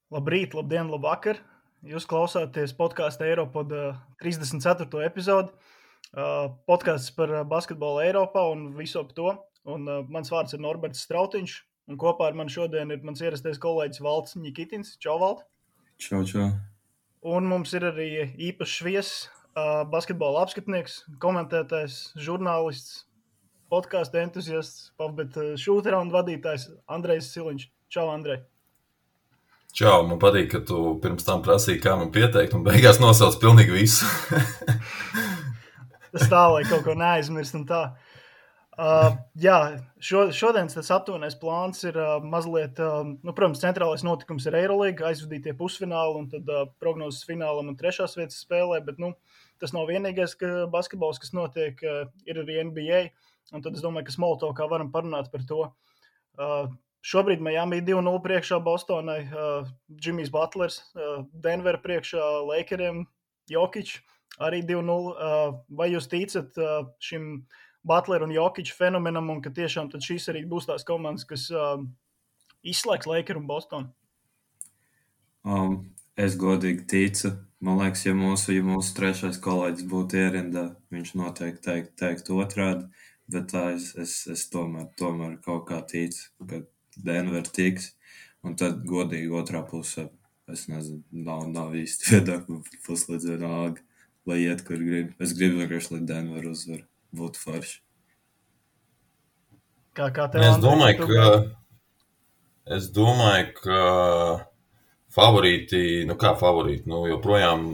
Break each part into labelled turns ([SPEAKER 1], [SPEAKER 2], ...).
[SPEAKER 1] Labrīt, labdien, labvakar! Jūs klausāties podkāstu Eiropod 34. epizodi. Podkāsts par basketbolu Eiropā un visu ap to. Mans vārds ir Norberts Strautiņš, un kopā ar mani šodien ir mans ierastais kolēģis Valds Ņikitins. Čau, Vald!
[SPEAKER 2] Čau, čau!
[SPEAKER 1] Un mums ir arī īpašs viesis, basketbola apskatnieks, komentētājs, žurnālists, podkāstu entuziasts, bet šūteraundu vadītājs Andrejs Siliņš. Čau, Andrej!
[SPEAKER 3] Čau, man patīk, ka tu pirms tam prasīji, kā man pieteikt, un beigās nosauc pilnīgi visu.
[SPEAKER 1] Tas tā, lai kaut ko neaizmirst un tā. Šodienas tas aptuvenais plāns ir mazliet, protams, centrālais notikums ir Eirolīga, aizvadītie pusfināli un tad prognozes finālam un trešās vietas spēlē, bet tas nav vienīgais basketbols, kas notiek, ir arī NBA, un tad es domāju, ka Smoltokā varam parunāt par to. Šobrīd Miami 2-0 priekšā Bostonai, Jimmys Butlers, Denver priekšā Lakeriem, Jokic arī 2-0. Vai jūs ticat šim Butler un Jokic fenomenam un ka tiešām tad šīs arī būs tās komandas, kas izslēgs Lakeru un Bostonu?
[SPEAKER 2] Es godīgi ticu. Man liekas, ja mūsu trešais kolēģis būtu ierindā, viņš noteikti teikt otrādi, bet tā es tomēr kaut kā ticu, ka Denver tiks, un tad godīgi otrā pusē, es nezinu, nav īsti viedokļu, puslīdz vienalga, lai iet, kur grib. Es gribu vienkārši, lai Denver uzvar, būtu forši.
[SPEAKER 1] Kā tev, Andrej?
[SPEAKER 3] Es domāju, ka favorīti, joprojām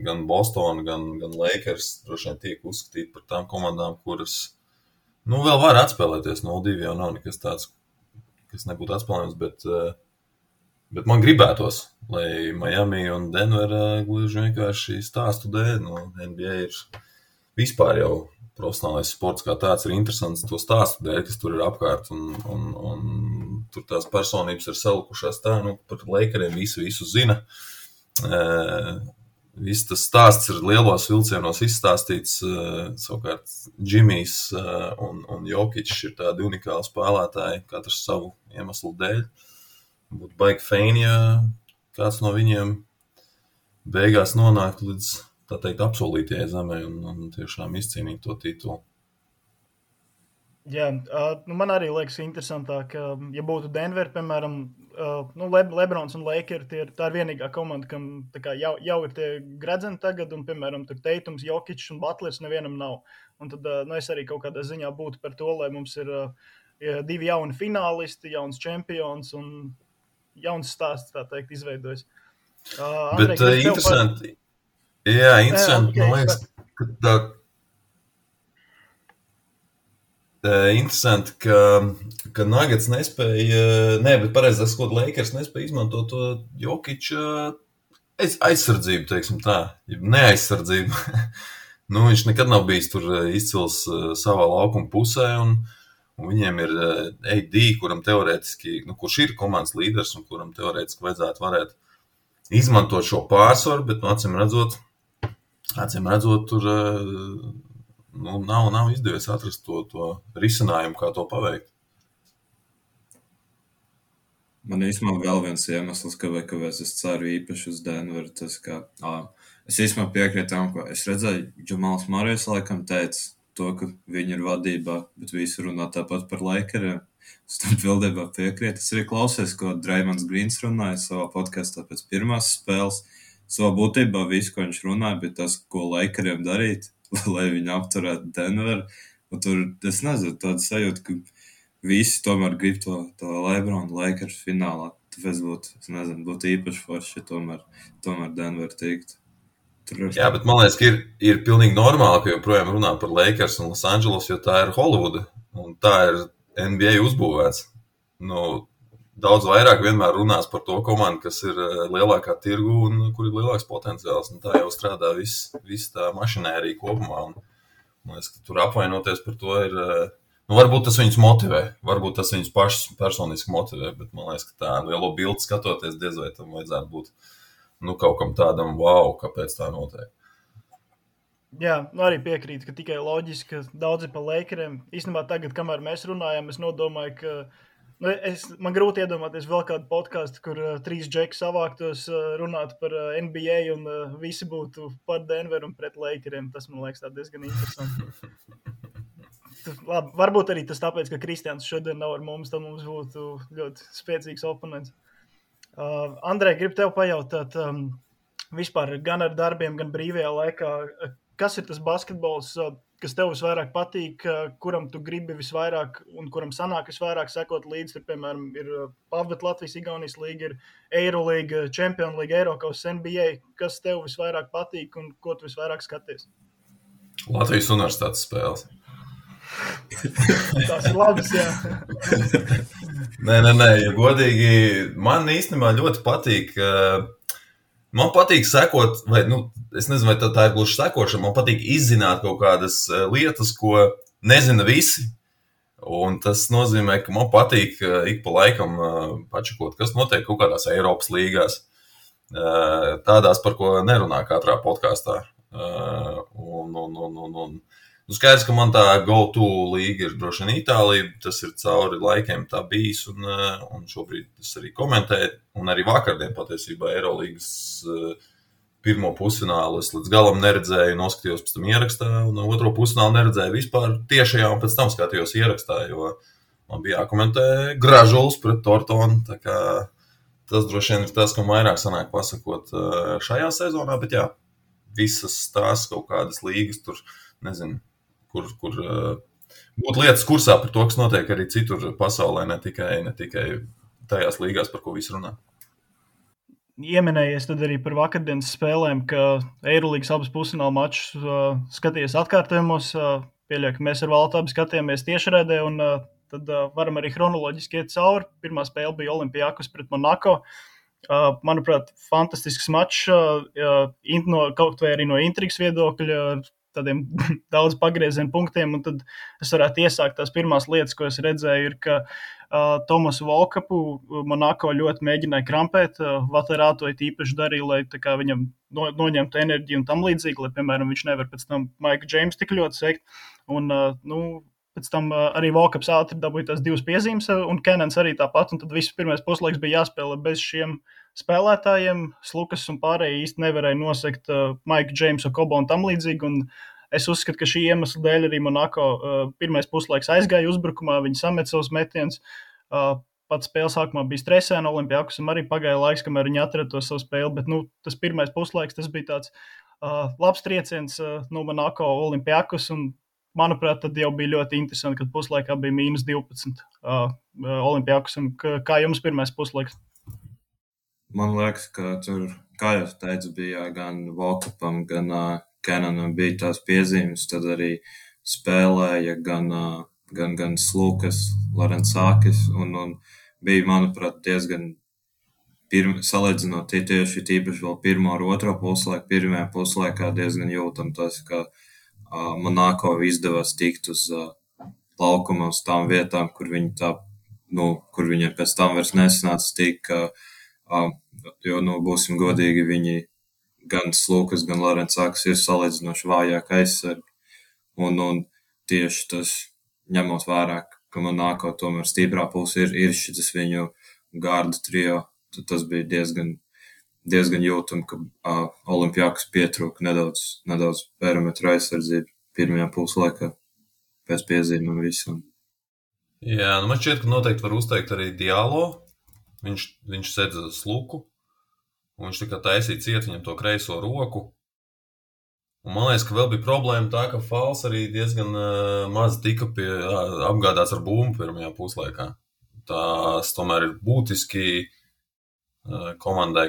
[SPEAKER 3] gan Boston, gan Lakers droši vien tiek uzskatīti par tām komandām, kuras vēl var atspēlēties. 0-2 jau nav nekas tāds, kas nebūtu atspēlējams, bet man gribētos, lai Miami un Denver gluži vienkārši stāstu dēļ. NBA ir vispār jau profesionālais sports kā tāds ir interesants to stāstu dēļ, kas tur ir apkārt, un tur tās personības ir salikušās tā, par Lakeriem visu zina. Viss tas stāsts ir lielos vilcienos izstāstīts, savukārt Jimmys un Jokic ir tādi unikāli spēlētāji, katrs savu iemeslu dēļ. Būtu baigi feini, ja kāds no viņiem beigās nonāktu līdz, tā teikt, apsolītajai zemē un tiešām izcīnīt to titulu.
[SPEAKER 1] Jā, man arī liekas interesantāk, ja būtu Denver, piemēram, Lebrons un Lakers, tā ir vienīgā komanda, kam tā kā jau ir tie gredzeni tagad, un, piemēram, tur Teitums, Jokic un Butlers nevienam nav. Un tad, es arī kaut kādā ziņā būtu par to, lai mums ir divi jauni finālisti, jauns čempions un jauns stāsts, tā teikt, izveidojas.
[SPEAKER 3] Bet interesanti, interesanti, man liekas, ka tā... Interesanti, ka Nuggets nespēja, bet pareizāk sakot, Lakers nespēja izmantot to Jokiča aizsardzību, teiksim tā, neaizsardzību. Viņš nekad nav bijis tur izcils savā laukuma pusē, un viņiem ir AD, kuram teorētiski, kurš ir komandas līderis, un kuram teorētiski varētu izmantot šo pārsvaru, bet, acīm redzot, tur... nav izdevies atrast to risinājumu, kā to paveikt.
[SPEAKER 2] Man īstenībā vēl viens iemesls, kāpēc es ceru īpaši uz Denveru, tas, ka es īstenībā piekrītu tam, ko es redzēju, Džamals Marijs laikam teica to, ka viņi ir vadībā, bet visi runā tāpat par Lakeriem. Es tam pildībā piekrītu. Es arī klausies, ko Draimonds Grīns runāja savā podkastā pēc pirmās spēles. Savā būtībā visu, ko viņš runāja, bija tas, ko Lakeriem darīt, lai viņi apturētu Denveru. Un tur, es nezinu, tāda sajūta, ka visi tomēr grib to LeBron Lakers finālā. Tāpēc būtu īpaši forši, ja tomēr Denver tiktu.
[SPEAKER 3] Jā, bet man liekas, ka ir pilnīgi normāli, ka joprojām runā par Lakers un Los Angeles, jo tā ir Holivuda. Un tā ir NBA uzbūvēts. Daudz vairāk vienmēr runās par to komandu, kas ir lielākā tirgu un kur ir lielāks potenciāls. Un tā jau strādā viss tā mašinērija kopumā. Un, man liekas, ka tur apvainoties par to ir... varbūt tas viņus motivē, varbūt tas viņus pašus personiski motivē, bet man liekas, ka tā lielo bildi skatoties, diez vai tam vajadzētu būt kaut kam tādam, wow, kāpēc tā notiek.
[SPEAKER 1] Jā, arī piekrītu, ka tikai loģiski, ka daudzi pa Lakeriem. Īstenībā tagad, kamēr mēs runājam, es nodomāju, ka Man grūti iedomāties vēl kādu podcastu, kur 3 džeki savāktos runāt par NBA un visi būtu par Denveru un pret Lakeriem. Tas man liekas diezgan interesanti. Labi, varbūt arī tas tāpēc, ka Kristians šodien nav ar mums, tad mums būtu ļoti spēcīgs oponents. Andrej, gribu tev pajautāt, vispār gan ar darbiem, gan brīvajā laikā, kas ir tas basketbols, kas tev visvairāk patīk, kuram tu gribi visvairāk un kuram sanāk visvairāk sekot līdzi? Tur, piemēram, ir Pavbet Latvijas Igaunijas līga, ir Eirolīga, Champions League, Eirokaus, NBA. Kas tev visvairāk patīk un ko tu visvairāk skaties?
[SPEAKER 3] Latvijas universitātes spēles.
[SPEAKER 1] Tas ir labs, jā.
[SPEAKER 3] Nē, ja godīgi, man īstenībā ļoti patīk, man patīk sekot, vai, es nezinu, vai tā ir gluži sekošana, man patīk izzināt kaut kādas lietas, ko nezina visi, un tas nozīmē, ka man patīk ik pa laikam pačakot, kas notiek kaut kādās Eiropas līgās, tādās, par ko nerunā katrā podkastā, skaidrs, ka man tā go-to līga ir droši vien Itālija, tas ir cauri laikiem tā bijis, un šobrīd es arī komentēju, un arī vakardien patiesībā Eirolīgas pirmo pusfinālu es līdz galam neredzēju, noskatījos pēc tam ierakstā, un otro pusfinālu neredzēju vispār tiešajā, un pēc tam skatījos ierakstā, jo man bija jākomentē Gražuls pret Tortonu, tā kā tas droši vien ir tas, ko vairāk sanāk pasakot šajā sezonā, bet jā, visas tās kaut kādas līgas tur, nezinu, kur būtu lietas kursā par to, kas notiek arī citur pasaulē, ne tikai tajās līgās, par ko visi runā.
[SPEAKER 1] Ieminējies tad arī par vakardienas spēlēm, ka Eirolīgas abas pusfināla mačus skatījies atkārtojumos. Pieļauju, ka mēs ar Valtu abi skatījāmies tiešraidē, un tad varam arī chronoloģiski iet cauri. Pirmā spēle bija Olimpiakos pret Monako. Manuprāt, fantastisks mačs, kaut vai arī no intrigas viedokļa, tādiem daudz pagriezienu punktiem, un tad es varētu iesākt tās pirmās lietas, ko es redzēju, ir, ka Tomasu Volkapu Monako ļoti mēģināja krampēt, Vaterāto īpaši darīja, lai tā kā viņam noņemtu enerģiju un tam līdzīgi, lai, piemēram, viņš nevar pēc tam Maika Džeimsu tik ļoti sekt, un, pēc tam arī Volkaps ātri dabūja tās 2 piezīmes, un Kenans arī tāpat, un tad viss pirmais puslaiks bija jāspēlē bez šiem spēlētājiem. Slukas un pārējie īsti nevarēja nosekt Maiku Džeimsu, Kobo un tam līdzīgi, un es uzskatu, ka šī iemesla dēļ arī Monako pirmais puslaiks aizgāja uzbrukumā, viņi samet savus metienus, pats spēles sākumā bija stresēna, Olimpiakosam arī pagāja laiks, kamēr viņi atrada to savu spēli, bet tas pirmais puslaiks, tas bija tāds labs trieciens no Monako Olimpiakos, un manuprāt, tad jau bija ļoti interesanti, kad puslaikā bija -12 Olimpiakosam. Kā jums pirmais puslaiks?
[SPEAKER 2] Man liekas, ka tur, kā jau teicu, bija gan Volkapam, gan Kenanam bija tās piezīmes, tad arī spēlēja gan Slukas, Larencākis, un bija, manuprāt, diezgan salīdzinot tieši tīpaši vēl pirmo ar otro puslaiku, pirmajā puslaikā diezgan jūtam tas, ka Monako izdevās tikt uz laukuma uz tām vietām, kur viņi pēc tam vairs nesanāca tikt, jo, būsim godīgi, viņi gan Slukas, gan Larencāks ir salīdzinoši vājāk aizsargi. Un tieši tas, ņemot vērā, ka Monako tomēr stiprā puse ir šitas viņu garda trio, tad tas bija diezgan jūtami, ka Olimpiakos pietrūka nedaudz perimetra aizsardzību pirmajā puslaikā pēc piezīmēm visam.
[SPEAKER 3] Jā, man šķiet, ka noteikti var uzteikt arī Dialo. Viņš sedza Sluku, un viņš tā kā taisīja ciet viņam to kreiso roku. Un man liekas, ka vēl bija problēma tā, ka Fals arī diezgan maz tika apgādāts ar bumbu pirmajā puslaikā. Tas tomēr ir būtiski komandai,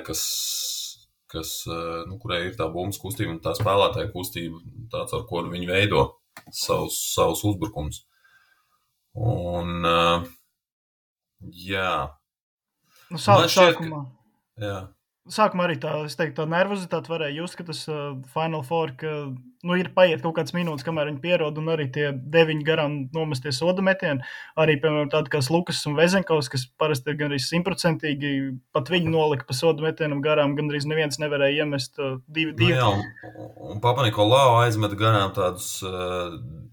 [SPEAKER 3] kurai ir tā bumbas kustība un tā spēlētāja kustība, tāds, ar ko viņi veido savus uzbrukums. Un, jā.
[SPEAKER 1] Sākumā.
[SPEAKER 3] Jā.
[SPEAKER 1] sākumā arī es teiktu, tā nervozitāte varēja just, ka tas Final Four, ka, ir paiet kaut kāds minūtes, kamēr viņi pierod, un arī tie 9 garām nomestie soda metieni. Arī, piemēram, tādi kā Lukas un Vezenkovs, kas parasti ir gandrīz 100%, pat viņi nolika pa soda metienam garām, gandrīz neviens nevarēja iemest divi.
[SPEAKER 3] Jā, un Papanikolaou aizmet garām tādus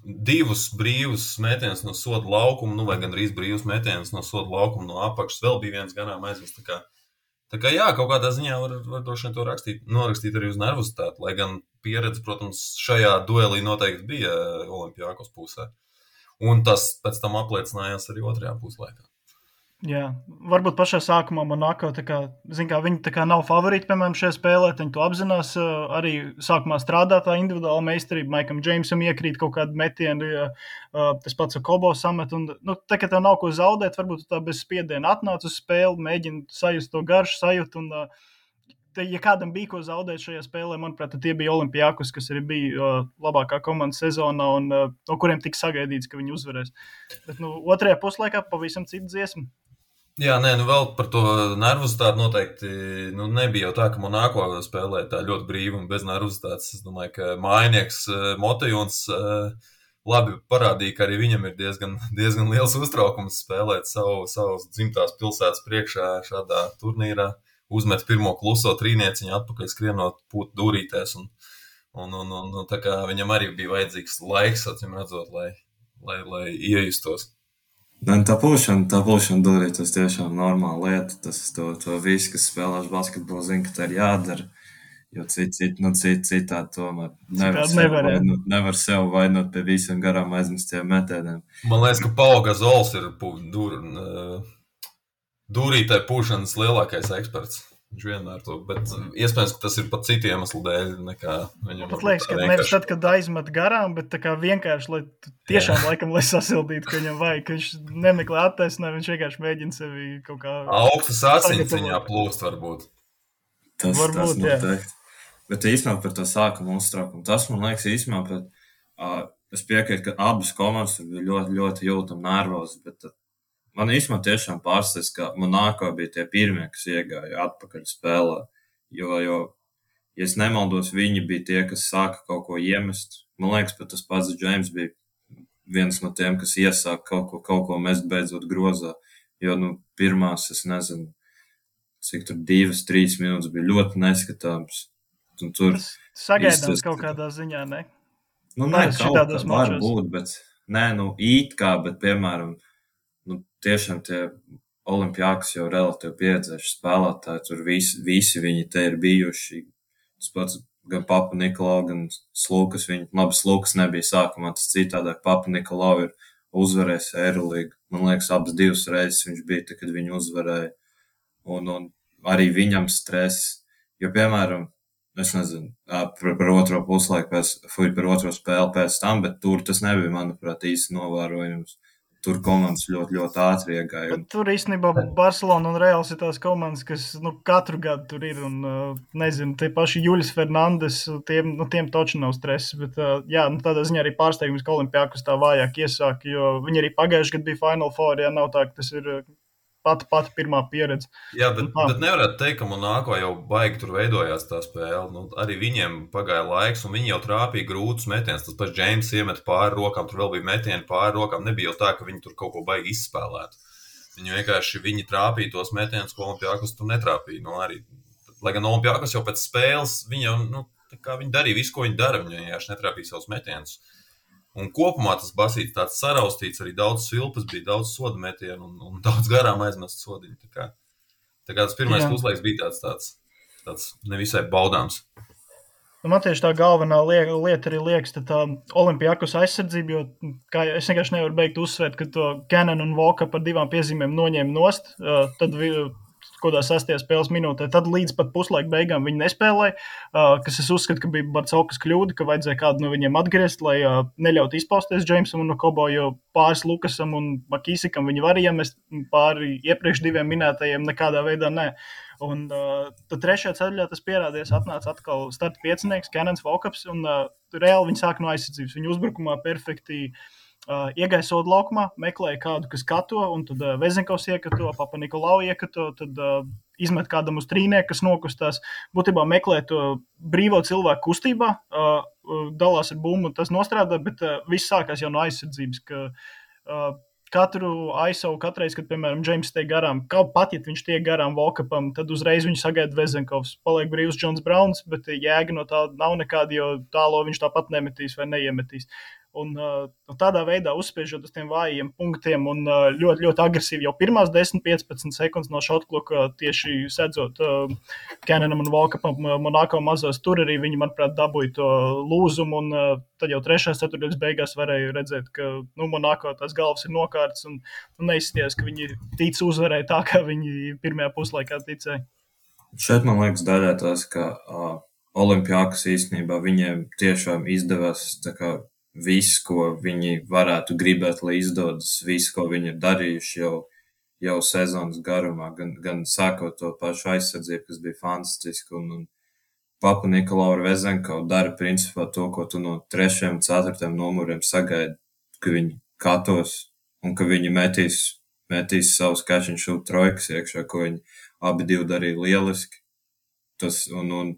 [SPEAKER 3] divus brīvus metienus no soda laukuma, vai gandrīz brīvus metienus no soda laukuma no apakšas. Vēl bija viens garām aizmest. Tā kā jā, kaut kādā ziņā var droši vien to norakstīt arī uz nervozitāti, lai gan pieredze, protams, šajā duelī noteikti bija Olimpiakos pusē. Un tas pēc tam apliecinājās arī otrajā puslaikā.
[SPEAKER 1] Jā, varbūt pašā sākumā Monako, viņi nav favorīti, piemēram, šajā spēlē, viņi to apzinās, arī sākumā strādā tā individuāla meistarība, Maikam Džeimsam iekrīt kaut kādu metienu, tas pats Kobo samet, un, tā kā tev nav ko zaudēt, varbūt tā bez spiediena atnāc uz spēli, mēģina sajust to garšu sajūtu, un, ja kādam bija ko zaudēt šajā spēlē, manuprāt, tie bija Olimpiakos, kas arī bija labākā komanda sezonā, un no kuriem tika sagaidīts, ka viņi uzvarēs. Bet, otrajā puslaikā pavisam cita dziesma.
[SPEAKER 3] Jā, vēl par to nervozitāti noteikti nebija jau tā, ka Monako spēlē tā ļoti brīvi un bez nervozitātes. Es domāju, ka mājinieks Motejons labi parādīja, ka arī viņam ir diezgan liels uztraukums spēlēt savas dzimtās pilsētas priekšā šādā turnīrā. Uzmet pirmo kluso trīnieciņu atpakaļ skrienot pūt dūrītēs. Un tā kā viņam arī bija vajadzīgs laiks, acīm redzot, lai iejustos.
[SPEAKER 2] Tā pulšana dūrī, tas tiešām normāla lieta. Tas to visi, kas spēlēš basketbolu, zina, ka tā ir jādara. Jo citādi tomēr nevar sev vainot pie visiem garām aizmestiem metieniem.
[SPEAKER 3] Man liekas, ka Pau Gasols ir dūrītē pūšanas lielākais eksperts. Viņš vienmēr to, bet iespējams, ka tas ir pat citu iemeslu dēļ nekā viņam.
[SPEAKER 1] Pat liekas, ka nevis tad, kad aizmet garām, bet tā kā vienkārši, lai tiešām laikam, lai sasildītu, ka viņam vajag, ka viņš nemeklē attaisnē, viņš vienkārši mēģina sevi kaut kā...
[SPEAKER 3] Augstas asins viņā plūst varbūt.
[SPEAKER 2] Tas noteikti. Bet īstenībā par to sākumu uztraukumu. Tas, man liekas, īstenībā, es piekrītu, ka abas komandas bija ļoti, ļoti jūtami nervozi, bet man īstenībā tiešām pārsteidz, ka Monako bija tie pirmie, kas iegāja atpakaļ spēlē, jo, ja es nemaldos, viņi bija tie, kas sāka kaut ko iemest. Man liekas, pat tas pats Džeims bija viens no tiem, kas iesāka kaut ko mest beidzot grozā, jo, pirmās, es nezinu, cik tur 2-3 minūtes bija ļoti neskatāms.
[SPEAKER 1] Tas sagaidāms kaut kādā ziņā, ne?
[SPEAKER 2] Nē, kaut kā var būt, bet, it kā, bet, piemēram, tiešām tie Olimpiakos jau relatīvi pieredzējuši spēlētāji, tur visi viņi te ir bijuši. Tas pats gan Papanikolaou, gan Slukas. Slukas nebija sākumā, tas citādāk. Papanikolaou ir uzvarējis Eirolīgu. Man liekas, abas 2 reizes viņš bija, tad, kad viņi uzvarēja. Un arī viņam stress. Jo, piemēram, es nezinu, par otro puslaiku, par otro spēli pēc tam, bet tur tas nebija, manuprāt, īsti novērojums. Tur komandas ļoti, ļoti ātri iegāja.
[SPEAKER 1] Tur īstenībā Barcelona un Reals ir tās komandas, kas katru gadu tur ir. Un, nezinu, tie paši Juļs Fernandes, tiem toči nav stresa. Bet, tādā ziņā arī pārsteigums, ka Olimpiakos tā vājāk iesāk, jo viņi arī pagājuši gadu bija Final Four, nav tā, ka tas ir pati pirmā pieredze.
[SPEAKER 3] Jā, bet nevarētu teikt, ka Monako jau baigi tur veidojās tā spēle. Arī viņiem pagāja laiks, un viņi jau trāpīja grūtus metienus. Tas pats Džeims iemet pāri rokām, tur vēl bija metieni pāri rokām. Nebija jau tā, ka viņi tur kaut ko baigi izspēlētu. Viņi trāpīja tos metienus, ko Olimpiakos tur netrāpīja. Lai gan Olimpiakos jau pēc spēles, viņi jau, viņi darīja visu, ko viņi dara. Viņi vienkārši netrāpīja savus metienus. Un kopumā tas basīts tāds saraustīts, arī daudz svilpas bija, daudz soda metienu un daudz garām aizmest sodiņu. Tā kā tas pirmais puslaiks bija tāds nevisai baudāms.
[SPEAKER 1] Man tieši tā galvenā lieta arī liekas, tā Olimpiakos aizsardzība, jo kā es vienkārši nevaru beigt uzsvērt, ka to Cannon un Voka par 2 piezīmēm noņēma nost, tad kādā 6. spēles minūtē, tad līdz pat puslaika beigām viņi nespēlēja, kas es uzskatu, ka bija Barcaukas kļūda, ka vajadzēja kādu no viņiem atgriezt, lai neļaut izpausties Džeimsam un Kobo, jo pāris Lukasam un Makīsikam viņi var iemest, pāri iepriekš 2 minētajiem nekādā veidā nē. Un tad 3. ceļā tas pierādījās, atnāca atkal starta piecinieks, Cannons, Vokaps, un reāli viņi sāk no aizsardzības. Viņi uzbrukumā perfekti iegāja soda laukumā, meklēja kādu, kas kato, un tad Vezenkovs iekato, Papanikolaou iekato, tad izmet kādam uz trīnē, kas nokustās, būtībā meklē to brīvo cilvēku kustībā, dalās ar bumbu, tas nostrādā, bet viss sākās jau no aizsardzības, ka katru ISO, katreiz, kad, piemēram, Džeims tiek garām, pat, ja viņš tiek garām Volkapam, tad uzreiz viņu sagaida Vezenkovs. Paliek brīvs Džons Brauns, bet jēga no tā nav nekāda, jo tālo viņš tāpat nemetīs vai neiemetīs. Un tādā veidā uzspiežot uz tiem vājiem punktiem un ļoti, ļoti agresīvi jau pirmās 10-15 sekundes no šotkloka tieši sedzot Cannonam un Volkapam Monako mazos, tur arī viņi, manuprāt, dabūja to lūzumu, un tad jau 3. ceturtdaļas beigās varēja redzēt, ka Monako tās galvas ir nokārtas un neizskatījās, ka viņi tic uzvarēja tā, kā viņi pirmajā puslaikā ticēja.
[SPEAKER 2] Šeit man liekas daļā tās, ka Olimpiakos īstenībā viņiem tiešām izdevās tā kā viss, ko viņi varētu gribēt, lai izdodas, viss, ko viņi ir darījuši jau sezonas garumā, gan sākot to pašu aizsardzību, kas bija fantastiski, un Papa Nikolau ar Vezenkovu dara principā to, ko tu no 3. un 4. numuriem sagaidi, ka viņi katos un ka viņi metīs savus catch and shoot trojkas iekšā, ko viņi abi divi darīja lieliski. Tas, un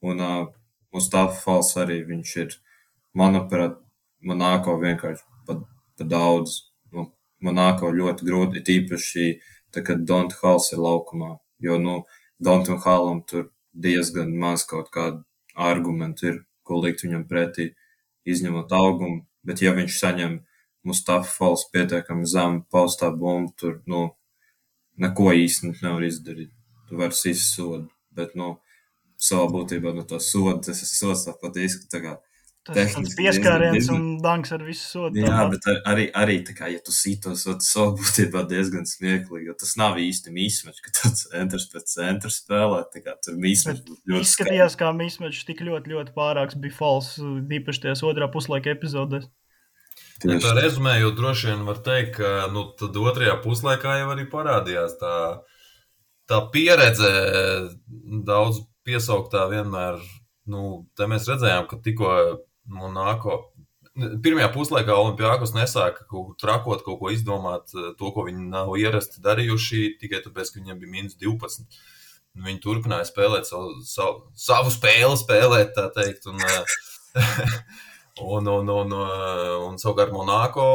[SPEAKER 2] Mustafa Fals arī viņš ir, manuprāt, Monako vienkārši pa daudz. Monako ļoti grūti, tīpaši tā, kad Donta Halls ir laukumā, jo, Dontam Hallam tur diezgan maz kaut kādu argumentu ir, ko likt viņam pretī, izņemot augumu, bet ja viņš saņem Mustafa Fals pietiekami zemu paustā bumbu, tur, neko īsti nevar izdarīt. Tu vari sist sodu, bet, savā būtībā no to sodu, tas ir sods tāpat izskatā.
[SPEAKER 1] Tas pieskāriens un danks ar visu sodu.
[SPEAKER 2] Jā, bet arī tā kā, ja tu sītos, tas būtībā diezgan smieklīgi, jo tas nav īsti mismatch, ka tāds centrs pēc centra spēlē, tā kā tur mismatch ļoti
[SPEAKER 1] izskatījās, kā mismatch tik ļoti, ļoti pārāks bija Fals, īpaši tajās 2. puslaika epizodēs.
[SPEAKER 3] Ja tā rezumējot, droši vien var teikt, ka tad 2. puslaikā jau arī parādījās tā pieredze daudz piesauktā vienmēr, te mēs redzējām, ka tikko Monako. Pirmajā puslaikā Olimpiakos nesāka trakot, kaut ko izdomāt, to, ko viņi nav ierasti darījuši, tikai tāpēc, ka viņiem bija -12. Viņi turpināja spēlēt savu spēli spēlēt, tā teikt, un savukārt Monako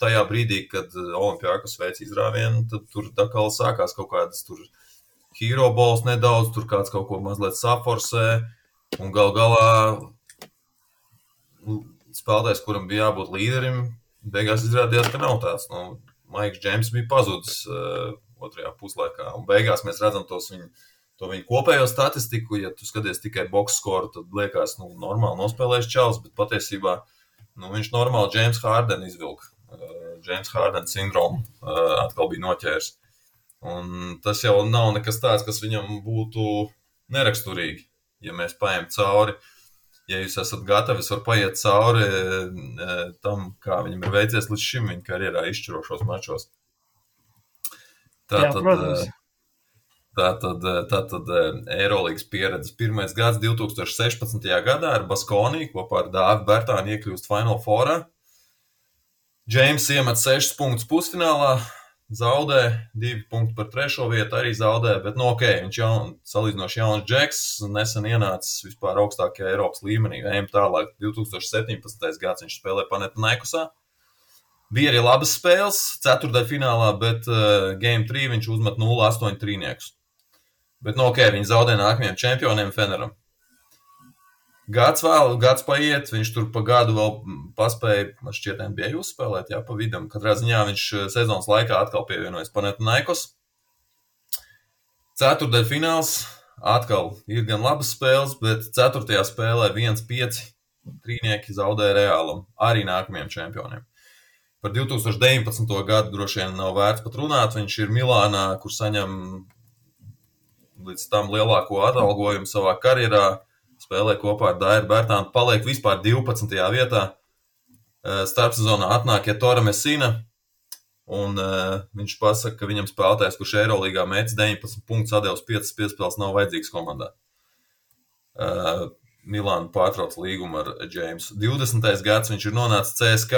[SPEAKER 3] tajā brīdī, kad Olimpiakos veic izrāvienu, tad tur atkal sākās kaut kādas tur hero balls nedaudz, tur kāds kaut ko mazliet saforsē, un galā spēlētājs, kuram bija jābūt līderim, beigās izrādījās, ka nav tāds. Maiks Džeims bija pazudis 2. puslaikā, un beigās mēs redzam to viņu kopējo statistiku. Ja tu skaties tikai box skoru, tad liekas, normāli nospēlējis čalis, bet patiesībā viņš normāli James Harden izvilka. James Harden sindromu atkal bija noķēris. Un tas jau nav nekas tāds, kas viņam būtu neraksturīgi, ja mēs paejam cauri. Ja jūs esat gatavi, es varu paiet cauri tam, kā viņam ir veicies līdz šim viņa karjerā izšķirošos mačos. Tātad Eirolīgas pieredzes pirmais gads 2016. gadā ar Baskoniju kopā ar Dāvi Bertāni iekļūst Final Fourā. Džeims iemet 6 punktus pusfinālā, zaudē 2 punktus par 3. vietu, arī zaudē, bet viņš salīdzinoši jauns džeks, nesen ienācis vispār augstākajā Eiropas līmenī. Ejam tālāk, 2017. gads viņš spēlē Panathinaikosā. Bija arī labas spēles, ceturtdaļfinālā, bet Game 3 viņš uzmet 0,8 trīniekus. Bet viņi zaudē nākamajiem čempioniem Feneram. Gads paiet, viņš tur pa gadu vēl paspēja, man šķiet, NBA uzspēlēt, pa vidam. Katrā ziņā viņš sezonas laikā atkal pievienojas Panathinaikos. Ceturtdaļfināls atkal ir gan labas spēles, bet 4. spēlē 1,5 trīnieki zaudē Reālam, arī nākamajiem čempioniem. Par 2019. gadu droši vien nav vērts pat runāt, viņš ir Milānā, kur saņem līdz tam lielāko atalgojumu savā karjerā. Spēlē kopā ar Dairu Bertānu, paliek vispār 12. vietā. Starpsezonā atnāk Ettore Messina, un viņš pasaka, ka viņam spēlētājs, kurš Eirolīgā mēģis 19 punktus, atdevis 5 piespēles, nav vajadzīgs komandā. Milāna pārtrauc līgumu ar Džeimsu. 20. gads viņš ir nonācis CSK,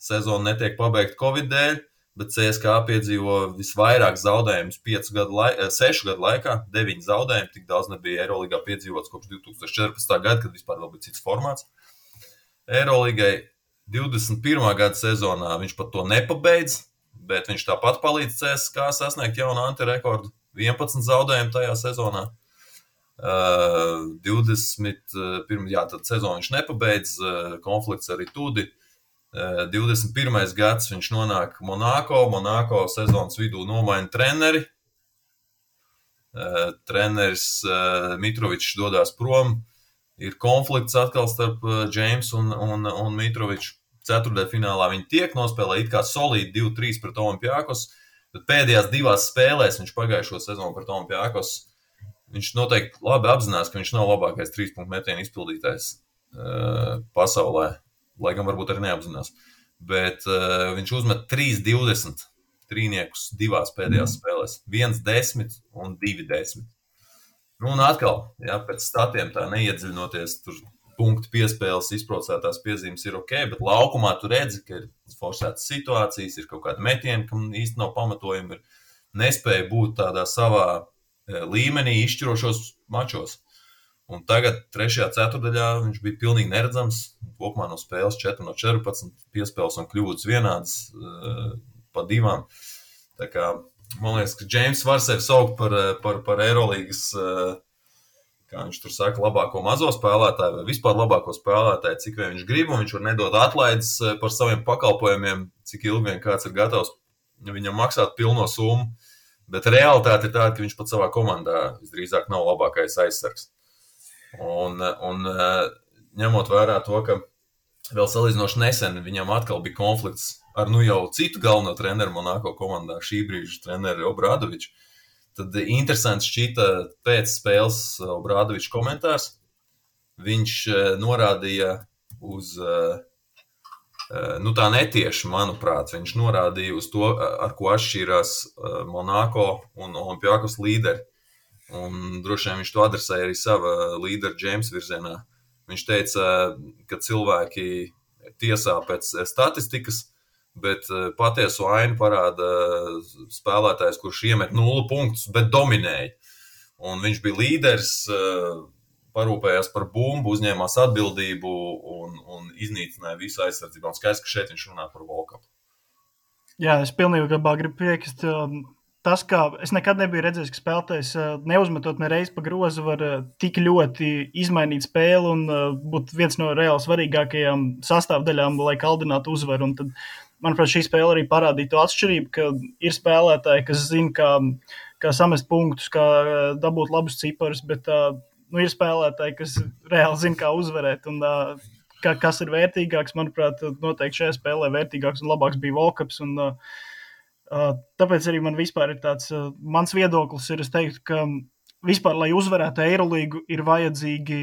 [SPEAKER 3] sezona netiek pabeigta Covid dēļ, bet CSKA piedzīvo visvairāk zaudējumus 6 gadu laikā, 9 zaudējumi, tik daudz nebija Eiroligā piedzīvots kopš 2014. Gada, kad vispār vēl bija cits formāts. Eiroligai 21. gada sezonā viņš pat to nepabeidz, bet viņš tāpat palīdz CSKA sasniegt jaunu antirekordu. 11 zaudējumu tajā sezonā. 21. Tad sezonu viņš nepabeidz, konflikts arī tudi. 21. gads viņš nonāk Monako sezonas vidū nomaina treneri. Treneris Mitrovičs dodās prom. Ir konflikts atkal starp Jamesu un Mitroviču. Ceturtdaļfinālā viņi tiek nospēlē it kā solīdi 2-3 pret Olimpiakos, bet pēdējās 2 spēlēs viņš pagājušo sezonu pret Olimpiakos. Viņš noteikti labi apzinās, ka viņš nav labākais 3-punktu metienu izpildītājs pasaulē, lai gan varbūt arī neapzinās. Bet viņš uzmet 3-20 trīniekus 2 pēdējās spēlēs. 1-10 un 2-10. Nu, un atkal, pēc statiem tā neiedziļinoties, tur punktu piespēles, izprocētās piezīmes ir ok, bet laukumā tu redzi, ka ir forsētas situācijas, ir kaut kādi metieni, kam īsti nav pamatojumi, ir nespēja būt tādā savā līmenī izšķirošos mačos. Un tagad 3. ceturdaļā viņš bija pilnīgi neredzams, kopumā no spēles 4-14, piespēles un kļūdas vienādas pa 2. Tā kā man liekas, ka James var sevi saukt par Eirolīgas, kā viņš tur saka, labāko mazo spēlētāju vai vispār labāko spēlētāju, cik vien viņš grib, un viņš var nedot atlaides par saviem pakalpojumiem, cik ilgi vien kāds ir gatavs viņam maksāt pilno summu, bet realitāte ir tāda, ka viņš pat savā komandā visdrīzāk nav labākais aizsargs. Un ņemot vērā to, ka vēl salīdzinoši nesen viņam atkal bija konflikts ar jau citu galveno treneru Monako komandā, šī brīža treneru Obradoviču. Tad interesants šķita pēc spēles Obradoviča komentārs. Viņš norādīja uz, tā netieši, manuprāt, viņš norādīja uz to, ar ko atšķīrās Monako un Olimpiakos līderi. Un droši vien viņš to adresēja arī sava līdera James virzienā. Viņš teica, ka cilvēki tiesā pēc statistikas, bet patieso ainu parāda spēlētājs, kurš iemet 0 punktus, bet dominēja. Un viņš bija līderis, parūpējās par bumbu, uzņēmās atbildību un iznīcināja visu aizsardzību. Un skaidrs, ka šeit viņš runā par Volkapu.
[SPEAKER 1] Jā, es pilnībā gribu piekrist. Tas, kā es nekad nebiju redzējis, ka spēlētājs neuzmetot nereiz pa grozu var tik ļoti izmainīt spēli un būt viens no reāli svarīgākajām sastāvdaļām, lai kaldinātu uzvaru. Un tad, manuprāt, šī spēle arī parādīja to atšķirību, ka ir spēlētāji, kas zina, kā samest punktus, kā dabūt labus ciparus, bet ir spēlētāji, kas reāli zina, kā uzvarēt. Un kas ir vērtīgāks, manuprāt, noteikti šajā spēlē vērtīgāks un labāks bija Volkaps. Un tāpēc arī man vispār ir tāds, mans viedoklis ir, es teiktu, ka vispār, lai uzvarētu Eirolīgu, ir vajadzīgi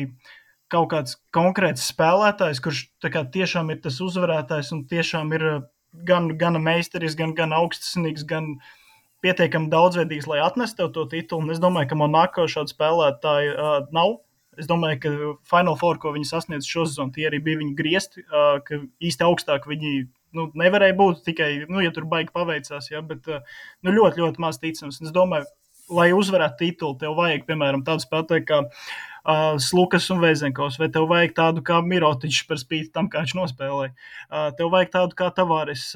[SPEAKER 1] kaut kāds konkrēts spēlētājs, kurš tā kā tiešām ir tas uzvarētājs un tiešām ir gan meisteris, gan augstsnīgs, gan pietiekami daudzveidīgs, lai atnestu tev to titulu. Un es domāju, ka Monako šādu spēlētāju nav. Es domāju, ka Final Four, ko viņi sasniedz šo sezonu, tie arī bija viņi griezti, ka īsti augstāk viņi nevarēja būt tikai, ja tur baigi paveicās, bet ļoti, ļoti maz ticams. Es domāju, lai uzvarētu titulu, tev vajag, piemēram, tādu spēlētāju kā Slukas un Vezenkovs, vai tev vajag tādu kā Mirotičs par spīti tam, kā viņš nospēlēja. Tev vajag tādu kā Tavares.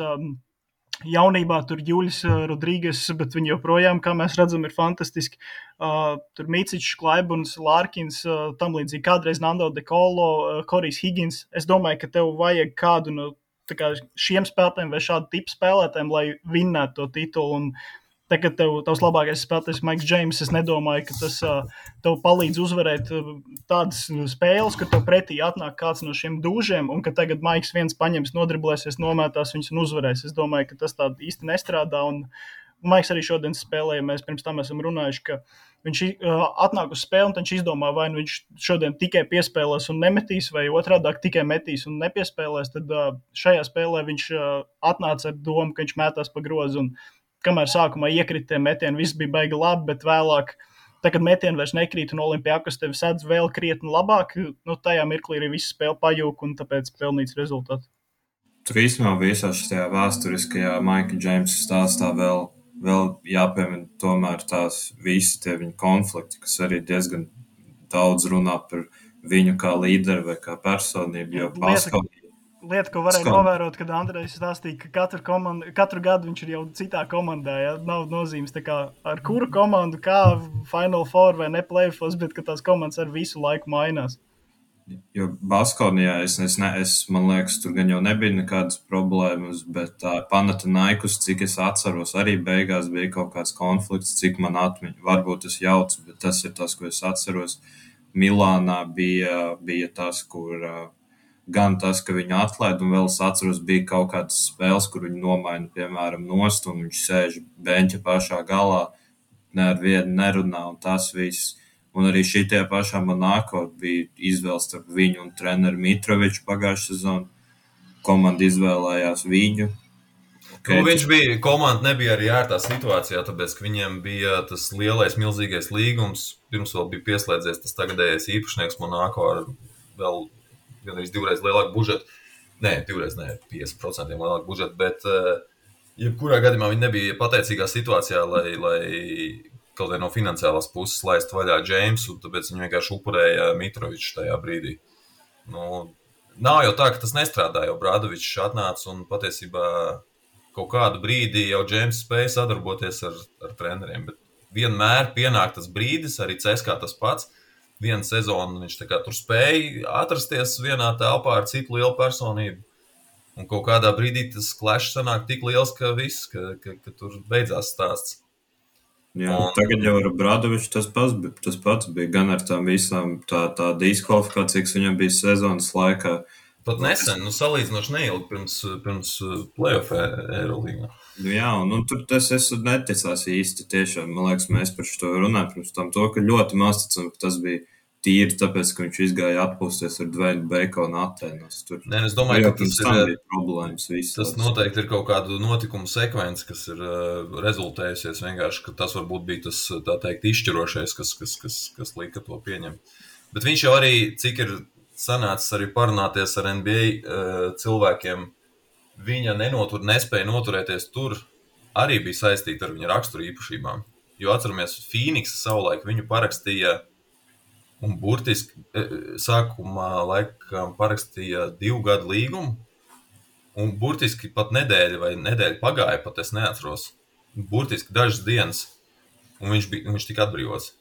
[SPEAKER 1] Jaunībā tur Juļs Rodrīgas, bet viņi joprojām, kā mēs redzam, ir fantastiski. Tur Micičs, Klaibuns, Lārkins, tam līdzīgi kādreiz Nando De Colo, Korijs Higgins. Es domāju, ka tev vajag kādu no šiem spēlētājiem vai šādu tipu spēlētājiem, lai vinnētu to titulu. Un tagad tavs labākais spēlētājs Maiks Džeims, es nedomāju, ka tas tev palīdz uzvarēt tādas spēles, ka tev pretī atnāk kāds no šiem dūžiem, un ka tagad Maiks viens paņems, nodriblēsies, nomētās viņus un uzvarēs. Es domāju, ka tas tā īsti nestrādā, un Maiks arī šodien spēlēja, mēs pirms tam esam runājuši, ka viņš atnāk uz spēli, un viņš izdomā, vai viņš šodien tikai piespēlēs un nemetīs, vai otrādāk tikai metīs un nepiespēlēs, tad šajā spēlē viņš atnāca ar domu, ka viņš mētās pa grozu, un kamēr sākumā iekrita tie metieni, viss bija baigi labi, bet vēlāk, kad metieni vairs nekrīt un Olimpiakos tevi sedz vēl krietni labāk, tajā mirklī arī viss spēle pajūk un tāpēc pelnīts rezultāts.
[SPEAKER 2] tur īstenībā visā šajā vēsturiskajā Maika Džeimsa stāstā vēl jāpiemina tomēr tās visi tie viņa konflikti, kas arī diezgan daudz runā par viņu kā līderi vai kā personību, jo
[SPEAKER 1] Lieta, ko varēja novērot, kad Andrejs stāstīja, ka katru gadu viņš ir jau citā komandā, ja? Nav nozīmes tā kā ar kuru komandu, kā Final Four vai ne playoffs, bet ka tās komandas ar visu laiku mainās.
[SPEAKER 2] Jo Baskonijā man liekas, tur gan jau nebija nekādas problēmas, bet Panathinaikos, cik es atceros, arī beigās bija kaut kāds konflikts, cik man atmiņa. Varbūt es jaucu, bet tas ir tas, ko es atceros. Milānā bija tas, kur gan tas, ka viņu atlaid, un vēl es atceros, bija kaut kādas spēles, kur viņu nomaina, piemēram, nost, un viņš sēž beņķa pašā galā, ne ar vienu nerunā, un tas viss. Un arī šitie pašā Monako bija izvēles starp viņu un treneru Mitroviču pagājušā sezonu. Komanda izvēlējās viņu.
[SPEAKER 3] Komanda nebija arī ērtā situācijā, tāpēc, ka viņiem bija tas lielais, milzīgais līgums. Pirms vēl bija pieslēdzies tas tagadējais īpašnieks Monako ar vēl gandrīz divreiz lielāku budžetu. Nē, 50% lielāku budžetu, bet jebkurā gadījumā viņi nebija pateicīgā situācijā, lai kaut vai no finansiālās puses laist vaļā Džeimsu, tāpēc viņi vienkārši upurēja Mitroviču tajā brīdī. Nav jau tā, ka tas nestrādā, jo Bradovičs atnāca un patiesībā kaut kādu brīdi jau Džeims spēja sadarboties ar treneriem, bet vienmēr pienāk tas brīdis, arī CSKA tas pats. Vienu sezonu viņš tā kā tur spēja atrasties vienā telpā ar citu lielu personību. Un kaut kādā brīdī tas clash sanāk tik liels, ka viss, ka tur beidzās stāsts.
[SPEAKER 2] Jā, tagad jau ar Bradoviču tas pats bija gan ar tām visām tā diskvalifikācija, kas viņam bija sezonas laikā.
[SPEAKER 3] Pat nesen, salīdzinoši neilgi pirms playoff Eirolīgā.
[SPEAKER 2] Jā, un tur es neticās īsti tiešām. Man liekas, mēs par šo runājam pirms tam to, ka ļoti maz ticam, ka tas bija tīri tāpēc, ka viņš izgāja atpūsties ar Dwayne Baconu Atēnos.
[SPEAKER 3] Nē, es domāju, ka
[SPEAKER 2] tas
[SPEAKER 3] noteikti ir kaut kādu notikumu sekvence, kas ir rezultējusies vienkārši, ka tas varbūt bija tas, tā teikt, izšķirošais, kas lika to pieņemt. Bet viņš jau arī, cik ir sanācis arī parunāties ar NBA cilvēkiem, viņa nespēja noturēties tur, arī bija saistīta ar viņa raksturu īpašībām. Jo atceramies, Phoenix savulaik viņu parakstīja un burtiski sākumā laikam parakstīja 2 gadu līgumu, un burtiski pat nedēļa pagāja, pat es neatceros. Burtiski dažas dienas, un viņš tika atbrīvots.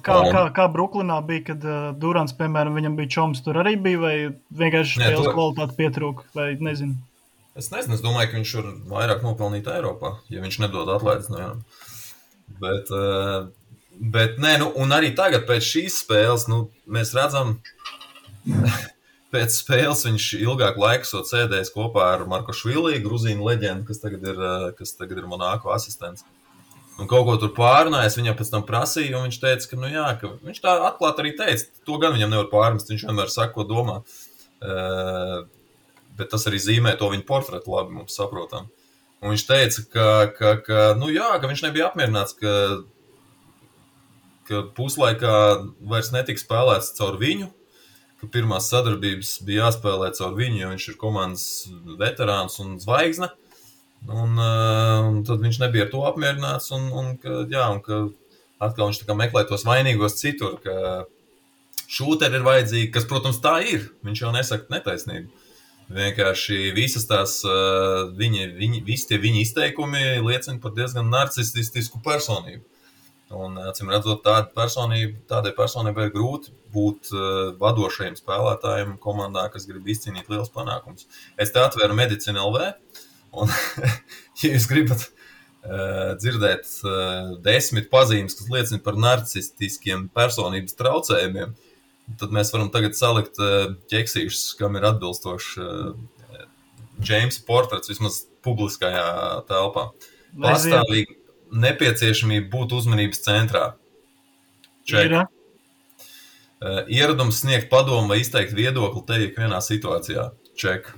[SPEAKER 1] Kā Bruklinā bija, kad Durants, piemēram, viņam bija čoms, tur arī bija, vai vienkārši spēles kvalitāte pietrūka, vai nezinu?
[SPEAKER 3] Es nezinu, es domāju, ka viņš var vairāk nopelnīt Eiropā, ja viņš nedod atlaides no jām. Bet nē, un arī tagad pēc šīs spēles, mēs redzam, pēc spēles viņš ilgāku laiku sēdējis kopā ar Markošvili, Gruzīnu leģendu, kas tagad ir Monako asistents. Un kaut ko tur pārunājis, viņam pēc tam prasīja, un viņš teica, ka viņš tā atklāt arī teica, to gan viņam nevar pārmest, viņš vienmēr saka, ko domā. Bet tas arī zīmē to viņa portretu labi, mums saprotam. Un viņš teica, ka viņš nebija apmierināts, ka puslaikā vairs netika spēlēts caur viņu, ka pirmās sadarbības bija jāspēlē caur viņu, jo viņš ir komandas veterāns un zvaigzne. Un tad viņš nebija ar to apmierināts, un ka atkal viņš tā kā meklē tos vainīgos citur, ka šūteri ir vajadzīgi, kas, protams, tā ir. Viņš jau nesaka netaisnību. Vienkārši visas tās, visi tie viņa izteikumi liecina par diezgan narcistisku personību. Un, acīm redzot, tādai personībai ir grūti būt vadošajiem spēlētājiem komandā, kas grib izcīnīt liels panākums. Es te atveru Medicina LV. Un, ja jūs gribat dzirdēt 10 pazīmes, kas liecina par narcistiskiem personības traucējumiem, tad mēs varam tagad salikt ķeksīšus, kam ir atbilstoši Džeimsa portrets vismaz publiskajā telpā. Pastāvīgi nepieciešamība būt uzmanības centrā. Ček. Ieradums sniegt padomu vai izteikt viedokli te ikvienā situācijā. Ček.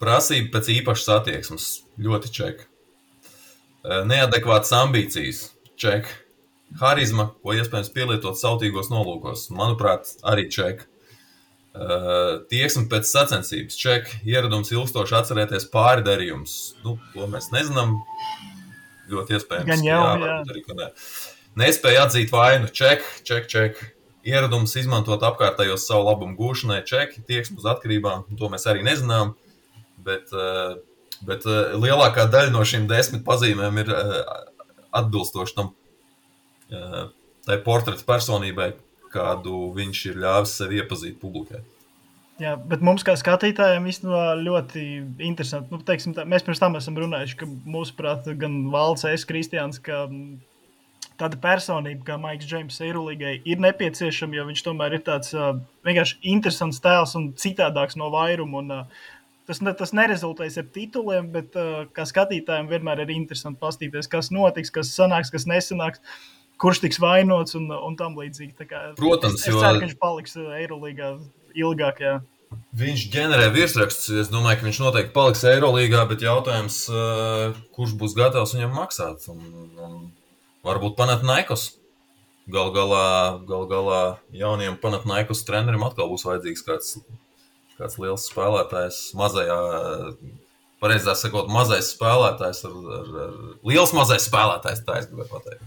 [SPEAKER 3] Prasība pēc īpašas attieksmes, ļoti ček. Neadekvātas ambīcijas, ček. Harizma, ko iespējams pielietot sautīgos nolūkos, manuprāt, arī ček. Tieksme pēc sacensības. Ček, ieradums ilgstoši atcerēties pāri darījums. To mēs nezinām. Ļoti iespējams,
[SPEAKER 1] Gan jau,
[SPEAKER 3] varbūt arī, ka ne. Nespēja atzīt vainu. Ček. Ieradums izmantot apkārtējos savu labumu gūšanai. Ček, tieksme uz atkarībām. To mēs arī nezinām. Bet lielākā daļa no šīm 10 pazīmēm ir atbilstoši tam tai portreta personībai, kādu viņš ir ļāvis sevi iepazīt publikai.
[SPEAKER 1] Jā, bet mums kā skatītājiem īstenībā ļoti interesanti. Teiksim, mēs pirms tam esam runājuši, ka mūsuprāt gan Valds, Kristiāns, ka tāda personība kā Maiks Džeimss Eirolīgai ir nepieciešama, jo viņš tomēr ir tāds vienkārši interesants tēls un citādāks no vairuma. Un, tas nerezultēs ar tituliem, bet kā skatītājiem vienmēr ir interesanti pastīties, kas notiks, kas sanāks, kas nesanāks, kurš tiks vainots un tam līdzīgi.
[SPEAKER 3] Protams,
[SPEAKER 1] es ceru, ka viņš paliks Eirolīgā ilgāk, jā.
[SPEAKER 3] Viņš ģenerē virsrakstus. Es domāju, ka viņš noteikti paliks Eirolīgā, bet jautājums, kurš būs gatavs viņam maksāt. Un varbūt Panathinaikos. Gal galā jauniem Panathinaikos trenerim atkal būs vajadzīgs kāds liels spēlētājs, pareizāk sakot, mazais spēlētājs liels mazais spēlētājs, tā es gribēju pateikt.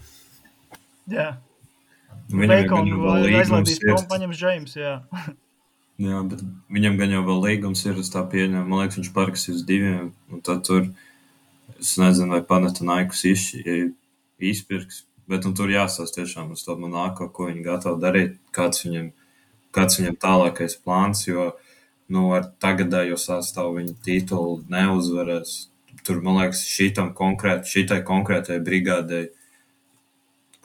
[SPEAKER 1] Jā.
[SPEAKER 2] Viņam
[SPEAKER 1] aizlaidīs prom paņems Džeimss, jā.
[SPEAKER 2] Jā, bet viņam gan jau vēl līgums ir, es tā pieņemu. Man liekas, viņš parakstīs 2, un tad tur, es nezinu, vai Panathinaikos izpirks, bet tur jāsās tiešām uz to Monako, ko viņi gatavi darīt, kāds viņam tālākais plāns, jo, ar tagadējo sastāvu viņa titulu neuzvarēs. Tur, man liekas, šitai konkrētai brigādei,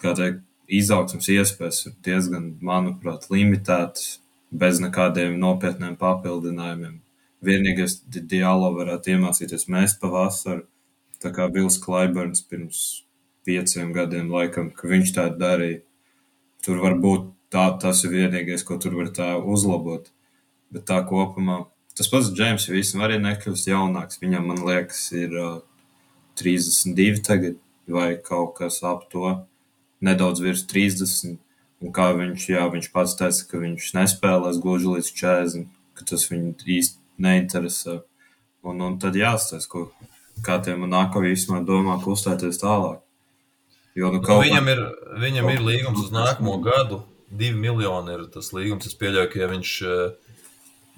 [SPEAKER 2] kādai izaugsmas iespējas ir diezgan, manuprāt, limitētas, bez nekādiem nopietniem papildinājumiem. Vienīgais Diallo varētu iemācīties mest pa vasaru, tā kā Bills Clyburns pirms 5 gadiem laikam, ka viņš tā darīja. Tur varbūt tas ir vienīgais, ko tur var tā uzlabot. Bet tā kopumā, tas pats Džeimss visam arī nekļūst jaunāks. Viņam, man liekas, ir 32 tagad vai kaut kas ap to, nedaudz virs 30. Un kā viņš pats teica, ka viņš nespēlēs gluži līdz 40, ka tas viņu īsti neinteresē. Un tad jāstāsta, kā tie Monako īstenībā domā kustēties tālāk. Jo,
[SPEAKER 3] viņam ir līgums uz nākamo gadu, 2 miljoni ir tas līgums. Es pieļauju, ka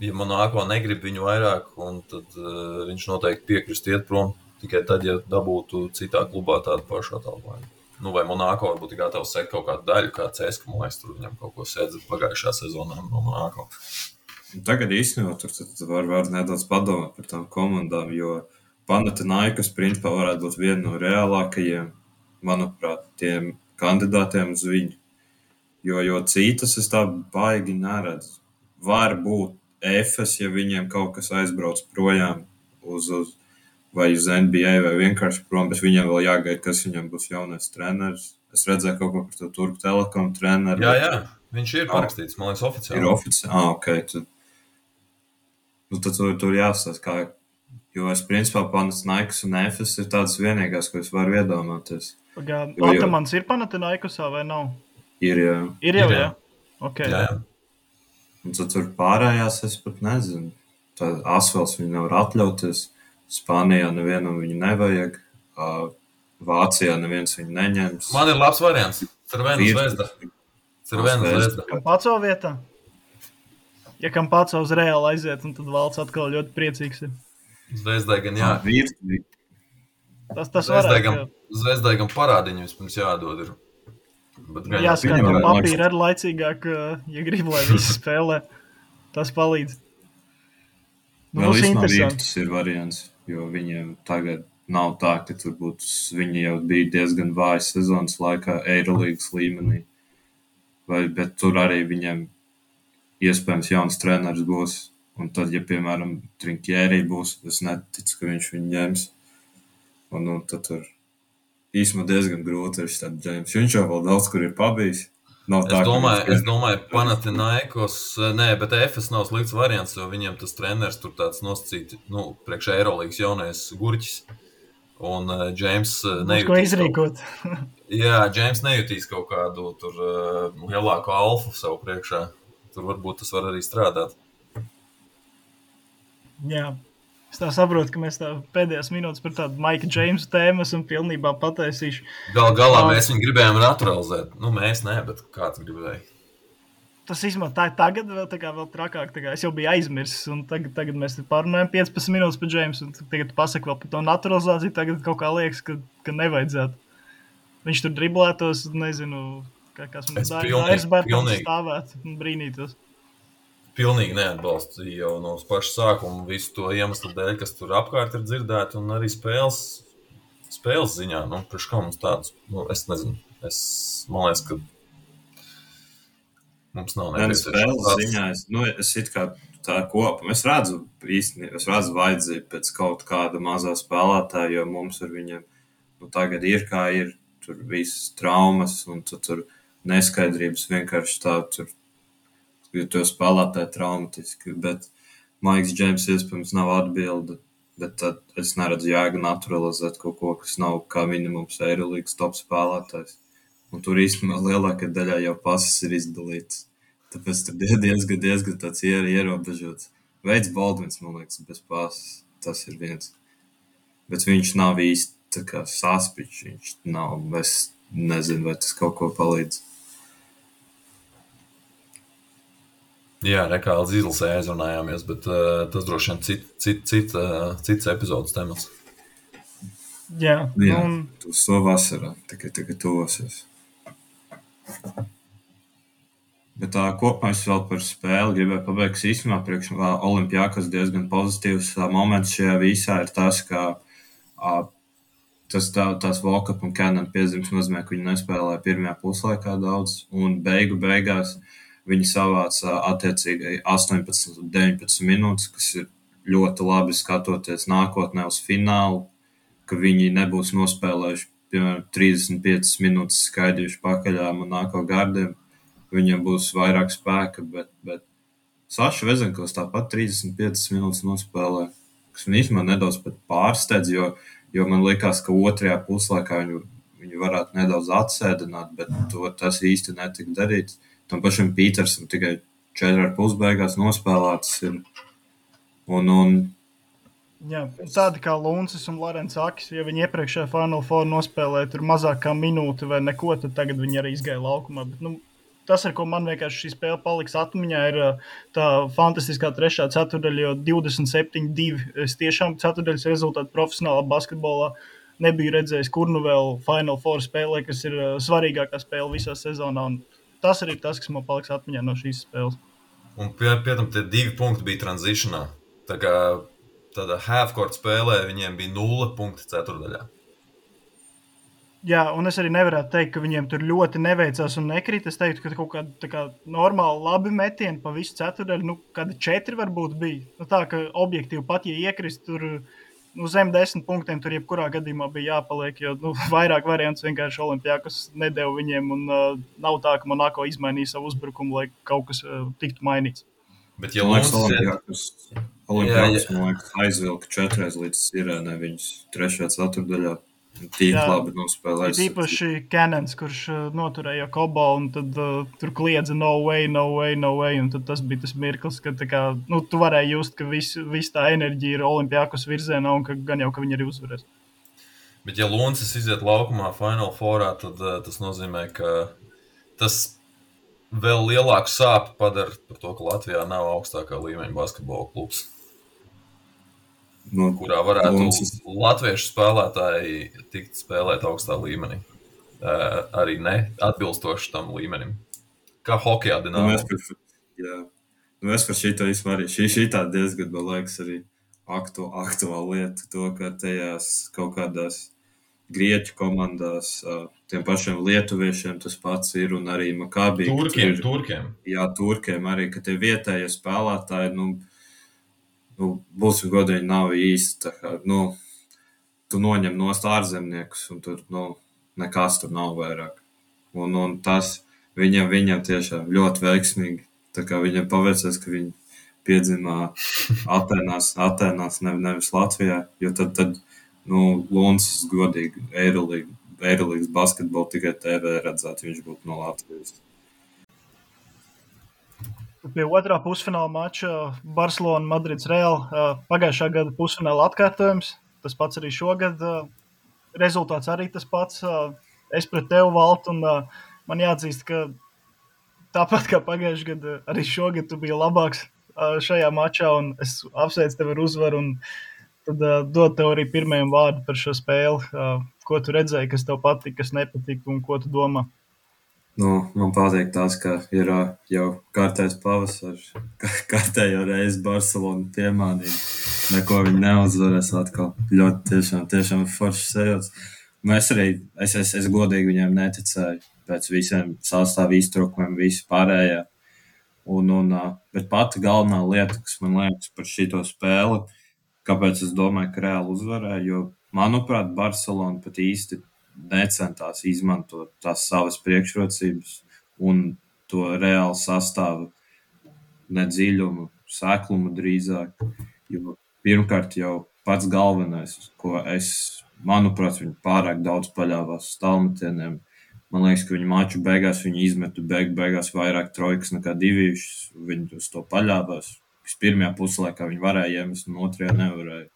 [SPEAKER 3] ja Monako negrib viņu vairāk, un tad viņš noteikti piekrist iet prom, tikai tad, ja dabūtu citā klubā tādu pašu atalgojumu. Vai Monako varbūt ir gatavs sekt kaut kādu daļu, kā CSKA, man liekas, tur viņam kaut ko sēdz pagājušā sezonā no Monako.
[SPEAKER 2] Tagad īstenībā tur var nedaudz padomāt par tām komandām, jo Panathinaikos principā varētu būt viena no reālākajiem, manuprāt, tiem kandidātiem uz viņu. Jo citas es tā baigi neredzu. Var būt Efes, ja viņiem kaut kas aizbrauc projām vai uz NBA, vai vienkārši prom, bet viņam vēl jāgaida, kas viņam būs jaunais treneris. Es redzēju kaut ko par to Turku Telekom treneru.
[SPEAKER 3] Jā, viņš ir parakstīts, man liekas, oficiāli.
[SPEAKER 2] Ir oficiāli, ok. Tad tur jāstāsta, jo es principā Panathinaikos un Efes ir tādas vienīgās, ko es varu iedomāties.
[SPEAKER 1] Atamans ir Panathinaikosā vai nav?
[SPEAKER 2] Ir, jā.
[SPEAKER 1] Ir jau, jā? Ok.
[SPEAKER 3] Jā.
[SPEAKER 2] Un tad tur pārējās es pat nezinu. Tad Asvels viņu nevar atļauties. Spānijā nevienam viņu nevajag. Vācijā neviens viņu neņems.
[SPEAKER 3] Man ir labs variants. Cervena Zvezda.
[SPEAKER 1] Kampaco vietā? Ja Kampaco uz Reāli aiziet, tad Valds atkal ļoti priecīgs ir.
[SPEAKER 3] Zvezdai gan jā.
[SPEAKER 1] Tas varētu.
[SPEAKER 3] Zvezdai gan parādiņu vispirms jādod ir.
[SPEAKER 1] Jāskat, ka papīri ir laicīgāk, ja grib, lai visi spēlē. Tas palīdz.
[SPEAKER 2] Vēl īstenībā tas ir variants, jo viņiem tagad nav tā, ka tur būtu, viņi jau bija diezgan vājas sezonas laikā Eirolīgas līmenī. Bet tur arī viņiem iespējams jauns treneris būs. Un tad, ja, piemēram, Trinkieri būs, es neticu, ka viņš viņu ņems. Un tad tur īstenībā diezgan grūti ir šitāt Džeimss. Viņš jau vēl daudz, kur ir pabijis. Es
[SPEAKER 3] domāju, Panathinaikos, bet Efes nav slikts variants, jo viņiem tas treneris tur tāds nosacīti, priekš Eirolīgas jaunais gurķis. Un Džeimss
[SPEAKER 1] nejūtīs.
[SPEAKER 3] Džeimss nejūtīs kaut kādu tur lielāku alfu savu priekšā. Tur varbūt tas var arī strādāt.
[SPEAKER 1] Jā. Es tā saprotu, ka mēs tā pēdējās minūtes par tādu Maika Džeimsa tēmu esam pilnībā pataisījuši.
[SPEAKER 3] Galā mēs viņu gribējām naturalizēt. Nu, mēs ne, bet kāds gribēja.
[SPEAKER 1] Tas īstenībā tagad vēl trakāk. Es jau biju aizmirsis, un tagad mēs pārunājam 15 minūtes par Džeimsu, un tagad pasaka vēl par to naturalizāciju. Tagad kaut kā liekas, ka nevajadzētu. Viņš tur driblētos, nezinu, kas man Dairis Bērtons stāvētu un brīnītos.
[SPEAKER 3] Pilnīgi neatbalstu jau no paša sākuma visu to iemeslu dēļ, kas tur apkārt ir dzirdēti, un arī spēles ziņā. Nu, priekš kā mums tāds, es nezinu, man liekas, ka mums nav nepieciešams.
[SPEAKER 2] Spēles ziņā, es it kā tā kopam, es redzu vajadzību pēc kaut kāda mazā spēlētāja, jo mums ar viņiem, tagad ir kā ir, tur visas traumas, un tur neskaidrības vienkārši tā, tur jo to spēlētāji traumatiski, bet Maiks Džeims iespējams nav atbilde, bet tad es neredzu jēgu naturalizēt kaut ko, kas nav kā minimums Eirolīgas top spēlētājs. Un tur īstenībā lielākā daļā jau pases ir izdalītas. Tāpēc tur diezgan tāds ierobežots. Veids Baldvins, man liekas, bez pases. Tas ir viens. Bet viņš nav īsti tā kā saspiķis. Viņš nav, es nezinu, vai tas kaut ko palīdz.
[SPEAKER 3] Jā, kā līdz izlasē aizrunājāmies, bet tas droši vien cits epizodes temats.
[SPEAKER 1] Jā,
[SPEAKER 2] tu to vasarā, tikai tuvosies. Bet kopumā es vēl par spēli gribēju pabeigt īstenībā priekš Olimpiakos diezgan pozitīvs moments šajā visā ir tas, ka tās walk-up un cannon piezīmes nozīmē, ka viņi nespēlēja pirmajā puslaikā daudz, un beigās viņi savāca attiecīgi 18 un 19 minūtes, kas ir ļoti labi skatoties nākotnē uz finālu, ka viņi nebūs nospēlējuši, piemēram, 35 minūtes skaidījuši pakaļām un nāko gardiem. Viņam būs vairāk spēka, bet Saša Vezenkovs tāpat 35 minūtes nospēlē, kas man īstenībā nedaudz pat pārsteidz, jo man likās, ka otrajā puslaikā viņu varētu nedaudz atsēdināt, bet tas īsti netika darīts. Tam pašam Pītersam tikai 4,5 beigās nospēlētas ir.
[SPEAKER 1] Jā, tādi kā Luncis un Lorents Akis, ja viņi iepriekšējā Final Four nospēlēja tur mazāk kā minūti vai neko, tad tagad viņi arī izgāja laukumā. Bet, tas, ar ko man vienkārši šī spēle paliks atmiņā, ir tā fantastiskā trešā ceturdaļa, jo 27-2. Es tiešām ceturdaļas rezultātu profesionālā basketbolā nebiju redzējis, kur nu vēl Final Four spēlē, kas ir svarīgākā spēle visā sezonā. Un tas arī tas, kas man paliks atmiņā no šīs spēles.
[SPEAKER 3] Un pie tam tie 2 punkti bija transitionā. Tā kā tādā half-court spēlē viņiem bija 0 punkti ceturdaļā.
[SPEAKER 1] Jā, un es arī nevarētu teikt, ka viņiem tur ļoti neveicās un nekrīt. Es teiktu, ka kaut kāda normāli labi metieni pa visu ceturdaļu, kādi 4 varbūt bija. Tā, ka objektīvi pat, ja iekrist tur zem 10 punktiem, tur jebkurā gadījumā bija jāpaliek, jo vairāk variants vienkārši Olimpiakos nedeva viņiem, un nav tā, ka Monako izmainīja savu uzbrukumu, lai kaut kas tiktu mainīts.
[SPEAKER 3] Bet ja Olimpiakos,
[SPEAKER 2] man liekas, aizvilka 4 līdz Sirēnai viņus 3. ceturdaļā. Tīk labi nospēlējis.
[SPEAKER 1] Īpaši Cannons, kurš noturēja Kobo, un tad tur kliedza no way, un tad tas bija tas mirklis, ka tu varēji just, ka viss tā enerģija ir Olimpiakos virzienā, un ka gan jau, ka viņi arī uzvarēs.
[SPEAKER 3] Bet ja Luncis iziet laukumā Final Fourā, tad tas nozīmē, ka tas vēl lielāku sāpi padara par to, ka Latvijā nav augstākā līmeņa basketbola klubs. Kurā varētu latviešu spēlētāji tikt spēlēt augstā līmenī. Arī ne atbilstoši tam līmenim. Kā hokejā Dinamo.
[SPEAKER 2] Es par šito arī. Šī tā diezgan, man liekas, arī aktuāla lieta. To, ka tajās kaut kādās grieķu komandās, tiem pašiem lietuviešiem tas pats ir, un arī Makabī.
[SPEAKER 3] Turkiem.
[SPEAKER 2] Jā, turkiem arī, ka tie vietējie spēlētāji, būsim godīgi, nav īsti. Tu noņem nost ārzemniekus, un tur nekas tur nav vairāk. Un tas viņam tiešām ļoti veiksmīgi. Tā kā viņam paveicās, ka viņi piedzimā Atēnās, nevis Latvijā. Jo tad Luncis godīgi Eirolīgas basketbolu tikai TV redzētu, viņš būtu no Latvijas.
[SPEAKER 1] Pie otrā pusfināla mača Barcelona, Madrids, Real. Pagājušā gada pusfināla atkārtojums. Tas pats arī šogad. Rezultāts arī tas pats. Es pret tevi valtu, un man jāatzīst, ka tāpat kā pagājušajā gadā, arī šogad tu biji labāks šajā mačā, un es apsveicu tevi ar uzvaru. Tad dod tev arī pirmajam vārdu par šo spēli. Ko tu redzēji, kas tev patika, kas nepatika, un ko tu domā?
[SPEAKER 2] Man patīk tas, ka ir jau kārtējs pavasars, kārtējo reizi Barcelona piemānīja. Neko viņi neuzvarēs atkal. Ļoti tiešām forši sajūts. Es godīgi viņiem neticēju pēc visiem sastāvu iztrūkumiem, visi pārējā. Bet pati galvenā lieta, kas man liekas par šito spēli, kāpēc es domāju, ka Reāli uzvarēja, jo, manuprāt, Barcelona pat īsti necentās izmantot tās savas priekšrocības un to Reāli sastāvu nedziļumu, seklumu drīzāk. Jo pirmkārt jau pats galvenais, ko manuprāt, viņi pārāk daudz paļāvās uz tālmetieniem. Man liekas, ka viņi maču beigās viņi izmetu beigās vairāk trojkas nekā divīšas. Viņi uz to paļāvās. Pirmajā puslaikā viņi varēja iemest, un otrajā nevarēja.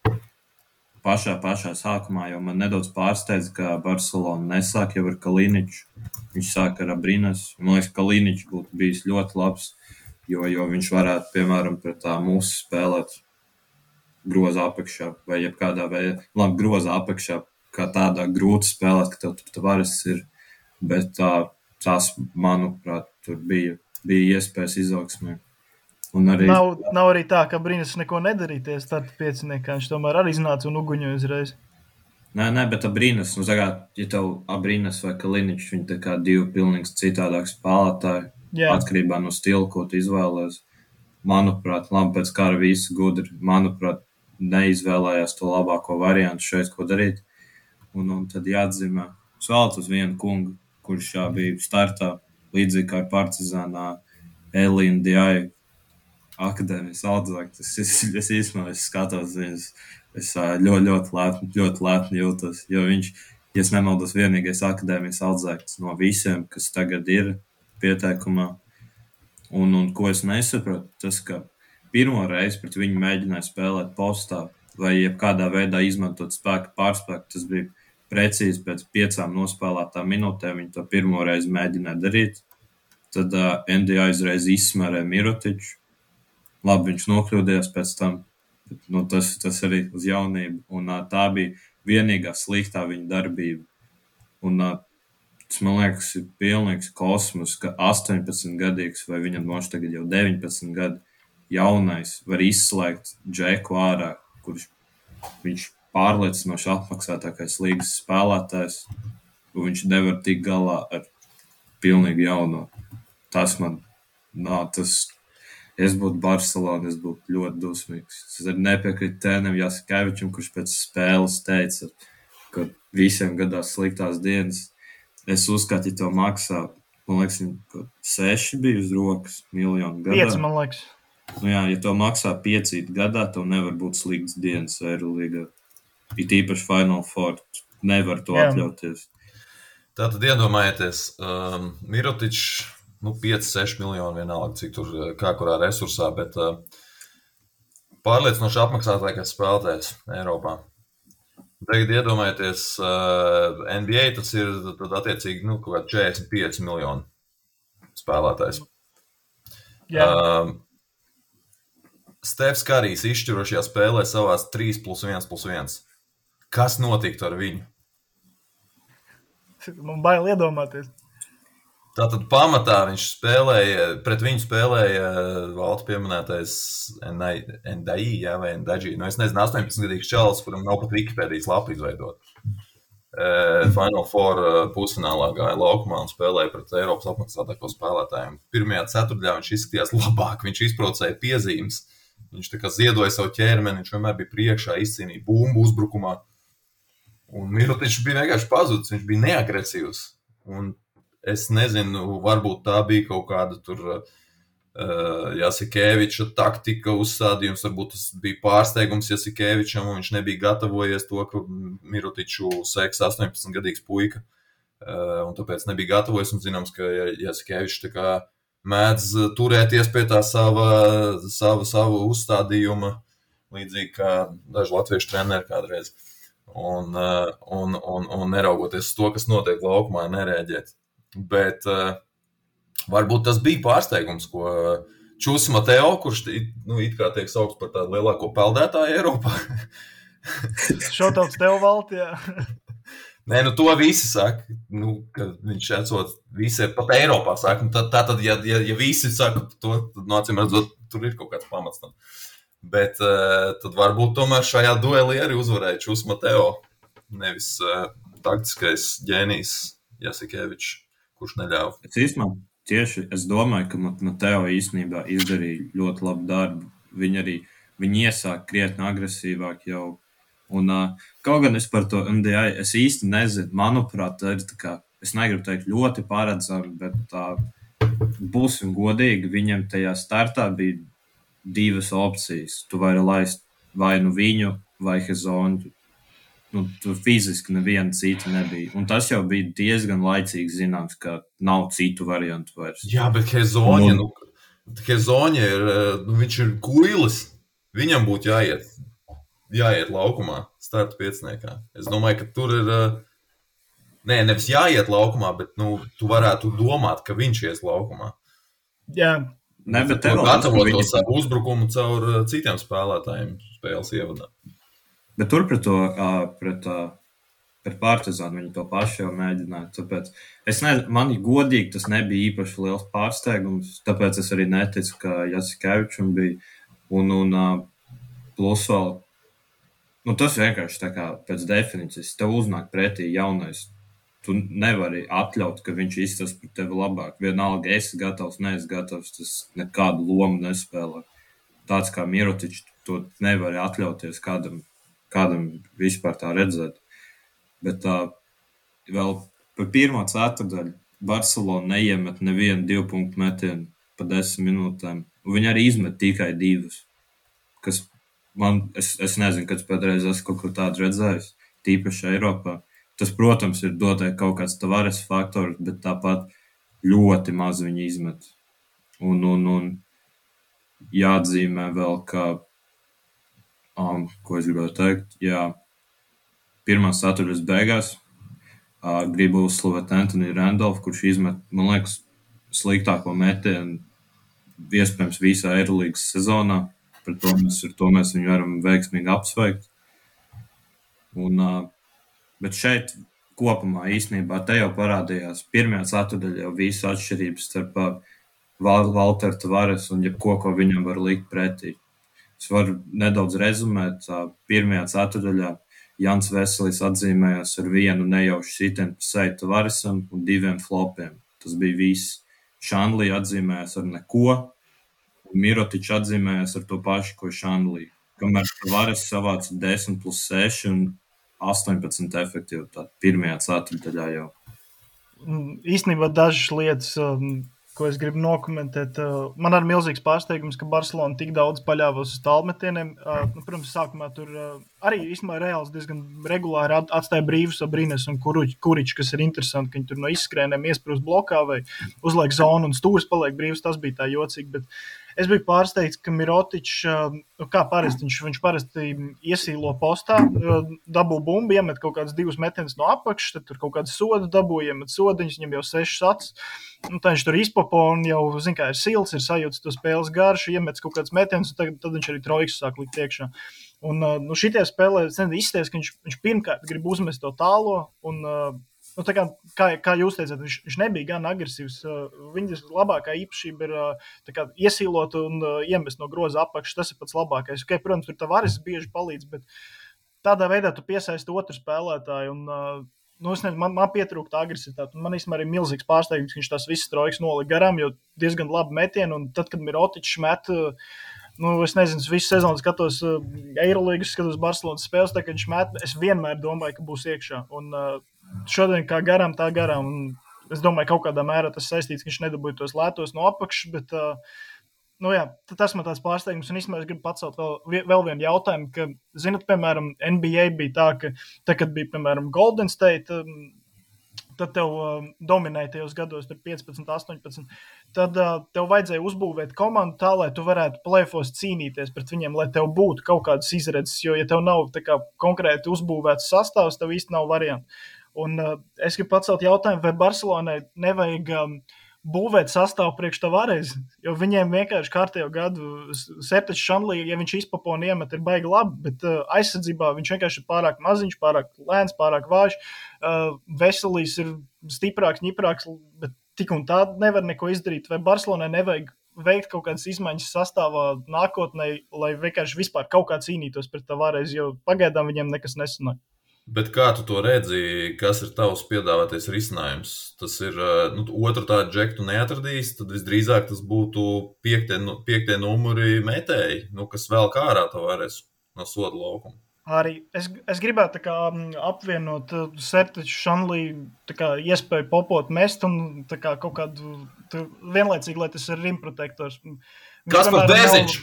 [SPEAKER 2] Pašā sākumā jau man nedaudz pārsteidza, ka Barcelona nesāk jau ar Kaliniču. Viņš sāk ar Abrinas. Man liekas, ka Kaliničs būtu bijis ļoti labs, jo viņš varētu, piemēram, pret tā mūsu spēlēt groza apakšā vai jebkādā veidā. Labi, groza apakšā kā tādā grūti spēlēt, ka tev tur Tavares ir. Bet tās, manuprāt, tur bija iespējas izaugsmē.
[SPEAKER 1] Nav arī tā, ka Brinas neko nedarīties starta pieciniekā. Viņš tomēr arī iznāca un uguņoja uzreiz.
[SPEAKER 2] Nē, bet Abrinas, ja tev Abrinas vai Kaliničs, viņi tā kā divi pilnīgi citādāk spēlētāji, atkarībā no stila, ko tu izvēlēs. Manuprāt, labi, pēc kara visi gudri, manuprāt, neizvēlējās to labāko variantu šeit, ko darīt. Un tad jāatzīmē, es vēlētu uz vienu kungu, kurš bija startā, līdzīgi kā ar Partizānā, Elīna Diai, akadēmijas audzāks. Es īstenībā skatos viņus, es ļoti lepni jūtos, jo viņš, ja es nemaldos, vienīgais akadēmijas audzāks no visiem, kas tagad ir pieteikumā. Un ko es nesapratu, tas, ka pirmo reizi pret viņu mēģināja spēlēt postā vai jebkādā veidā izmantot spēku pārspēku, tas bija precīzi pēc 5 nospēlētām minūtēm, viņi to pirmo reizi mēģināja darīt. Tad NDA uzreiz izsmērēja Mirotiču. Labi, viņš nokļūdījās pēc tam, bet tas arī uz jaunību. Un tā bija vienīgā sliktā viņa darbība. Un tas, man liekas, ir pilnīgs kosmos, ka 18-gadīgs vai viņam noši tagad jau 19 gadi jaunais var izslēgt Džeku ārā, kurš viņš pārliecinoši apmaksātākais līgas spēlētājs, un viņš nevar tikt galā ar pilnīgi jauno. Tas man, es būtu Barcelona, es būtu ļoti dusmīgs. Es arī nepiekrītu Tēnam Jasikevičam, kurš pēc spēles teica, ka visiem gadās sliktās dienas. Es uzskatu, ja to maksā, man liekas, 6 bija uz rokas miljonu gadā.
[SPEAKER 1] 5, man liekas.
[SPEAKER 2] Ja to maksā 5 gadā, tev nevar būt sliktas dienas Eirolīgā. It īpaši Final Four nevar to atļauties.
[SPEAKER 3] Tātad iedomājieties, Mirotičs, 5-6 miljoni vienalga, cik tur kā kurā resursā, bet pārliecinoši apmaksātākais spēlētājs Eiropā. Tagad iedomājieties, NBA tas ir tad attiecīgi kaut kā 45 miljoni spēlētājs. Stefs Karijs izšķirošajā spēlē savās 3+1+1. Kas notiktu ar viņu?
[SPEAKER 1] Man bail iedomāties.
[SPEAKER 3] Tātad pamatā viņš spēlēja, pret viņu spēlēja valsts pieminētais Ndai, vai Ndaģi. Es nezinu, 18-gadīgs čalis, kuram nav pat Wikipēdijas lapu izveidot. Final Four pusfinālā gāja laukumā un spēlēja pret Eiropas apmaksātāko spēlētājiem. Pirmajā ceturtdaļā viņš izskatījās labāk, viņš izprovocēja piezīmes, viņš tā kā ziedoja savu ķermeni, viņš vienmēr bija priekšā, izcīnīja bumbu uzbrukumā. Un Mirotičs bija vienkārši pazudis, viņš bija neagresīvs. Un es nezinu, varbūt tā bija kaut kāda tur Jasikeviča taktika uzstādījums, varbūt tas bija pārsteigums Jasikevičam, un viņš nebija gatavojies to, ka Mirotiču seks 18-gadīgs puika, un tāpēc nebija gatavojies, un zināms, ka Jasikevičs tā kā mēdz turēties pie tā savu uzstādījuma, līdzīgi kā daži latviešu treneri kādreiz. Un neraugoties uz to, kas notiek laukumā, nerēģēt. Bet varbūt tas bija pārsteigums, ko Čus Mateo, kurš it kā tiek saukts par tādu lielāko peldētāju Eiropā.
[SPEAKER 1] Šautauts tev, Valti, jā.
[SPEAKER 3] Nē, to visi saka, ka viņš esot visi pat Eiropā saka. Tātad, ja visi saka to, tad acīm redzot, tur ir kaut kāds pamats tam. Bet tad varbūt tomēr šajā duelī arī uzvarēja Čus Mateo, nevis taktiskais ģēnijs Jasikevičs, kurš neļāva.
[SPEAKER 2] Es domāju, ka Mateo īstenībā izdarīja ļoti labu darbu. Viņi iesāk krietni agresīvāk jau. Un kaut gan es par to NDI, es īsti nezinu, manuprāt, tā ir tā kā, es negribu teikt ļoti paredzami, bet būsim godīgi, viņam tajā startā bija 2 opcijas. Tu vari laist vai nu viņu, vai Hezonju. Tur fiziski neviena cita nebija. Un tas jau bija diezgan laicīgi zināms, ka nav citu variantu vairs.
[SPEAKER 3] Jā, bet Hezonja ir, viņš ir guilis. Viņam būtu jāiet laukumā, starta pieciniekā. Es domāju, ka tur ir, nevis jāiet laukumā, bet tu varētu domāt, ka viņš ies laukumā.
[SPEAKER 1] Jā.
[SPEAKER 2] Bet
[SPEAKER 3] tev gatavot to savu uzbrukumu caur citiem spēlētājiem spēles ievadā.
[SPEAKER 2] Bet tur pret Partizānu viņi to pašu jau mēģināja. Tāpēc man godīgi tas nebija īpaši liels pārsteigums, tāpēc es arī neticu, ka Jasikevičam bija. Un plus vēl, tas vienkārši tā kā pēc definīcijas, tev uznāk pretī jaunais. Tu nevari atļaut, ka viņš izstas par tevi labāk. Vienalga, esi gatavs, neesi gatavs, tas nekādu lomu nespēlē. Tāds kā Mirotičs, to nevari atļauties kādam vispār tā redzēt. Bet vēl par pirmo ceturtdaļu Barcelona neiemet nevienu 2 punktu metienu pa 10 minūtēm. Un viņi arī izmet tikai 2. Kas es nezinu, kad pēdreiz esmu kaut ko tādu redzējis, tīpaši Eiropā. Tas, protams, ir dotai kaut kāds Tavares faktors, bet tāpat ļoti maz viņi izmet. Un jāatzīmē vēl, ka, ko es gribētu teikt, pirmās ceturtdaļas beigās gribu uzslavēt Anthony Randolph, kurš izmet, man liekas, sliktāko metienu iespējams visā Eirolīgas sezonā. Par to mēs viņu varam veiksmīgi apsveikt. Bet šeit kopumā īstenībā te jau parādījās pirmajā ceturtdaļā jau visas atšķirības starp Valteru Tavares un jebko, ko viņam var likt pretī. Es varu nedaudz rezumēt. Pirmajā ceturtdaļā Jans Veselis atzīmējās ar 1 nejaušu sitienu pa seju Tavaresam un 2 flopiem. Tas bija viss. Šanlī atzīmējās ar neko, un Mirotičs atzīmējās ar to pašu, ko Šanlī. Kamēr Tavares savāca 10+6 un 18 efektivitāti pirmajā ceturtdaļā jau.
[SPEAKER 1] Īstenībā dažas lietas, ko es gribu nokomentēt. Man ir milzīgs pārsteigums, ka Barcelona tik daudz paļāvās uz tālmetieniem. Protams, sākumā tur arī īstenībā Reāls diezgan regulāri atstāja brīvus Abrines un Kuriču, kas ir interesanti, ka viņi tur no izskrēniem iesprūst blokā vai uzliek zonu un stūris paliek brīvs. Tas bija tā jocīgi, bet es biju pārsteigts, ka Mirotičs, kā parasti, viņš parasti iesīlo postā, dabū bumbu, iemet kaut kādas 2 metienas no apakšas, tad tur kaut kādu sodu dabū, iemet sodiņus, viņam jau 6 acis. Tā viņš tur izpopo un jau, kā ir sils, ir sajūts to spēles garšu, iemets kaut kāds metienas, un tad viņš arī trojkas sāk likt iekšā. Un šitie spēlē izsties, ka viņš pirmkārt grib uzmest to tālo, un tā kā jūs teicāt, viņš nebija gan agresīvs. Viņas labākā īpašība ir tā kā iesīlot un iemest no groza apakšas. Tas ir pats labākais. Protams, tur Tavares bieži palīdz, bet tādā veidā tu piesaisti otru spēlētāju. Un, man pietrūkta agresivitāte. Man īstenībā ir milzīgs pārsteigums, ka viņš tās visas trojkas nolika garām, jo diezgan labi metieni. Un tad, kad Mirotičs met, es nezinu, visu sezonu skatos Eirolīgas, skatos Barcelonas spēles, tā, kad viņš met, es vienmēr domāju, ka būs iekšā. Un šodien kā garām, tā garām. Un es domāju, kaut kādā mērā tas saistīts, ka viņš nedabūja tos lētos no apakšas, bet tas man tāds pārsteigums. Un īstenībā es gribu pacelt vēl vienu jautājumu, ka, zinat, piemēram, NBA bija tā, ka, kad bija, piemēram, Golden State tad tev dominēja tajos gados, tur 15, 18, tad tev vajadzēja uzbūvēt komandu tā, lai tu varētu play-offos cīnīties pret viņiem, lai tev būtu kaut kādas izredzes, jo, ja tev nav tā kā konkrēti uzbūvēts sastāvs, tev īsti nav variantu. Un es gribu pacelt jautājumu, vai Barcelonai nevajag būvēt sastāvu priekš Tavares, jo viņiem vienkārši kārtējo gadu Sertačs Šanlī, ja viņš izpapo un iemet, ir baigi labi, bet aizsardzībā viņš vienkārši ir pārāk maziņš, pārāk lēns, pārāk vājš. Veselīs ir stiprāks, ņiprāks, bet tik un tā nevar neko izdarīt. Vai Barcelonai nevajag veikt kaut kādas izmaiņas sastāvā nākotnē, lai vienkārši vispār kaut kā cīnītos pret Tavares, jo pagaidām viņiem nekas nesanāk.
[SPEAKER 3] Bet kā tu to redzi, kas ir tavs piedāvātais risinājums? Tas ir, otru tādu džektu neatradīs, tad visdrīzāk tas būtu piektie numuri metēji, kas vēl kā ārā Tavares no soda laukuma.
[SPEAKER 1] Arī es gribētu tā kā apvienot Sertaču Šanlī tā kā iespēju popot mest un tā kā kaut kādu vienlaicīgi, lai tas ir rimprotektors.
[SPEAKER 3] Kas par Beziņš?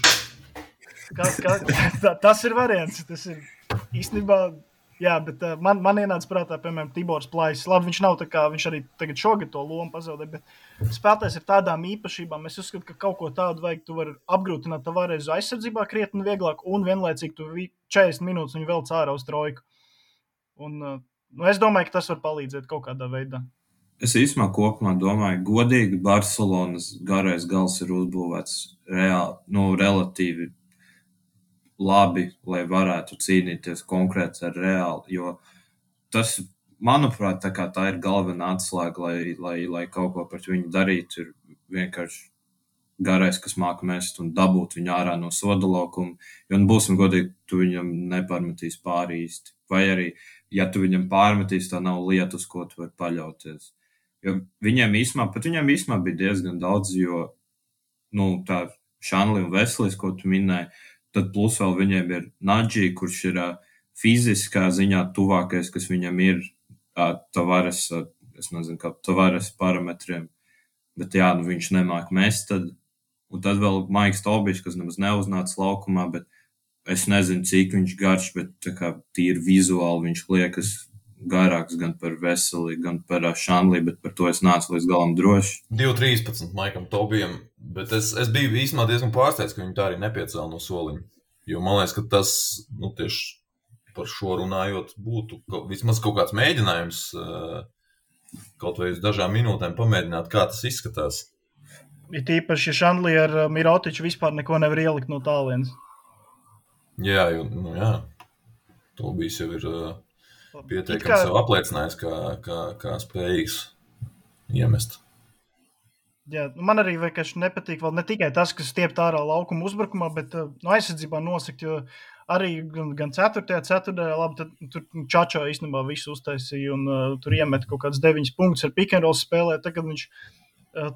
[SPEAKER 1] Tas ir variants, tas ir īstenībā. Jā, bet man ienāca prātā, piemēram, Tibors Plais. Labi, viņš nav tā kā, viņš arī tagad šogad to lomu pazaudē, bet spēlētājs ir tādām īpašībām. Es uzskatu, ka kaut ko tādu vajag, tu vari apgrūtināt Tavares aizsardzībā krietni vieglāk un vienlaicīgi tu 40 minūtes viņu vēl cārā uz trojku. Un es domāju, ka tas var palīdzēt kaut kādā veidā.
[SPEAKER 2] Es īstenībā kopumā domāju, godīgi Barcelonas garais gals ir uzbūvēts relatīvi labi, lai varētu cīnīties konkrēti ar Reāli, jo tas, manuprāt, tā ir galvenā atslēga, lai kaut ko pret viņu darītu, ir vienkārši garais, kas māka mest un dabūt viņu ārā no soda laukuma, jo, būsim godīgi, tu viņam nepārmetīs pāri īsti, vai arī, ja tu viņam pārmetīs, tā nav lieta, uz ko tu vari paļauties, jo viņiem īsumā bija diezgan daudz, jo, tā Šanli un Veselis, ko tu minēji, tad plus vēl viņiem ir Nadži, kurš ir fiziskā ziņā tuvākais, kas viņam ir Tavares, es nezinu, kā Tavares parametriem, bet jā, viņš nemāk mest tad, un tad vēl Maiks Tobišs, kas nemaz neuznāca laukumā, bet es nezinu, cik viņš garš, bet tā kā tīri vizuāli viņš liekas garāks gan par Veseli, gan par Šanlī, bet par to es nācu līdz galam droši.
[SPEAKER 3] 2.13 Maikam Tobijam, bet es biju īstenībā diezgan pārsteigts, ka viņi tā arī nepiecēla no soliņa. Jo man liekas, ka tas, tieši par šo runājot, būtu vismaz kaut kāds mēģinājums kaut vai uz dažām minūtēm pamēģināt, kā tas izskatās.
[SPEAKER 1] Ir tīpaši, ja Šanlī ar Mirotiču vispār neko nevar ielikt no tālienes.
[SPEAKER 3] Jā, Tobijs jau ir pietiekami sev apliecinājis, kā spējīgs iemest.
[SPEAKER 1] Jā, man arī vienkārši nepatīk vēl ne tikai tas, kas stiept ārā laukuma uzbrukumā, bet aizsardzībā nosakt, jo arī gan 4. labi, tad tur Čačo īstenībā visu uztaisīja un tur iemet kaut kāds 9 punktus ar pick and roll spēlē. Tagad viņš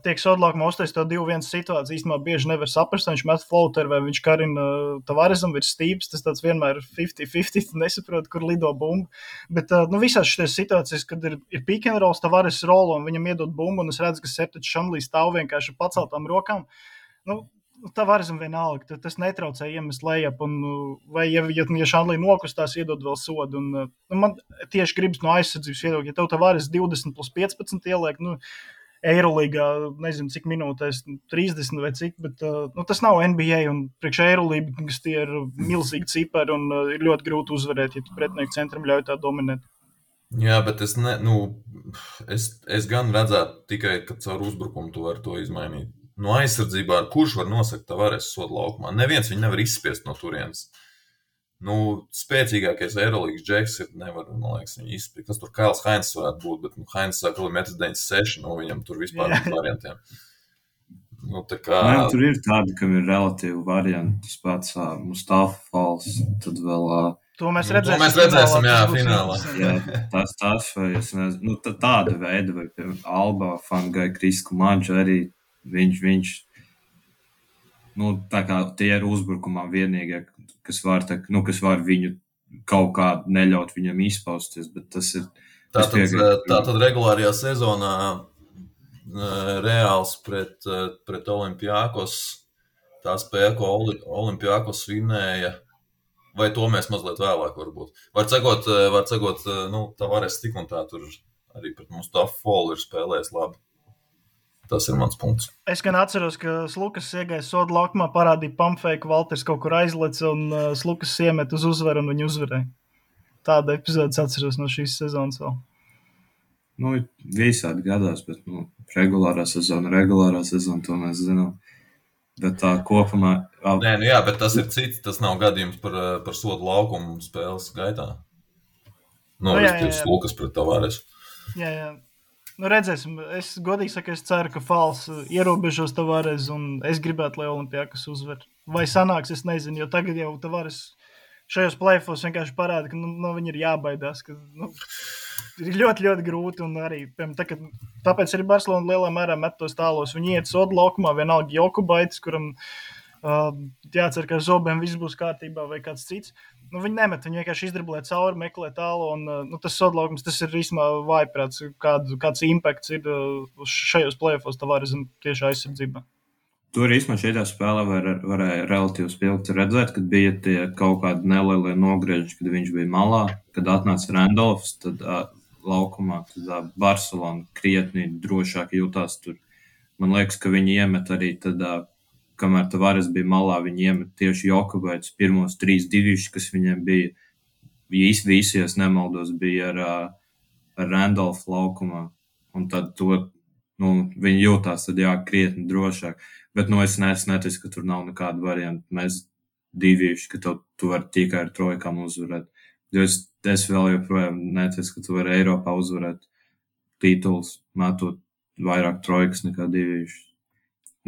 [SPEAKER 1] tiek sodlākumā uztaisīt to 2-1 situāciju, īstenībā bieži nevar saprast, viņš met floateru vai viņš karina Tavaresam virs stīps, tas tāds vienmēr 50-50, nesaprot, kur lido bumbu. Bet visās šīs situācijas, kad ir pick and rolls, Tavares rolo un viņam iedod bumbu, un es redzu, ka Sertačs Šanlī stāv vienkārši paceltām rokām. Tavaresam vienalga, tas netraucē iemest lejap, vai ja Šanlī nokustās, iedod vēl sodu. Man tieši gribas no aizsardzības viedokļa, ja tev Tavares 20+15 ieliek, Eirolīgā, nezinu, cik minūtēs, 30 vai cik, bet tas nav NBA un priekš Eirolīgas tie ir milzīgi cipari un ir ļoti grūti uzvarēt, ja tu pretinieku centram ļauj tā dominēt.
[SPEAKER 3] Jā, bet es gan redzētu tikai, ka caur uzbrukumu tu vari to izmainīt. No aizsardzībā, kurš var nosakt Tavares soda laukumā? Neviens viņu nevar izspiest no turienes. Spēcīgākais Eirolīgas džeks ir, nevar, man liekas, viņu izspiest. Kas tur Kails Hainz varētu būt, bet Hainz sāk 1,96 m, viņam tur vispār ir variantiem.
[SPEAKER 2] Tur ir tādi, kam ir relatīvi varianti, tas pats Mustafa Fals, tad vēl...
[SPEAKER 1] To mēs redzēsim,
[SPEAKER 3] finālā.
[SPEAKER 2] Jā, tas vai es nezinu, tāda veida, vai piemēram Alba, Fangai, Krisku Maģu arī, viņš tā kā tie ir uzbrukumā vienīgie, kas var viņu kaut kā neļaut viņam izpausties, bet tas ir...
[SPEAKER 3] Tātad regulārajā sezonā Reāls pret Olimpiakos, tā spēle, ko Olimpiakos vinēja, vai to mēs mazliet vēlāk varbūt. Var cegot, Tavares tik un tā tur arī pret Mustafu ir spēlējis labi. Tas ir mans punkts.
[SPEAKER 1] Es gan atceros, ka Slukas iegāja soda laukumā, parādīja pumpfeiku, Valters kaut kur aizlec un Slukas iemet uz uzvaru un viņu uzvarēja. Tāda epizodes atceros no šīs sezonas vēl.
[SPEAKER 2] Nu, visādi gadās, bet regulārā sezona, to mēs zinām. Bet tā kopumā...
[SPEAKER 3] Nē, jā, bet tas ir cits, tas nav gadījums par sodu laukumu spēles gaitā. Slukas pret Tavares.
[SPEAKER 1] Jā. Redzēsim, es godīgi saku, es ceru, ka Fals ierobežos Tavares un es gribētu, lai Olimpiakas uzvar. Vai sanāks, es nezinu, jo tagad jau Tavares šajos play-offos vienkārši parāda, ka viņi ir jābaidās, ka ir ļoti, ļoti grūti un arī, tāpēc arī Barcelona lielā mērā met tos tālos. Viņi iet sodu laukumā, vienalga Jokubaitis, kuram jācer, ka ar zobiem viss būs kārtībā vai kāds cits. Viņi nemet, viņi vienkārši izdriblē cauri, meklē tālu, un tas sodlaukums, tas ir īstenībā vājprāts, kāds impakts ir šajos play-offos Tavaresam tieši aizsardzībā.
[SPEAKER 2] Tur īstenībā šajā spēlē varēja relatīvi spilgti redzēt, kad bija tie kaut kādi nelielie nogrieži, kad viņš bija malā, kad atnāca Randolfs, tad laukumā, tad Barcelona krietni drošāk jutās tur. Man liekas, ka viņi iemet arī tad... kamēr Tavares bija malā, viņi iemet tieši Jokubaits pirmos 3 divišķi, kas viņiem bija. Visi, es nemaldos, bija ar Randolph laukumā. Un tad viņi jūtās tad krietni drošāk. Bet es neticu, ka tur nav nekāda varianta. Mēs divišķi, ka tu vari tikai ar trojkām uzvarēt. Jo es vēl joprojām neticu, ka tu vari Eiropā uzvarēt tituls, metot vairāk trojkas nekā divišķi.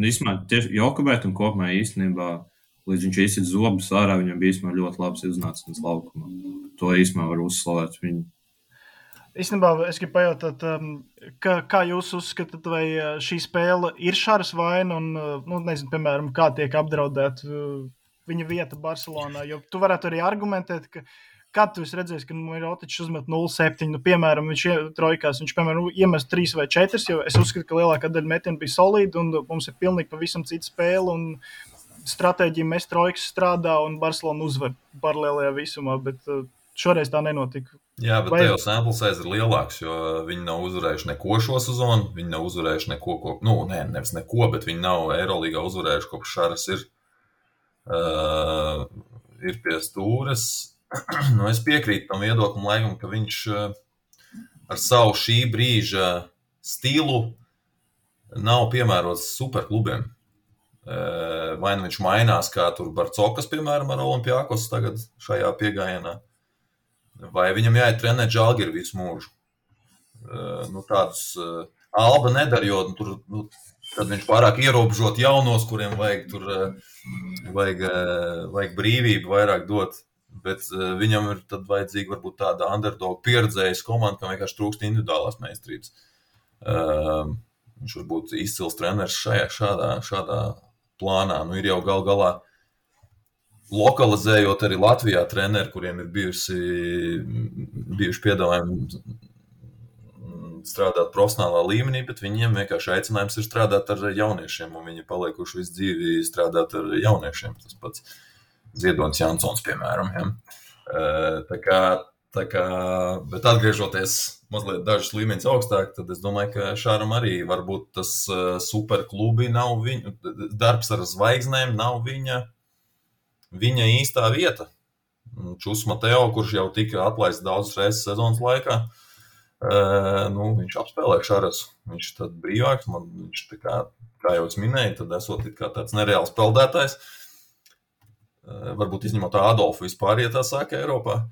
[SPEAKER 2] Īstenībā tieši Jokubēt un kopumā īstenībā, līdz viņš izsit zobus ārā, viņam bija īstenībā ļoti labs iznācums laukumā. To īstenībā var uzslavēt viņu.
[SPEAKER 1] Īstenībā es gribu pajautāt, kā jūs uzskatāt, vai šī spēle ir Šaras vaina un, nezinu, piemēram, kā tiek apdraudēt viņa vieta Barcelonā, jo tu varētu arī argumentēt, ka kad tu esi redzējis, ka Mirotičs uzmet 0-7, piemēram, viņš trojkās, viņš, piemēram, iemest 3 vai 4, jo es uzskatu, ka lielākā daļa metienu bija solīda, un mums ir pilnīgi pavisam cita spēle, un stratēģija mest trojkas strādā, un Barcelona uzvar paralēlajā visumā, bet šoreiz tā nenotika.
[SPEAKER 3] Jā, bet te jau sample size ir lielāks, jo viņi nav uzvarējuši neko šo sezonu, viņi nav uzvarējuši neko, nevis neko, bet viņi nav Eirolīgā uzvarējuši, kopš Šaras ir pie stūres. Es piekrītu tam viedoklim laikam, ka viņš ar savu šī brīža stilu nav piemērots superklubiem. Vai viņš mainās, kā tur Barcokas, piemēram, ar Olimpiakos tagad šajā piegājienā, vai viņam jāiet trenēt Žalgiru visu mūžu. Tādus Alba nedara, jo tur, tad viņš pārāk ierobežot jaunos, kuriem vajag brīvību vairāk dot. Bet viņam ir tad vajadzīga varbūt tāda underdog pieredzējas komanda, kam vienkārši trūkst individuālās meistarības. Viņš varbūt izcils treneris šādā plānā. Ir jau galā lokalizējot arī Latvijā treneri, kuriem ir bijuši piedāvājumi strādāt profesionālā līmenī, bet viņiem vienkārši aicinājums ir strādāt ar jauniešiem, un viņi palikuši visu dzīvi strādāt ar jauniešiem. Tas pats Ziedonis Jansons, piemēram. Ja. Bet atgriežoties mazliet dažas līmeņas augstāk, tad es domāju, ka Šāram arī varbūt tas superklubi nav viņa, darbs ar zvaigznēm nav viņa īstā vieta. Čus Mateo, kurš jau tika atlaists daudzas reizes sezonas laikā, viņš apspēlē Šaras. Viņš tad brīvāks, viņš kā jau es minēju, tad esot kā tāds nereāls peldētājs. Varbūt izņemot Adolfu vispār, ja tā saka Eiropā.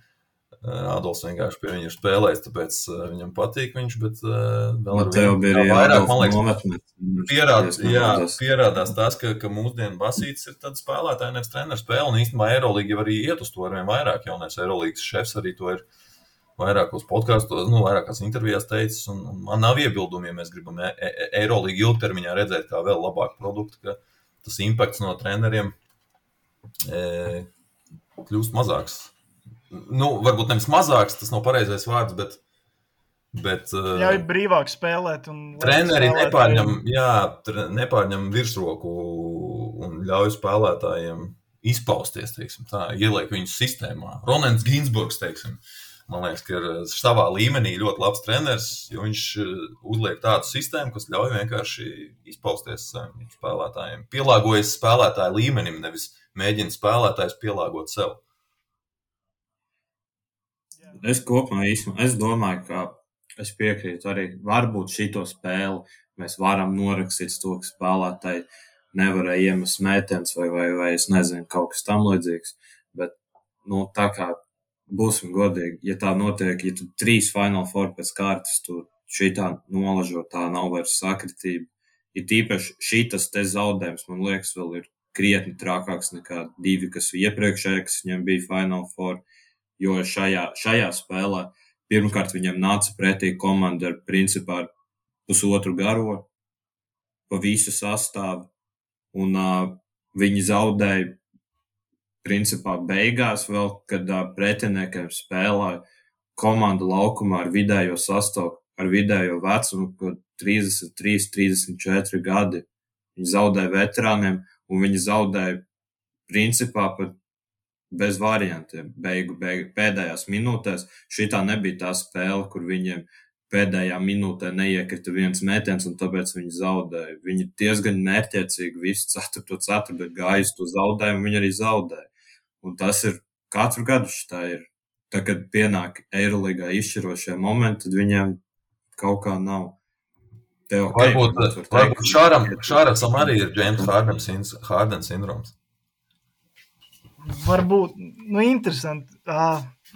[SPEAKER 3] Adolfs vienkārši pie viņa ir spēlējis, tāpēc viņam patīk viņš, bet vēl ar vienu vairāk, man liekas, pierādās tas, ka mūsdienu Basītis ir tāds spēlētāji, nevis treneru spēle, un īstenībā Eirolīga jau arī iet uz to arvien vairāk, jaunais Eirolīgas šefs arī to ir vairākos podkastos, vairākās intervijās teicis, un man nav iebildumi, ja mēs gribam Eirolīgu ilgtermiņā redzēt kā vēl labāku produktu, ka tas impakts no treneriem kļūst mazāks. Varbūt nevis mazāks, tas nav pareizais vārds, bet
[SPEAKER 1] ļauj brīvāk spēlēt.
[SPEAKER 3] Treneri nepārņem virsroku un ļauj spēlētājiem izpausties, teiksim tā, ieliek viņus sistēmā. Ronens Ginsburgs, teiksim, Man liekas, ka ir savā līmenī ļoti labs treneris, jo viņš uzliek tādu sistēmu, kas ļauj vienkārši izpausties spēlētājiem. Pielāgojas spēlētāju līmenim, nevis mēģina spēlētājs pielāgot sev.
[SPEAKER 2] Es kopumā es domāju, ka es piekrītu arī, varbūt šito spēli mēs varam norakstīt to, ka spēlētāji nevarēja iemest mētens vai es nezinu, kaut kas tam līdzīgs. Bet, tā kā būsim godīgi, ja tā notiek, ja tu 3 Final Four pēc kārtas, tu šitā nolažo, tā nav vairs sakritība. Ir tīpaši šitas te zaudējums, man liekas, vēl ir krietni trakāks nekā 2, kas iepriekšēji, kas viņiem bija Final Four. Jo šajā spēlē pirmkārt viņam nāca pretī komanda ar principā pusotru garo pa visu sastāvu, un viņi zaudēja principā beigās vēl, kad pretiniekiem spēlēja komanda laukumā ar vidējo sastāvu, ar vidējo vecumu, kad 33, 34 gadi. Viņi zaudēja veterāniem, un viņi zaudēja principā pat bez variantiem. Pēdējās minūtēs šitā nebija tā spēle, kur viņiem pēdējā minūtē neiekrita viens mētens, un tāpēc viņi zaudēja. Viņi diezgan mērķiecīgi visu 4. gāja uz to zaudējumu, viņi arī zaudēja. Un tas ir katru gadu šitā ir. Tā, kad pienāk Eiroligā izšķirošie momenti, tad viņiem kaut kā nav.
[SPEAKER 3] Varbūt Šārasam arī ir James Harden sindroms.
[SPEAKER 1] Varbūt, interesanti.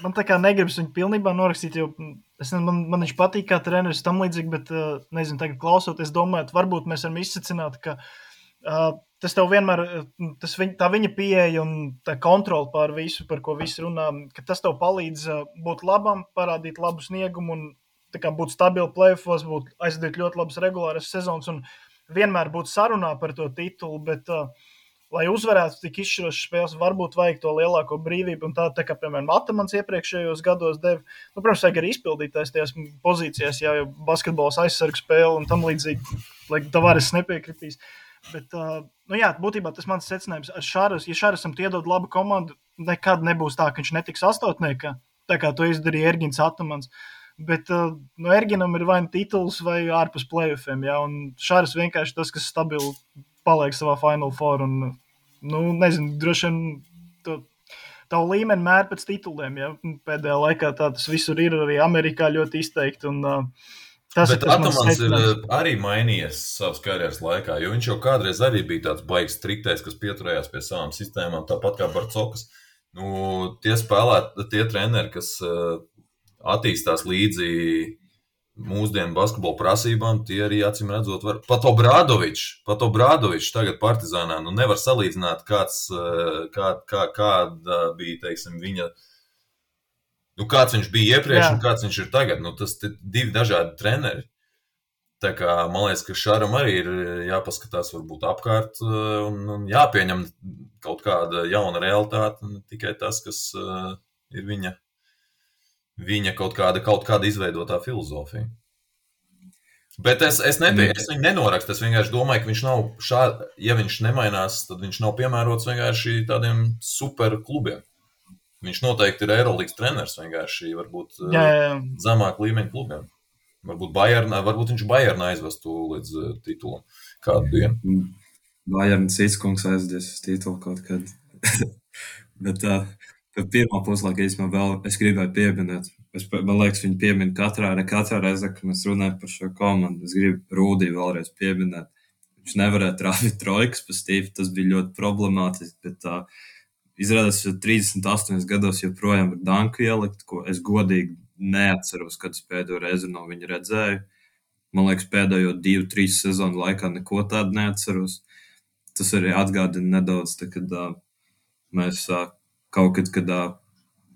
[SPEAKER 1] Man tā kā negribas viņu pilnībā norakstīt, jo man viņš patīk kā treneris tam līdzīgi, bet, nezinu, tagad klausoties, domājot, varbūt mēs varam izsacināt, ka tas tev vienmēr, tā viņa pieeja un tā kontrola pār visu, par ko visi runā, ka tas tev palīdz būt labam, parādīt labu sniegumu un tā kā būt stabili play-offos, aizdot ļoti labas regulāras sezonas un vienmēr būt sarunā par to titulu, bet lai uzvarētu tik izšķirošas spēles, varbūt vajag to lielāko brīvību, un tā kā, piemēram, Atamans iepriekšējos gados deva, protams, vajag arī izpildītājs tajās pozīcijās, jo basketbols aizsargu spēle un tam līdzīgi, lai Tavares nepiekritīs. Bet, būtībā tas mans secinājums ar Šāras, ja Šārasam iedod labu komandu, nekad nebūs tā, ka viņš netiks astotniekā, tā kā to izdarīja Ergins Atamans. Bet Erginam ir vai tituls vai ārpus play-offiem, un Šāras vienkārši tas, kas stabili paliek savā Final Four, un nezinu, droši vien tavu līmeni mēr pēc tituliem, pēdējā laikā tā tas visur ir arī Amerikā ļoti izteikti, un
[SPEAKER 3] bet Atamans ir arī mainījies savas karjeras laikā, jo viņš jau kādreiz arī bija tāds baigs striktais, kas pieturējās pie savām sistēmām, tāpat kā Barcokas. Tie treneri, kas attīstās līdzi mūsdienu basketbola prasībām, tie arī acīm redzot var. Pat Obradovičs tagad Partizānā, nevar salīdzināt, kāda bija, teiksim, viņa, kāds viņš bija iepriekš un kāds viņš ir tagad. Tas ir 2 dažādi treneri. Tā kā, man liekas, ka Šaram arī ir jāpaskatās varbūt apkārt un jāpieņem kaut kāda jauna realitāte, ne tikai tas, kas ir viņa kaut kāda izveidotā filozofija. Bet es viņu nenorakstu, es vienkārši domāju, ka viņš nav ja viņš nemainās, tad viņš nav piemērots vienkārši tādiem super klubiem. Viņš noteikti ir Eirolīgas treneris vienkārši, varbūt zemāk līmeņa klubiem. Varbūt viņš Bayernā aizvestu līdz titulam kādu dienu.
[SPEAKER 2] Bayerns Citskungs aizdies uz titulu kaut kad. Bet pirmā puslaika vēl es gribēju pieminēt. Man liekas, viņi piemin katrā reizē, kad mēs runājam par šo komandu. Es gribu Rūdī vēlreiz pieminēt. Viņš nevarēja trāvīt trojkas pa Stīvu, tas bija ļoti problemātiski, bet izrādās, ka 38 gados joprojām ir danku ielikt, ko es godīgi neatceros, kad es pēdējo reizi no viņa redzēju. Man liekas, pēdējo 2-3 sezonu laikā neko tādu neatceros. Tas arī atgādina nedaudz, kad mēs kaut kad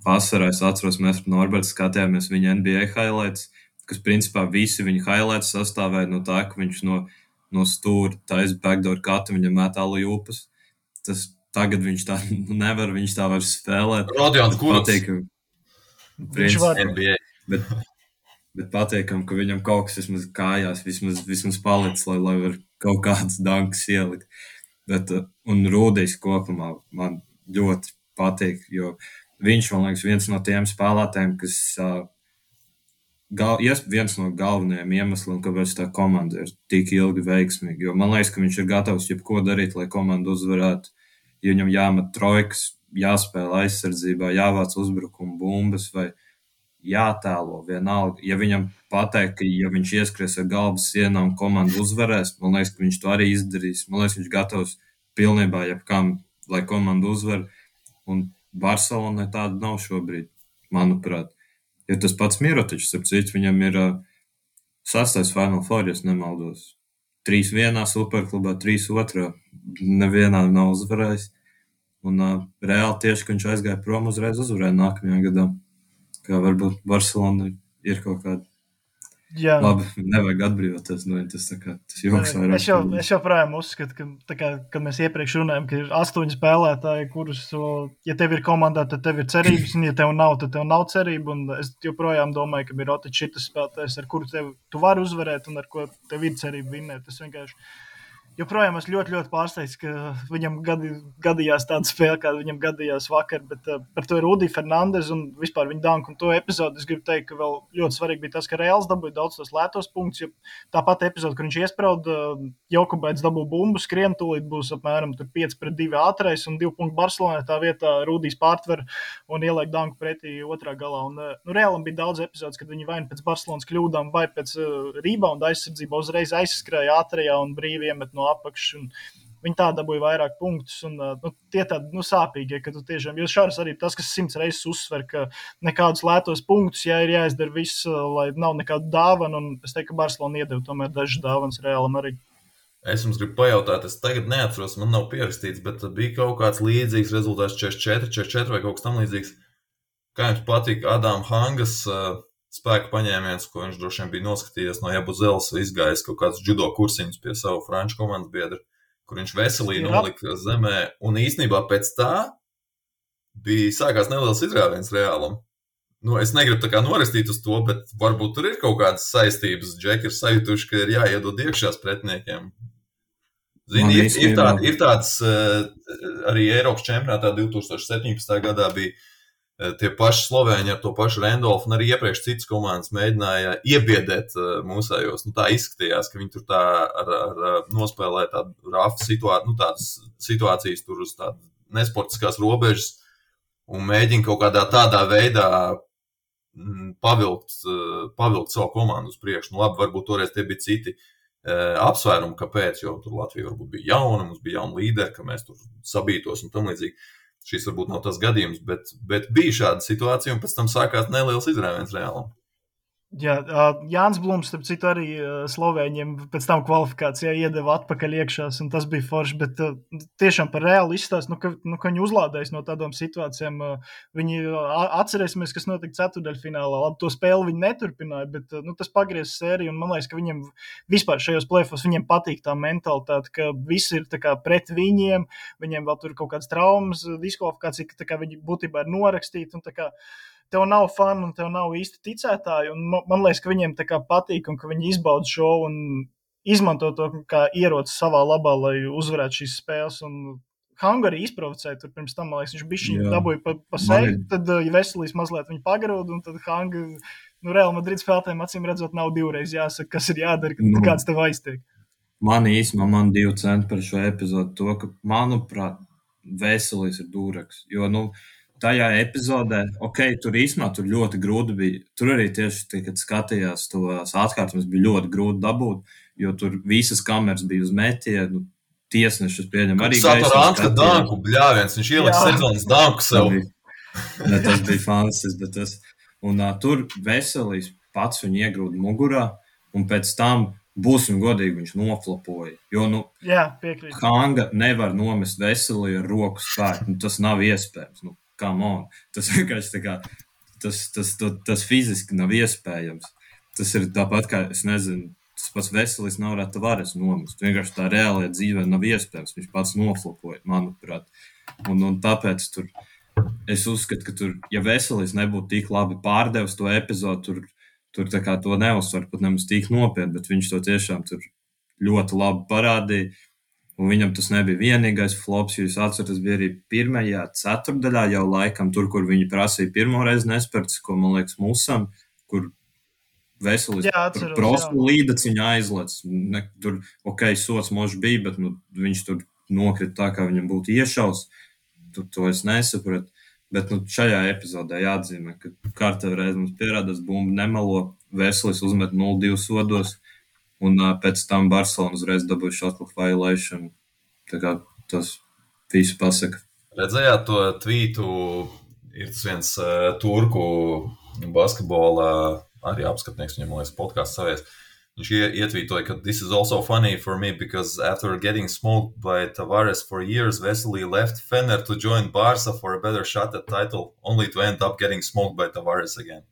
[SPEAKER 2] vasarā, es atceros, mēs ar Norbertu skatījāmies viņa NBA highlights, kas principā visi viņa highlights sastāvēja no tā, ka viņš no stūra taisa backdoor katu, viņam met alley-oopas. Tas tagad viņš tā nevar, viņš tā vairs spēlēt.
[SPEAKER 3] Rodions Kurucs.
[SPEAKER 1] Viņš var.
[SPEAKER 3] NBA.
[SPEAKER 2] Bet patīkam, ka viņam kaut kas vismaz kājās, vismaz palicis, lai var kaut kāds dankas ielikt. Un Rūdijs kopumā man ļoti patīk, jo viņš, man liekas, viens no tiem spēlētājiem, kas viens no galvenajiem iemesliem, kāpēc tā komanda ir tik ilgi veiksmīga. Jo man liekas, ka viņš ir gatavs jebko darīt, lai komanda uzvarētu. Ja viņam jāmet trojkas, jāspēlē aizsardzībā, jāvāc uzbrukuma bumbas vai jātēlo vienalga. Ja viņam pateikt, ka ja viņš ieskries ar galvas sienām, komanda uzvarēs, man liekas, ka viņš to arī izdarīs. Man liekas, viņš gatavs pilnībā jebkam, lai komanda uzvar. Un Barcelonai tāda nav šobrīd, manuprāt. Jo tas pats Mirotičs, ap citu, viņam ir 6. Final Four, ja nemaldos. 3-1 superklubā, 3-2. Nevienā nav uzvarējis. Un reāli tieši, ka viņš aizgāja prom, uzreiz uzvarēja nākamajā gadā. Kā varbūt Barcelona ir kaut kāda.
[SPEAKER 1] Jā.
[SPEAKER 2] Labi, nevajag atbrīvoties no viņa. Tas joks vairāk.
[SPEAKER 1] Es joprojām uzskatu, ka, kad mēs iepriekš runājam, ka ir 8 spēlētāji, kurus, ja tev ir komandā, tad tev ir cerības, un ja tev nav, tad tev nav cerība. Un es joprojām domāju, ka Mirotičs ir tas spēlētājs, ar kuru tu vari uzvarēt un ar ko tev ir cerība vinnēt. Tas vienkārši joprojām es ļoti, ļoti pārsteigts, ka viņam gadījās tāda spēle, kāda viņam gadījās vakar, bet par to ir Rudi Fernandes un vispār viņa danku un to epizodu. Es gribu teikt, ka vēl ļoti svarīgi bija tas, ka Reāls dabūja daudz tos lētos punktus, jo tāpat epizoda, kur viņš iesprauda, Jokubaits dabūja bumbu, skrien, tūlīt būs apmēram 5-2 ātrais un 2 punktu Barcelonā, tā vietā Rudijs pārtver un ieliek danku pretī otrā galā. Un Reālam bija daudz epizodes, kad viņi vai pēc Barcelonas kļūdām, vai pēc rebounda aizsardzībā uzreiz aizskrēja ātrajā un brīvi iemet no apakšas. Viņi tā dabūja vairāk punktus. Un, tie tādi sāpīgie, ka tu tiešām, jo Šārs arī tas, kas 100 reizes uzsver, ka nekādus lētos punktus, ja ir jāizdara viss, lai nav nekādu dāvanu. Un es teiktu, ka Barcelona iedeva tomēr dažas dāvanas Reālam arī.
[SPEAKER 3] Es jums gribu pajautāt, es tagad neatceros, man nav pierakstīts, bet bija kaut kāds līdzīgs rezultāts 44 vai kaut kas tam līdzīgs. Kā jums patīk Adam Hangas spēku paņēmiens, ko viņš droši vien bija noskatījies no Jabuzeles, izgājis kaut kāds judo kursiņus pie savu franču komandas biedru, kur viņš veselī nolika zemē, un īstenībā pēc tā sākās neliels izrāviens Reālam. Es negribu tā kā norestīt uz to, bet varbūt tur ir kaut kādas saistības. Džeki ir sajutuši, ka ir jāiedod iekšās pretiniekiem. Zini, ir tāds arī Eiropas čempionātā 2017. gadā bija tie paši Slovēņi ar to pašu Randolfu, un arī iepriekš citas komandas mēģināja iebiedēt mūsējos. Tā izskatījās, ka viņi tur tā ar nospēlē tādu rafu tādas situācijas tur uz tādu nesportiskās robežas un mēģina kaut kādā tādā veidā pavilkt savu komandu uz priekšu. Labi, varbūt toreiz tie bija citi apsvērumi, kāpēc, jo tur Latvija varbūt bija jauna, mums bija jauna līderi, ka mēs tur sabītos un tam līdzīgi. Šis varbūt nav tas gadījums, bet bija šāda situācija, un pēc tam sākās neliels izrāviens Reālam.
[SPEAKER 1] Jā, Jānis Blums, starp citu, arī Slovēņiem pēc tam kvalifikācijā iedeva atpakaļ iekšās, un tas bija forši, bet tiešām par Reālu izstāst, ka viņi uzlādējas no tādām situācijām. Viņi atcerēsimies, kas notika ceturdaļfinālā. Labi, to spēli viņi neturpināja, bet tas pagriez sēriju, un man liekas, ka viņiem vispār šajos play-offos viņiem patīk tā mentalitāte, ka visi ir tā kā pret viņiem vēl tur kaut kādas traumas, diskvalifikācija, ka tā kā viņi būtībā ir norakstīti, un tā kā tev nav fani un tev nav īsti ticētāji, un man liekas, ka viņiem tā kā patīk un ka viņi izbauda šo un izmanto to kā ieroci savā labā, lai uzvarētu šīs spēles, un Hanga arī izprovocēja tur pirms tam, man liekas, viņš bišķiņu dabūja pa seju, tad ja Veselīs mazliet viņu pagarūda, un tad Hanga, Real Madrid spēlētājiem acīm redzot nav divreiz jāsaka, kas ir jādara, kad kāds tev aiztiek.
[SPEAKER 2] Man 2 centi par šo epizodu to, ka, manuprāt, Veselīs ir dūreks, jo, tajā epizodē, tur īstenībā tur ļoti grūti bija. Tur arī tieši, kad skatījās tos atkārtumus, bija ļoti grūti dabūt, jo tur visas kameras bija uz metienu, tiesnešus pieņem arī gaismu.
[SPEAKER 3] Satorānska danku bļāviens, viņš ielika sezonas danku sev.
[SPEAKER 2] Tas bija fantastisks, bet tas. Un tur Veselīs pats viņu iegrūda mugurā, un pēc tam būsim godīgi, viņš noflapoja. Jo,
[SPEAKER 1] piekrīt.
[SPEAKER 2] Hanga nevar nomest Veselī ar roku spēku, tas nav iespējams. Come on. Tas vienkārši tā kā, tas fiziski nav iespējams. Tas ir tāpat kā, es nezinu, tas pats Veselīs nav Tavares nomest. Vienkārši tā reālajā dzīvē nav iespējams. Viņš pats noflapoja, manuprāt. Un tāpēc tur, es uzskatu, ka tur, ja Veselīs nebūtu tik labi pārdevis to epizodu, tur tā kā to neuzsver pat nemaz tik nopietni, bet viņš to tiešām tur ļoti labi parādīja. Un viņam tas nebija vienīgais flops, jo es atceros, tas bija arī pirmajā ceturdaļā jau laikam, tur, kur viņi prasīja pirmo reizi nesperts, ko, man liekas, Musam, kur Veselis tur prostu līdec viņa aizlec. Tur, sots mož bija, bet viņš tur nokrita tā, kā viņam būtu iešaus. To es nesapratu. Bet šajā epizodē jāatzīmē, ka kārtējo reizi mums pierādās bumba nemelo, Veselis uzmet 0-2 sodos, un pēc tam Barcelona uzreiz dabūja shot clock violation. Tā kā tas visu pasaka.
[SPEAKER 3] Redzējāt to tvītu, ir tas viens turku basketbola arī apskatnieks, viņam liekas podcasts savies. Viņš ietvītoja, ka this is also funny for me because after getting smoked by Tavares for years, Vesely left Fener to join Barca for a better shot at title, only to end up getting smoked by Tavares again.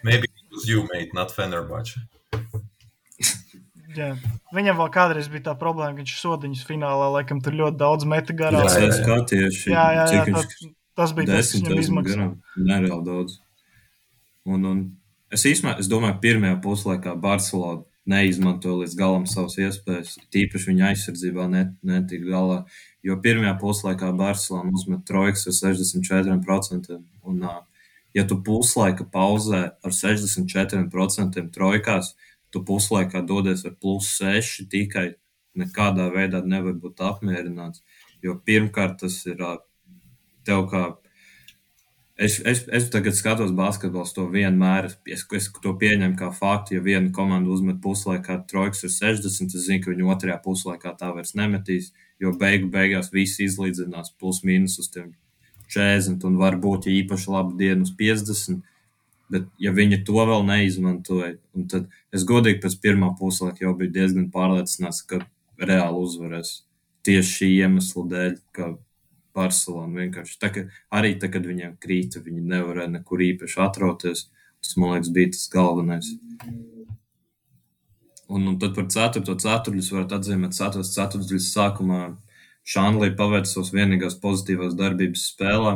[SPEAKER 3] Maybe it was you, mate, not Fenerbahce.
[SPEAKER 1] Jā. Viņam vēl kādreiz bija tā problēma, ka viņš sodiņas finālā laikam tur ļoti daudz meta garā.
[SPEAKER 2] Jā,
[SPEAKER 1] tas bija tas,
[SPEAKER 2] viņam izmaksā. Nereāli daudz. Un es domāju, pirmajā puslaikā Barcelona neizmantoja līdz galam savas iespējas, tīpaši viņa aizsardzībā netika galā, jo pirmajā puslaikā Barcelona uzmet trojkas ar 64%, un ja tu puslaika pauzē ar 64% trojkās, tu puslaikā dodies ar +6 tikai, nekādā veidā nevar būt apmierināts, jo pirmkārt tas ir tev kā. Es tagad skatos basketbols to vienmēr, es to pieņemu kā faktu, ja viena komanda uzmet puslaikā trojkas ar 60, es zinu, ka viņi otrajā puslaikā tā vairs nemetīs, jo beigās visi izlīdzinās plus-mínus uz tiem 40 un varbūt ja īpaši laba diena uz 50, bet ja viņi to vēl neizmantoja, un tad es godīgi pēc pirmā puslaika jau biju diezgan pārliecināts, ka reāli uzvarēs tieši šī iemesla dēļ, ka Barcelona vienkārši. Arī tā, kad viņiem krīta, viņi nevarēja nekur īpaši atrauties. Tas, man liekas, bija tas galvenais. Un tad par 4. ceturtdaļu varat atzīmēt 4. ceturtdaļas sākumā Šanlī paveica savas vienīgās pozitīvās darbības spēlē,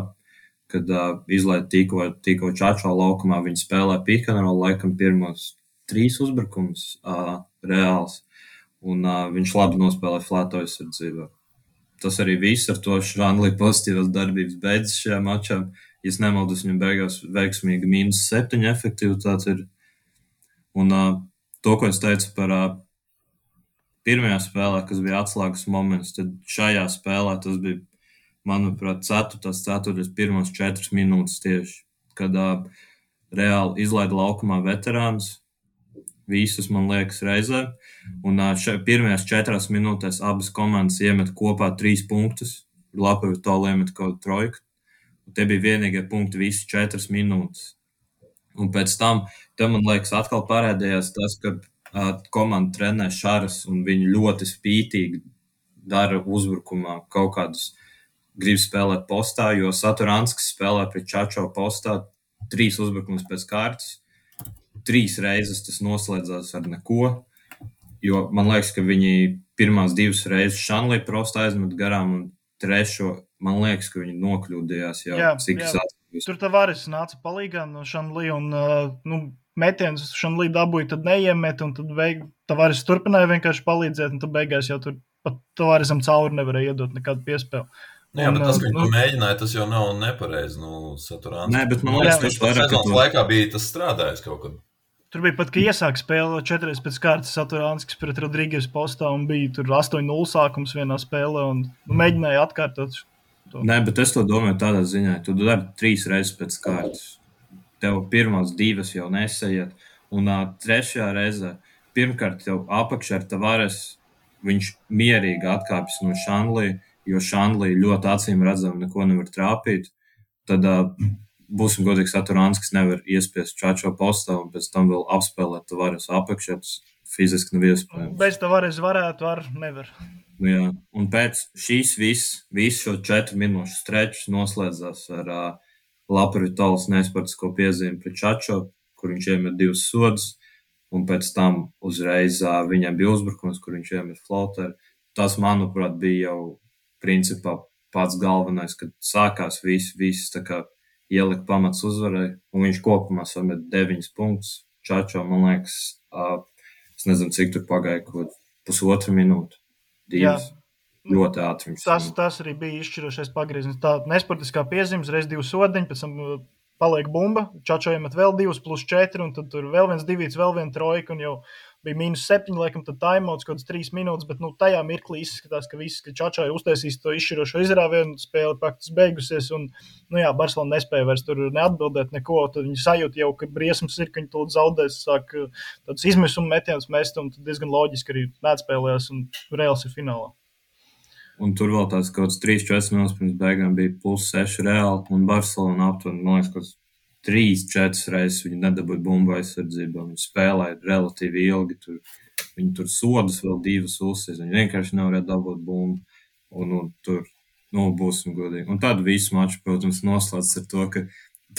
[SPEAKER 2] kad izlaida tikko Čačo laukumā, viņi spēlē pick and roll, laikam pirmos 3 uzbrukums reāls, un viņš labi nospēlē flēto aizsardzībā. Tas arī viss ar to Šanlī pozitīvās darbības beidzas šajā mačā. Ja es nemaldos, viņam beigās veiksmīgi -7 efektivitāte ir. Un to, ko es teicu par pirmajā spēlē, kas bija atslēgas moments, tad šajā spēlē tas bija, manuprāt, 4. ceturtdaļas pirmos 4 minūtes tieši, kad reāli izlaida laukumā veterāns. Visus, man liekas, reizē. Un pirmajās 4 minūtēs abas komandas iemet kopā 3 punktus. Lapavitoli iemet kaut trojku. Un tie bija vienīgie punkti visu 4 minūtes. Un pēc tam, man liekas, atkal parādījās tas, ka komanda trenē šaras un viņi ļoti spītīgi dara uzbrukumā kaut kādus grib spēlēt postā, jo Saturanskis spēlē pret Čačo postā 3 uzbrukumus pēc kārtas. 3 reizes tas noslēdzās ar neko, jo man liekas, ka viņi pirmās 2 reizes Šanlī prosti aizmet garām un 3. man liekas, ka viņi nokļūdījās jau cik es atceros.
[SPEAKER 1] Tur Tavares nāca palīgā no Šanlī un metienus Šanlī dabūja, tad neiemet un tad Tavares turpināja vienkārši palīdzēt un tad beigās jau tur pat Tavaresam cauri nevarēja iedot nekādu piespēlu.
[SPEAKER 3] Jā, bet tas, ka viņi to mēģināja, tas jau nav nepareizi. Saturāns.
[SPEAKER 2] Nē, bet man liekas, tas vairāk,
[SPEAKER 3] ka laikā bija tas strādājis kaut kad.
[SPEAKER 1] Tur bija pat, ka iesāk spēle 4 pēc kārtas Saturanskis pret Rodrīgas postā un bija tur 8-0 sākums vienā spēlē un mēģināja atkārtot to.
[SPEAKER 2] Nē, bet es to domāju tādā ziņā. Tu dari 3 reizes pēc kārtas. Tev pirmās 2 jau nesaiet. Un 3. reizē pirmkārt tev apakšā ar Tavares viņš mierīgi atkāpjas no Šanlī, jo Šanlī ļoti acīm redzam neko nevar trāpīt. Tad būsim godīgi, Saturanskis nevar iespiest Čačo postā un pēc tam vēl apspēlēt Tavares apakšā. Tas fiziski nav iespējams.
[SPEAKER 1] Bez Tavares varētu, nevar.
[SPEAKER 2] Jā, un pēc šīs visu šo 4 minūšu strečus noslēdzās ar Lapavitolis nesportisko piezīmi pret Čačo, kur viņš iemet 2 sodus, un pēc tam uzreiz viņam bija uzbrukums, kur viņš iemet floateru. Tas, manuprāt, bija jau principā pats galvenais, kad sākās viss tā kā ielika pamats uzvarai, un viņš kopumā samet 9 punktus. Čačo, man liekas, es nezinu, cik tur pagāja, kaut pusotra minūte. Divas.
[SPEAKER 1] Jā.
[SPEAKER 2] Ļoti ātri.
[SPEAKER 1] Tas arī bija izšķirošais pagrieziens. Tā nesportiskā piezīmes, reiz 2 sodiņi, pēc tam paliek bumba, Čačo iemet vēl 2 plus 4, un tad tur vēl viens divīts, vēl viena trojka, un jau bija -7, laikam, tad timeouts kaut kāds 3 minūtes, bet tajā mirklī izskatās, ka Čačo ir uztaisījis to izšķirošo izrāvienu, spēle praktiski beigusies, un, Barcelona nespēja vairs tur neatbildēt neko, tad viņi sajūt jau, ka briesmas ir, ka viņi tūlīt zaudēs, sāk tādus izmisumu metienus mest, un tad diezgan loģiski arī neatspēlējās, un Reāls ir finālā.
[SPEAKER 2] Un tur vēl tāds kaut kāds 3-4 minūtes pirms beigām bija +6 Reāli, un Barcelona aptuveni, man liekas, kaut 3-4 reizes viņi nedabūja bumbu aizsardzībā. Viņi spēlēja relatīvi ilgi. Viņi tur sodus vēl 2 uzsīs. Viņi vienkārši nevarēja dabūt bumbu. Un tur, būsim godīgi. Un tad visu maču, protams, noslēdz ar to, ka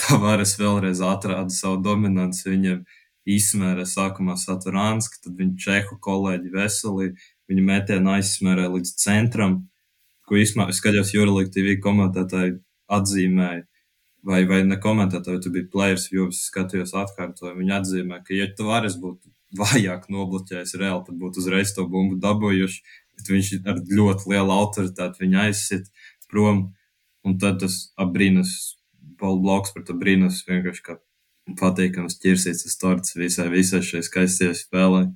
[SPEAKER 2] Tavares vēlreiz atrāda savu dominanci. Viņam izsmērē sākumā Saturanski, tad viņa čehu kolēģi Veselī. Viņa metienu aizsmērē līdz centram, ko īstenībā es skatījos Eurolīga TV komentētāji atzīmēja. Vai ne komentētāji, tu biji players, jo es skatījos atkārtoju. Viņi atzīmē, ka ja Tavares būtu vājāk nobloķējis Reāli, tad būtu uzreiz to bumbu dabūjuši, bet viņš ar ļoti lielu autoritāti viņu aizsit prom. Un tad tas abrīnas, Paul Bloks par to brīnus vienkārši kā patīkams ķirsīts uz torts visai šai skaistie spēlē.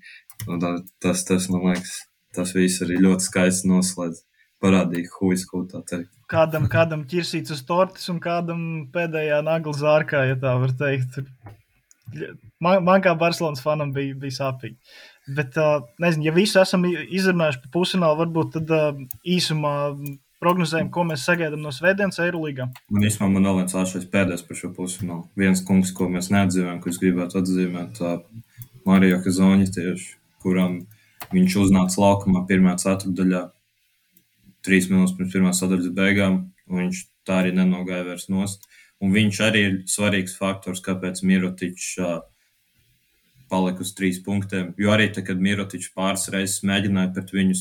[SPEAKER 2] Un tas, man liekas, tas viss arī ļoti skaisti noslēdz. Parādīja huis, ko tā teikt.
[SPEAKER 1] Kādam ķirsīts uz tortes un kādam pēdējā nagla zārkā, ja tā var teikt. Man kā Barcelonas fanam bija sāpīgi. Bet, nezinu, ja visu esam izrunājuši pa pusfinālu, varbūt tad īsumā prognozējam, ko mēs sagaidām no svētdienas Eirolīgā.
[SPEAKER 2] Man vēl viens āšais pēdējais par šo pusfinālu. Viens kungs, ko mēs neatzīmējam, kurš gribētu atzīmēt, Mario Kazoņi tieši, kuram viņš uznāca laukumā pirmā ceturtdaļā. 3 minūtes pirms pirmās sadaļas beigām, un viņš tā arī nenogāja vairs nost. Un viņš arī ir svarīgs faktors, kāpēc Mirotičs palika uz 3 punktiem. Jo arī tad, kad Mirotičs pāris reizes mēģināja pret viņu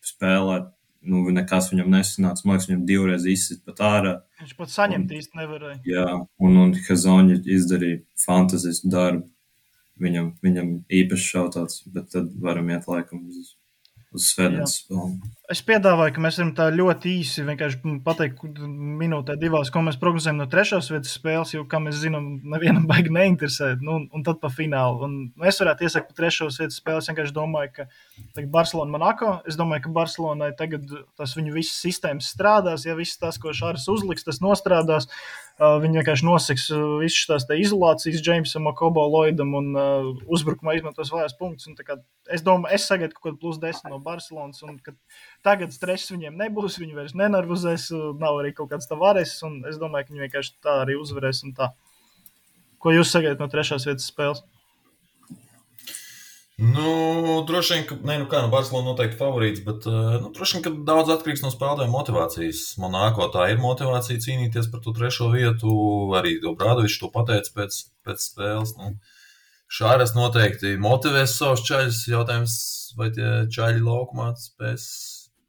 [SPEAKER 2] spēlēt, nekas viņam nesanāca. Man liekas, viņam 2 reizes izsit pat ārā.
[SPEAKER 1] Viņš pat saņemt īsti nevarēja.
[SPEAKER 2] Jā, un Kazoņi izdarīja fantastisku darbu. Viņam īpaši šautāts, bet tad varam iet laikam uz svētdienas spēli.
[SPEAKER 1] Es piedāvāju, ka mēs varam tā ļoti īsi vienkārši pateikt minūtē 2, ko mēs prognozējam no 3. vietas spēles, jo, kā mēs zinām, nevienam baigi neinteresē, un tad pa finālu. Un es varētu iesakt pa 3. vietas spēli, es vienkārši domāju, ka Barcelona Monako, es domāju, ka Barcelonai tagad tas viņu visas sistēmas strādās, ja viss tas, ko Šāris uzliks, tas nostrādās. Viņi vienkārši noseks visas tās izolācijas Jamesam, Okobo, Lloydam un uzbrukumā izmantos vājās punktus. Es domāju, es sagaidu kaut kādu +10 no Barcelonas, un ka tagad stress viņiem nebūs, viņi vairs nenervozēs, nav arī kaut kāds Tavares, un es domāju, ka viņi vienkārši tā arī uzvarēs un tā. Ko jūs sagaidat no 3. vietas spēles?
[SPEAKER 3] Droši vien, ka Barcelona noteikti favorīts, bet droši vien, ka daudz atkarīgs no spēlētāju motivācijas. Monako tā ir motivācija cīnīties par to 3. vietu, arī Obradovičs to pateica pēc spēles. Šāras noteikti motivēs savus čaļus, jautājums, vai tie čaļi laukumā spēs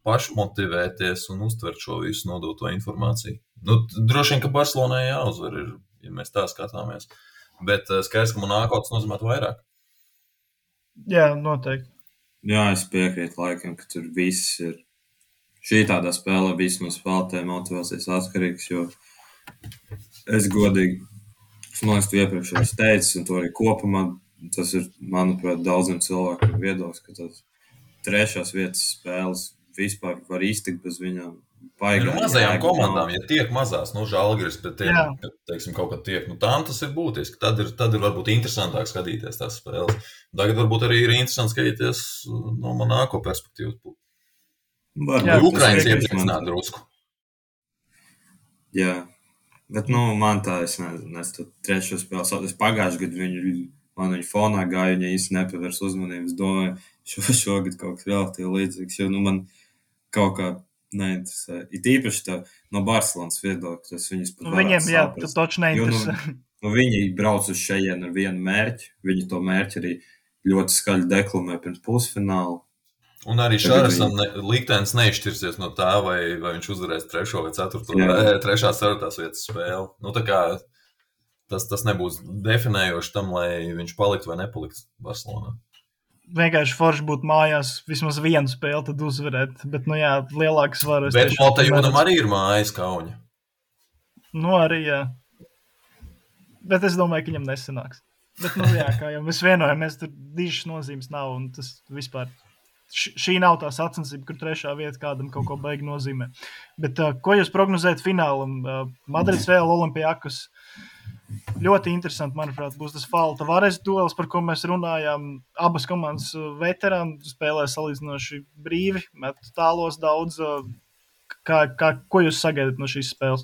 [SPEAKER 3] pašmotivēties un uztvert šo visu nodoto informāciju. Droši vien, ka Barcelonai jāuzvar, ja mēs tā skatāmies, bet skaidrs, ka Monako tas nozīmētu vairāk.
[SPEAKER 1] Jā, noteikti.
[SPEAKER 2] Jā, es piekrītu laikam, ka tur viss ir. Šī tādā spēlē viss no spēlētājiem motivācijas atkarīgs, jo es godīgi, man liekas, tu iepriekš esi teicis, un to arī kopumā, tas ir, manuprāt, daudziem cilvēkiem viedoklis, ka tas 3. vietas spēles vispār var iztikt bez viņām.
[SPEAKER 3] Mazajām komandām, ja tiek mazās, Žalgiris, bet teiksim, kaut kad tiek, tām tas ir būtiski. Tad ir varbūt interesantāk skatīties tās spēles. Tagad varbūt arī ir interesanti skatīties no Monako perspektīvas. Ukrainas iepriecināt drusku.
[SPEAKER 2] Jā, bet man tā, es nezinu, 3. spēles, es pagājuši gadu viņu fonā gāju, viņa īsti nepavērs uzmanības, domāju, šogad kaut kas relatīvi līdzīgs, jo man kaut kā neinteresē. Ir īpaši tā no Barcelonas viedokļa, tas viņus pat
[SPEAKER 1] varētu saprast. Viņiem, tas toči neinteresē.
[SPEAKER 2] Viņi brauc uz šejienu ar vienu mērķi, viņi to mērķi arī ļoti skaļi deklamē pirms pusfināla.
[SPEAKER 3] Un arī Šārasam liktenis neizšķirsies no tā, vai viņš uzvarēs 3. vai 4. 3. vietas spēli. Tā kā tas nebūs definējoši tam, lai viņš paliktu vai nepalikt Barcelonā.
[SPEAKER 1] vienkārši forši būt mājās, vismaz vienu spēli tad uzvarēt, bet, nu jā, lielākas varas.
[SPEAKER 3] Bet Motajūnam arī ir mājas Kauņa.
[SPEAKER 1] Nu arī, jā. Bet es domāju, ka viņam nesanāks. Bet, nu jā, kā jau mēs vienojamies, tur dižas nozīmes nav, un tas vispār, šī nav tā sacensība, kur 3. vieta kādam kaut ko baigi nozīmē. Bet, ko jūs prognozējat finālam? Madrids Real Olympiakos. Ļoti interesanti, manuprāt, būs tas Fala Tavares duels, par ko mēs runājām. Abas komandas veterāni spēlē salīdzinoši brīvi, met tālos daudz. Ko jūs sagaidat no šīs spēles?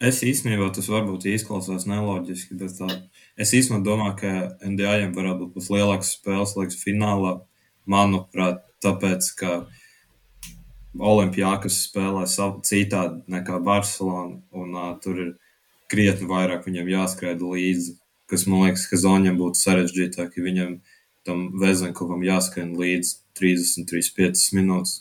[SPEAKER 2] Es īstenībā, tas varbūt izklausās neloģiski, bet es īstenībā domāju, ka NDA-jiem varētu būt lielākas spēles, liekas, finālā. Manuprāt, tāpēc, ka Olimpiakos spēlē citādi nekā Barcelona, un tur ir krietni vairāk viņam jāskraida līdzi, kas, man liekas, ka Zoņam būtu sarežģītāk, ja viņam tam Vezenkovam jāskrien līdzi 33-5 minūtes.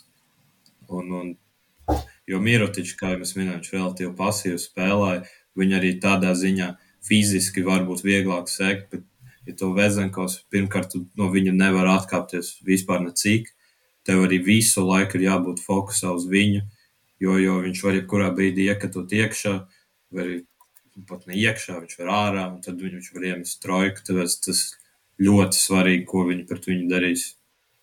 [SPEAKER 2] Jo Mirotičs, kā jau mēs minējām, viņš relatīvi pasīvi spēlēja, viņi arī tādā ziņā fiziski varbūt vieglāk sekt, bet, ja to Vezenkovs, pirmkārt, no viņa nevar atkāpties vispār necik, tev arī visu laiku ir jābūt fokusā uz viņu, jo viņš var jebkurā brīdī iekatot iekšā, vai arī pat ne iekšā, viņš var ārā, un tad viņš var iemest trojku, tāpēc tas ļoti svarīgi, ko viņi pret viņu darīs.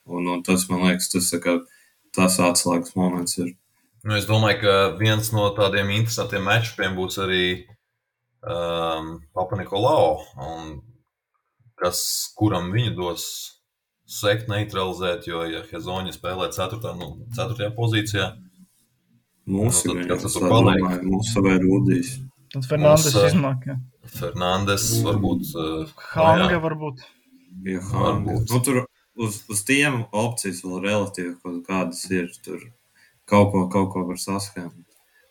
[SPEAKER 2] Un tas, man liekas, tas atslēgas moments ir.
[SPEAKER 3] Nu, es domāju, ka viens no tādiem interesantiem matchupiem būs arī Papa Nikolau, un kuram viņu dos sekt neutralizēt, jo, ja Hezoņa spēlē 4. pozīcijā,
[SPEAKER 2] mūsu vai Rudijs.
[SPEAKER 1] Tad Fernandes iznāk, jā.
[SPEAKER 3] Fernandes varbūt.
[SPEAKER 1] Hanga varbūt.
[SPEAKER 2] Ja, Hanga. Nu, tur uz tiem opcijas vēl relatīvi kaut kādas ir, tur kaut ko var saskāt.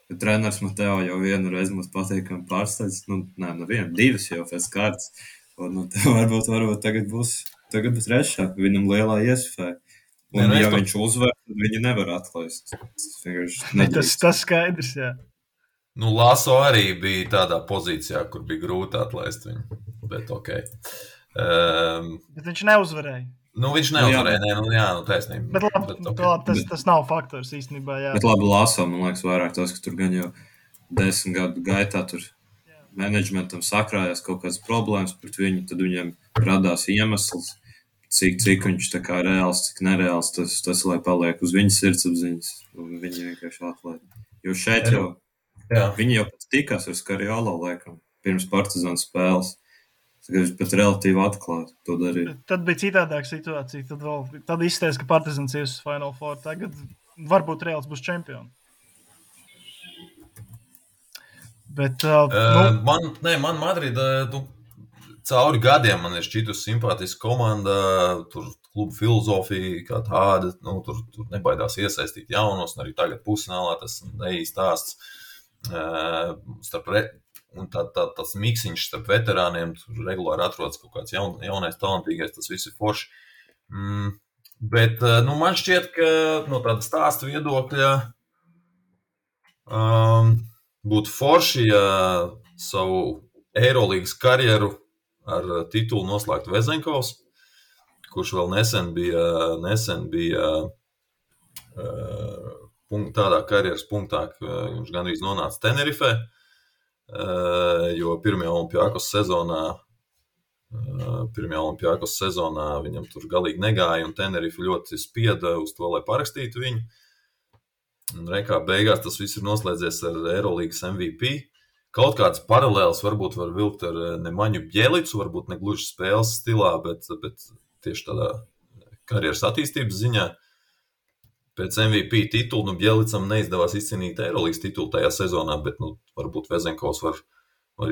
[SPEAKER 2] Bet treneris Mateo jau vienu reizi mums patīkami pārsteidz, divas jau pēc kārtas. Un varbūt tagad būs trešā, viņam lielā iespēja. Un ja viņš uzvar, tad viņu nevar atlaist.
[SPEAKER 1] Tas skaidrs, jā.
[SPEAKER 3] Nu, Laso arī bija tādā pozīcijā, kur bija grūti atlaist viņu, bet okei.
[SPEAKER 1] Bet viņš neuzvarēja.
[SPEAKER 3] Nu, viņš neuzvarēja, taisnība.
[SPEAKER 1] Bet labi, tas nav faktors īstenībā, jā.
[SPEAKER 2] Bet labi, Laso, man liekas, vairāk tas, ka tur gan jau 10 gadu gaitā tur menedžmentam sakrājās kaut kādas problēmas pret viņu, tad viņam radās iemesls, cik viņš tā kā reāls, cik nereāls, tas lai paliek uz viņas sirdsapziņas, un viņi vienkārši atlaid. Jo šeit jau, viņi jau pat tikās ar Skariolo, laikam, pirms Partizāna spēles, viņš pat relatīvi atklāti to darīja.
[SPEAKER 1] Tad bija citādāka situācija, tad izsties, ka Partizāns ies uz Final Four, tagad varbūt Reāls būs čempioni. Bet,
[SPEAKER 3] man Madrida, cauri gadiem man ir šķitus simpātiska komanda, tur klubu filozofija kā tāda, tur nebaidās iesaistīt jaunos, un arī tagad pusfinālā tas neīstāsts. Un tas miksiņš starp veterāniem, tur regulāri atrodas kaut kāds jaunais, talantīgais, tas viss ir forši. Bet, man šķiet, ka no tāda stāsta viedokļa būtu forši, ja savu Eirolīgas karjeru ar titulu noslēgtu Vezenkovs, kurš vēl nesen bija tādā karjeras punktā, ka viņš gandrīz nonāca Tenerifē, jo pirmajā Olimpiakos sezonā viņam tur galīgi negāja, un Tenerife ļoti spieda uz to, lai parakstītu viņu. Un rekā beigās tas viss ir noslēdzies ar Eirolīgas MVP. Kaut kāds paralēls varbūt var vilkt ar Nemaņu Bjelicu, varbūt ne gluži spēles stilā, bet tieši tādā karjeras attīstības ziņā. Pēc MVP titulu, Bjelicam neizdevās izcīnīt Eirolīgas titulu tajā sezonā, bet varbūt Vezenkovs var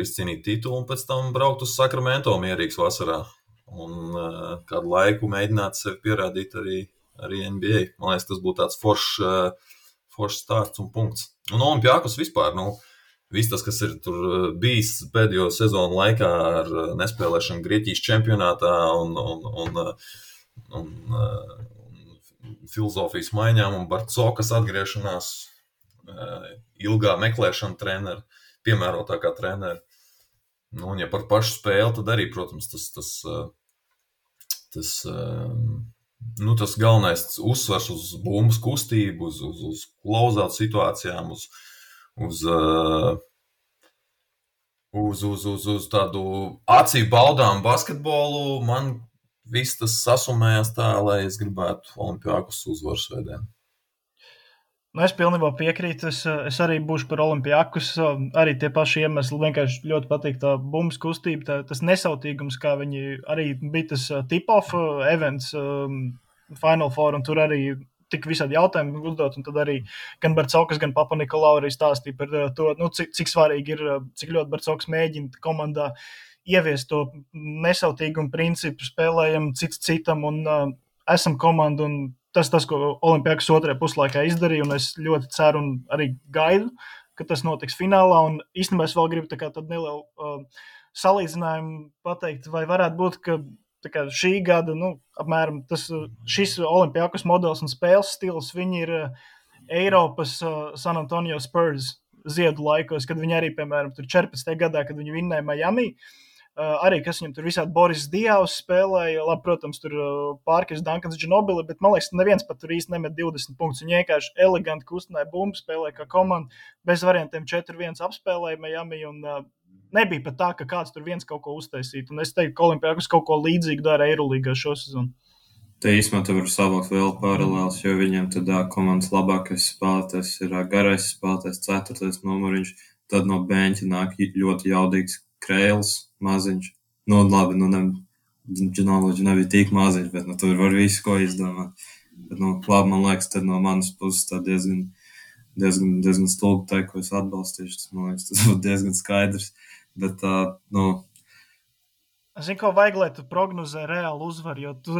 [SPEAKER 3] izcīnīt titulu un pēc tam braukt uz Sacramento mierīgs vasarā. Un kādu laiku mēģināt sevi pierādīt arī NBA. Man liekas, tas būtu tāds foršs stāsts un punkts. Un Olimpiakos vispār, viss tas, kas ir tur bijis pēdējo sezonu laikā ar nespēlēšanu Grieķijas čempionātā un filozofijas maiņām un Barcokas atgriešanās, ilgā meklēšana trenera, piemērotākā trenera. Nu, un ja par pašu spēli, tad arī, protams, tas galvenais uzsvars uz bumbas kustību, uz close-out situācijām, uz tādu acīm baudām basketbolu. Man viss tas sasumējās tā, lai es gribētu Olimpiakos uzvaru svētdien.
[SPEAKER 1] Nu, es pilnībā piekrītu. Es arī būšu par Olimpiakos. Arī tie paši iemesli. Vienkārši ļoti patīk tā bumbas kustība, tas nesautīgums, kā viņi arī bija tas tip-off events Final Four, un tur arī tik visādi jautājumi uzdot, un tad arī gan Barcaukas, gan Papa Nikolau arī stāstīja par to, cik svarīgi ir, cik ļoti Barcaukas mēģina komandā ieviest to nesautīgumu principu, spēlējam cits citam, un esam komanda, un tas, ko Olimpiakos otrajā puslaikā izdarīja, un es ļoti ceru un arī gaidu, ka tas notiks finālā, un īstenībā es vēl gribu tādu nelielu salīdzinājumu pateikt, vai varētu būt, ka šī gada, apmēram šis Olimpiakos modelis un spēles stils, viņi ir Eiropas San Antonio Spurs ziedu laikos, kad viņi arī, piemēram, tur 14. gadā, kad viņi vinnēja Miami, arī, kas viņam tur visādi Boris Dievs spēlēja, labi, protams, tur Pārkers, Duncans, Ginobili, bet, man liekas, neviens pat tur īsti nemet 20 punktus. Viņi vienkārši eleganti kustināja bumbu, spēlēja kā komanda, bez variantiem 4-1 apspēlēja Miami, un nebija pat tā, ka kāds tur viens kaut ko uztaisītu. Un es teiktu, ka Olimpiakos kaut ko līdzīgu dara Eirolīgā šo sezonu.
[SPEAKER 2] Te īstenībā tu vari savākt vēl paralēlus, jo viņiem tad komandas labākais spēlētājs ir garais spēlētājs, 4. numuriņš, tad no beņķa nāk ļoti jaudīgs Krēls, maziņš. Labi, Ginobili nebija tik maziņš, bet tur var visu ko izdomāt. Bet, labi, man liekas, tad no manas puses tā diezgan stulbi teikt, ko es atbalstīšu. Tas, man liekas, tas būtu diezgan skaidrs. Bet,
[SPEAKER 1] Es zinu, ko vajag, lai tu prognozē reāli uzvaru, jo tu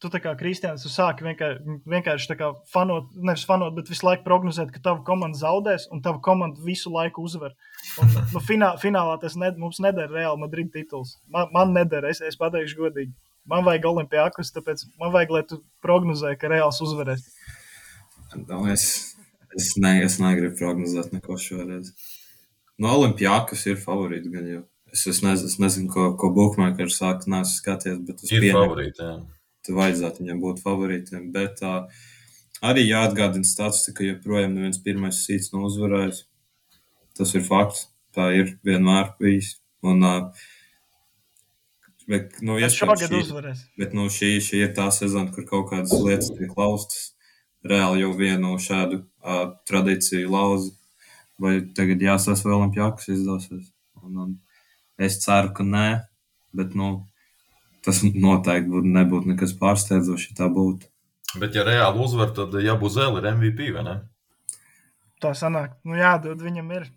[SPEAKER 1] tā kā Kristiāns, tu sāki vienkārši tā kā nevis fanot, bet visu laiku prognozēt, ka tava komanda zaudēs un tava komanda visu laiku uzvar. Un finālā tas mums nedara Real Madrid tituls. Man nedara, es pateikšu godīgi. Man vajag Olimpiakos, tāpēc man vajag, lai tu prognozē, ka Reāls uzvarēs.
[SPEAKER 2] Es negribu prognozēt neko šoreiz. Olimpiakos ir favorīti gan jau. Es nezinu, ko bookmakeri saka, neesmu skaties, bet es
[SPEAKER 3] pieņemu. Ir favorīti, jā.
[SPEAKER 2] Tu vajadzētu viņam būt favorītiem, bet arī jāatgādina statistika, joprojām neviens pirmais seeds nav uzvarējis. Tas ir fakts, tā ir vienmēr bijis. Bet
[SPEAKER 1] šogad uzvarēs.
[SPEAKER 2] Bet šī ir tā sezona, kur kaut kādas lietas tiek laustas. Reāli jau vienu šādu tradīciju lauza. Vai tagad jāsās vēl Olimpiakos izdosies? Es ceru, ka nē, bet tas noteikti nebūtu nekas pārsteidzošs, ja tā būtu.
[SPEAKER 3] Bet ja Reāli uzvar, tad Jabuzele ir MVP, vai ne?
[SPEAKER 1] Tā sanāk. Jādod viņam ir.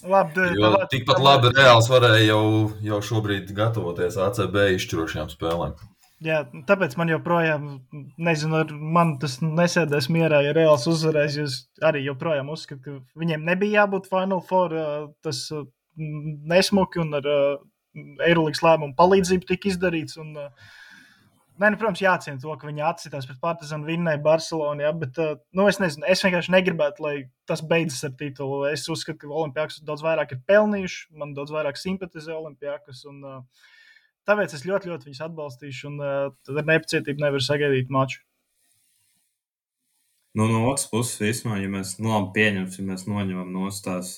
[SPEAKER 1] Labi,
[SPEAKER 3] tikpat labi Reāls varēja jau šobrīd gatavoties ACB izšķirošajām spēlēm.
[SPEAKER 1] Jā, tāpēc man joprojām, nezinu, man tas nesēdēs mierā, ja Reāls uzvarēs, jo arī joprojām uzskatu, ka viņiem nebija jābūt Final Four, tas nesmuki un ar Eirolīgas lēmumu palīdzību tika izdarīts. Un, protams, jāciena to, ka viņi atcitās pret Partizanu, vinnēja Barcelonu, ja, bet es nezinu, es vienkārši negribētu, lai tas beidzas ar titulu. Es uzskatu, ka Olimpiakos daudz vairāk ir pelnījuši, man daudz vairāk simpatizē Olimpiakos, un tāpēc es ļoti, ļoti viņus atbalstīšu, un tad ar nepacietību nevaru sagaidīt maču.
[SPEAKER 2] No otras puses, vismā, ja mēs pieņemsim, ja mēs noņemam nostās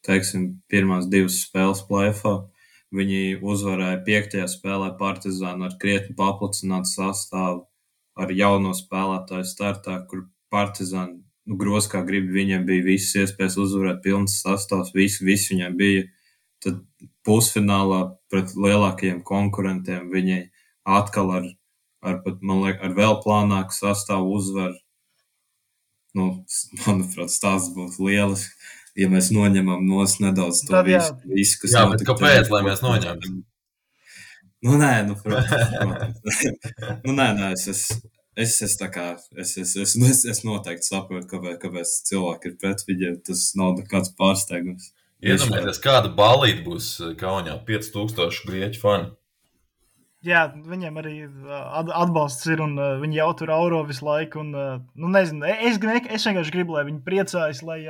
[SPEAKER 2] teiksim, pirmās 2 spēles play-offā. Viņi uzvarēja 5. spēlē Partizānu ar krietni paplacinātu sastāvu, ar jauno spēlētāju startā, kur Partizānu gros kā grib, viņiem bija visas iespējas uzvarēt pilns sastāvs, viss viņiem bija. Tad pusfinālā pret lielākajiem konkurentiem viņi atkal ar vēl plānāku sastāvu uzvar. Manuprāt, stāsts būs lielisks. Ja mēs noņemam nedaudz to visu, kas
[SPEAKER 3] notika. Jā, bet kāpēc, lai mēs noņemam?
[SPEAKER 2] Protams. Es noteikti saprotu, kāpēc cilvēki ir pret viņiem. Tas nav nekāds pārsteigums.
[SPEAKER 3] Iedomājieties, kāda ballīte būs Kaunijā, 5000 grieķu fani.
[SPEAKER 1] Jā, viņiem arī atbalsts ir, un viņi jau tur auro visu laiku. Un, nezinu, es vienkārši gribu, lai viņi priecājas, lai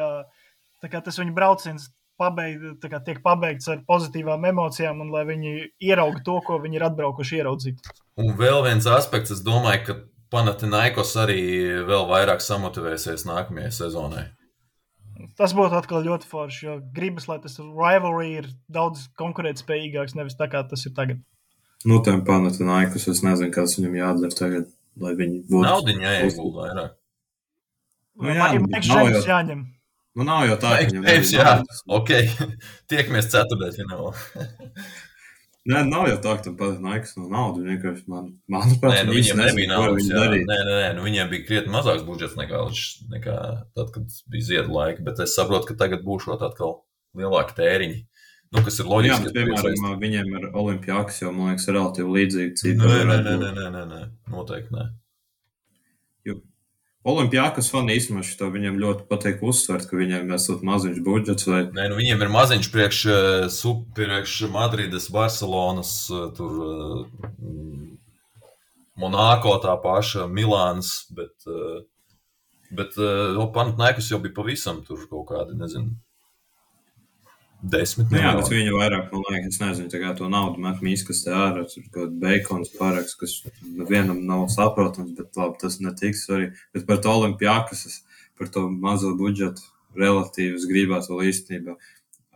[SPEAKER 1] tā kā tas viņa brauciens tiek pabeigts ar pozitīvām emocijām un lai viņi ierauga to, ko viņi ir atbraukuši ieraudzīt.
[SPEAKER 3] Un vēl viens aspekts, es domāju, ka Panathinaikos arī vēl vairāk samotivēsies nākamajai sezonai.
[SPEAKER 1] Tas būtu atkal ļoti forši, jo gribas, lai tas rivalry ir daudz konkurētspējīgāks, nevis tā kā tas ir tagad.
[SPEAKER 2] Nu, tiem Panathinaikos, es nezinu, kas viņam jādara tagad, lai viņi būtu.
[SPEAKER 3] Naudiņa jāiegulda vairāk.
[SPEAKER 1] Šeit jāņem.
[SPEAKER 2] Nu, nav jau tā, ka viņam
[SPEAKER 3] jā, ok, tiekamies ceturtdaļfinālā.
[SPEAKER 2] Nē, nav jau tā, ka tam Panathinaikos nav naudu, vienkārši manuprāt,
[SPEAKER 3] Nē, viņiem nebija naudas, nē, viņiem bija krietni mazāks budžets nekā tad, kad bija ziedu laika, bet es saprotu, ka tagad būšot atkal lielāki tēriņi, kas ir loģiski.
[SPEAKER 2] Jā, bet, piemēram, viņiem ar Olimpiakos jau, man liekas, relatīvi līdzīgi cipari.
[SPEAKER 3] Nē, noteikti nē.
[SPEAKER 2] Olimpiakos fani īstenībā šito viņiem ļoti patīk uzsvert, ka viņiem esot maziņš budžets vai...
[SPEAKER 3] Nē, viņiem ir maziņš priekš Madrides, Barcelonas, tur Monako tā paša, Milāns, bet Panathinaikos jau bija pavisam tur kaut kādi, nezinu, 10 miljoni.
[SPEAKER 2] Jā, bet viņi vairāk, man liekas, es nezinu, tā kā to naudu met mīskastē ārā, tur kaut beikons paraks, kas vienam nav saprotams, bet labi, tas netiks arī. Bet par to Olimpiakos, par to mazo budžetu relatīvi es gribētu vēl īstenībā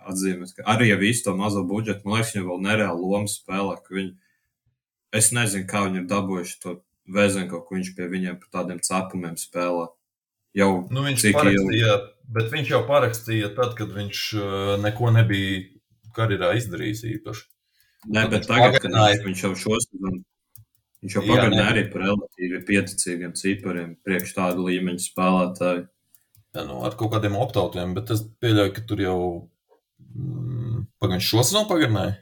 [SPEAKER 2] atzīmēt, ka arī ja visu to mazo budžetu, man liekas, viņi vēl nereāli lomu spēlē, ka viņi, es nezinu, kā viņi ir dabūjuši to Vezenko, ka viņš pie viņiem par tādiem cepumiem spēlē. Jau
[SPEAKER 3] viņš parakstīja, bet viņš jau parakstīja tad, kad viņš neko nebija karjerā izdarījis īpaši.
[SPEAKER 2] Nē, bet tagad, kad viņš jau šosezonu, viņš jau pagarināja arī par relatīvi pieticīgiem cipariem priekš tādu līmeņu spēlētāju.
[SPEAKER 3] Jā, ar kaut kādiem optautiem, bet es pieļauju, ka tur jau viņš šosezonu pagarināja?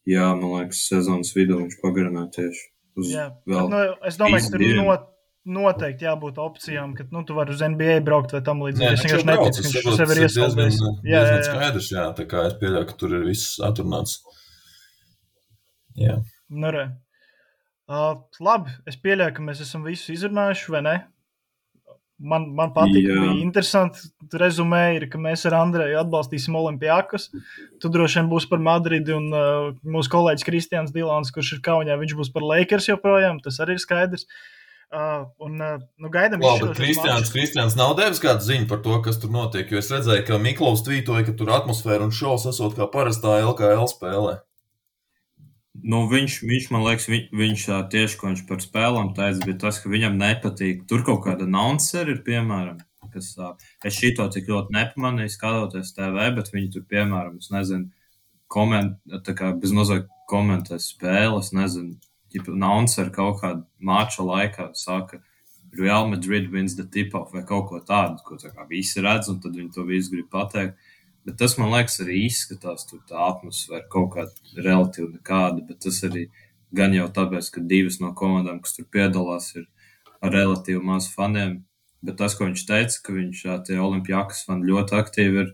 [SPEAKER 2] Jā, man liekas, sezonas vidū viņš pagarināja tieši uz vēl.
[SPEAKER 1] Es domāju, ka tur noteikti jābūt opcijām, ka tu vari uz NBA braukt vai tam līdzīgi. Es vienkārši neticu, ka viņš sev ir iesaldējis.
[SPEAKER 3] Diezgan skaidrs, jā, tā kā es pieļauju, ka tur ir viss atrunāts. Jā.
[SPEAKER 1] Nu, re. Labi, es pieļauju, ka mēs esam visu izrunājuši, vai ne? Man patīk, bija interesanti rezumēji, ka mēs ar Andreju atbalstīsim Olimpiakos. Tu droši vien būs par Madridi un mūsu kolēģis Kristians Dilāns, kurš ir Kaunijā, viņš būs par Lakers joprojām, tas arī ir skaidrs. Gaidam
[SPEAKER 3] Kristians nav devis kādu ziņu par to, kas tur notiek, jo es redzēju, ka Miklaus tvītoja, ka tur atmosfēra un šovs esot kā parastā LKL spēlē.
[SPEAKER 2] Viņš man liekas, viņš tieši, ko viņš par spēlām teica, bija tas, ka viņam nepatīk. Tur kaut kāda announceri ir, piemēram, kas es šito tik ļoti nepamanīju, skatoties TV, bet viņi tur, piemēram, es nezinu, bezmazāk komentē spēles, nezinu, announceri kaut kādu mača laikā saka, Real Madrid wins the tip-off vai kaut ko tādu, ko tā kā visi redz, un tad viņi to visu grib pateikt. Bet tas, man liekas, arī izskatās, tur tā atmosfēra kaut kāda relatīvi nekāda, bet tas arī gan jau tāpēc, ka divas no komandām, kas tur piedalās, ir ar relatīvi maz faniem. Bet tas, ko viņš teica, ka viņš tie Olimpiakos fani ļoti aktīvi ir,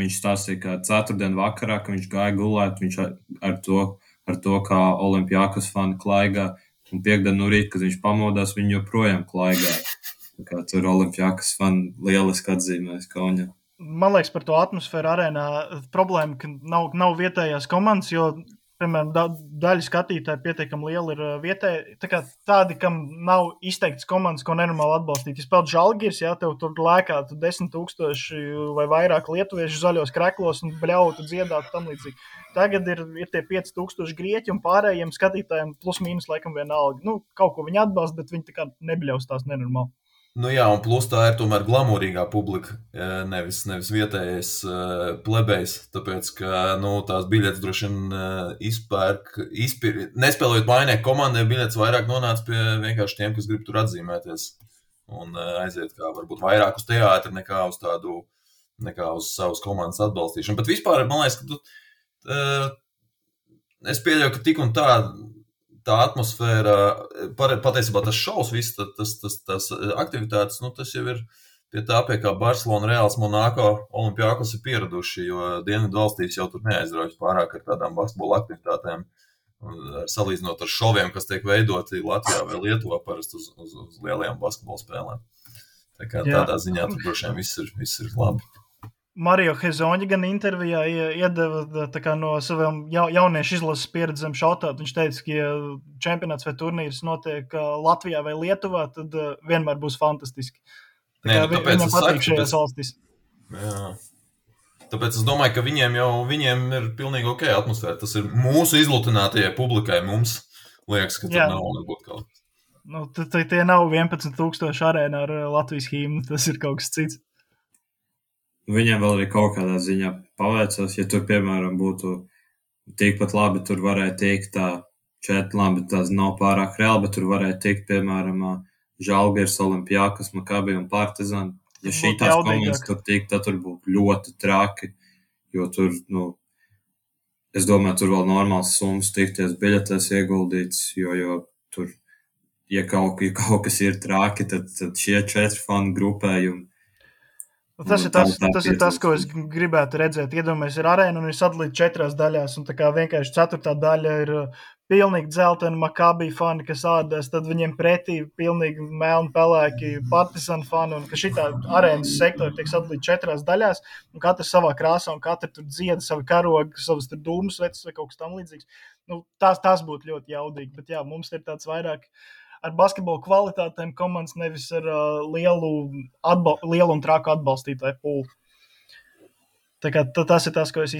[SPEAKER 2] viņš stāstīja, ka ceturtdien vakarā, ka viņš gāja gulēt, viņš ar to, kā Olimpiakos fani klaigā, un piekdien no rīta, kad viņš pamodās, viņi joprojām klaigā. Tā kā tur Olimpiakos fani lieliski atzīmēs Kaunijā.
[SPEAKER 1] Man liekas, par to atmosfēru arēnā problēma, ka nav vietējās komandas, jo, piemēram, daļa skatītāji pietiekami liela ir vietēji. Tā kā tādi, kam nav izteikts komandas, ko nenormāli atbalstīt. Ja spēlēt Žalgiris, tev tur lēkātu 10,000 vai vairāk lietuviešu zaļos kreklos un bļautu dziedātu tam līdzīgi. Tagad ir tie 5,000 grieķi un pārējiem skatītājiem plus mīnus laikam vienalga. Kaut ko viņi atbalsta, bet viņi tā kā nebļaus tās nenormāli.
[SPEAKER 3] Jā, un plus tā ir tomēr glamūrīgā publika, nevis vietējais plebejs, tāpēc, ka, tās biļetes droši vien nespēlējot mainēk komandai, biļetes vairāk nonāca pie vienkārši tiem, kas grib tur atzīmēties un aiziet kā varbūt vairāk uz teātri nekā uz savas komandas atbalstīšanu. Bet vispār, man liekas, ka es pieļauju, ka tik un tā atmosfēra, patiesībā tas šovs, viss tas aktivitātes, tas jau ir pie tā, pie kā Barcelona, Reāls, Monako, Olimpiakos ir pieraduši, jo dienvidu valstīs jau tur neaizraujas pārāk ar tādām basketbola aktivitātēm, salīdzinot ar šoviem, kas tiek veidoti Latvijā vai Lietuvā parasti uz lielajām basketbola spēlēm. Tā kā tādā ziņā tur droši vien viss ir labi.
[SPEAKER 1] Mario Hezoņa gan intervijā iedeva tā kā no saviem jauniešu izlases pieredzēm šautāt. Viņš teica, ka, ja čempionāts vai turnīrs notiek Latvijā vai Lietuvā, tad vienmēr būs fantastiski.
[SPEAKER 3] Nē, nu, tāpēc
[SPEAKER 1] viņam patīk šajās valstīs.
[SPEAKER 3] Jā. Tāpēc es domāju, ka viņiem ir pilnīgi ok atmosfēra. Tas ir mūsu izlutinātajai publikai. Mums liekas, ka tur nav varbūt kaut kas.
[SPEAKER 1] Nu, tie nav 11,000 arēnā ar Latvijas himnu. Tas ir kaut kas cits.
[SPEAKER 2] Viņiem vēl arī kaut kādā ziņā paveicās, ja tur, piemēram, būtu tikpat labi, tur varēja tikt labi, tās nav pārāk reāli, bet tur varēja tikt, piemēram, Žalgiris, Olimpiakos, Makabi un Partizan. Ja šitās komandas tur tikt, tad tur būtu ļoti traki, jo tur, es domāju, tur vēl normāls summas tikties biļetēs ieguldīts, jo tur, ja kaut kas ir traki, tad šie 4 fanu grupējumi.
[SPEAKER 1] Tas ir tas, ko es gribētu redzēt. Iedomājies, ir arēna un ir sadalīta 4 daļās, un tā kā vienkārši 4. daļa ir pilnīgi dzeltena Makabi fani, kas ādās, tad viņiem pretī pilnīgi melni pelēki Partizan fani, un ka šitā arēnas sektori tiek sadalīta 4 daļās, un katrs savā krāsā, un katrs tur dzieda savu karogu, savas tur dūmus vecis vai kaut kas tam līdzīgs. Tas būtu ļoti jaudīgi, bet jā, mums ir tāds vairāk ar basketbolu kvalitātēm komandas, nevis ar lielu un traku atbalstītāju pūli. Tā kā tas ir tas, ko es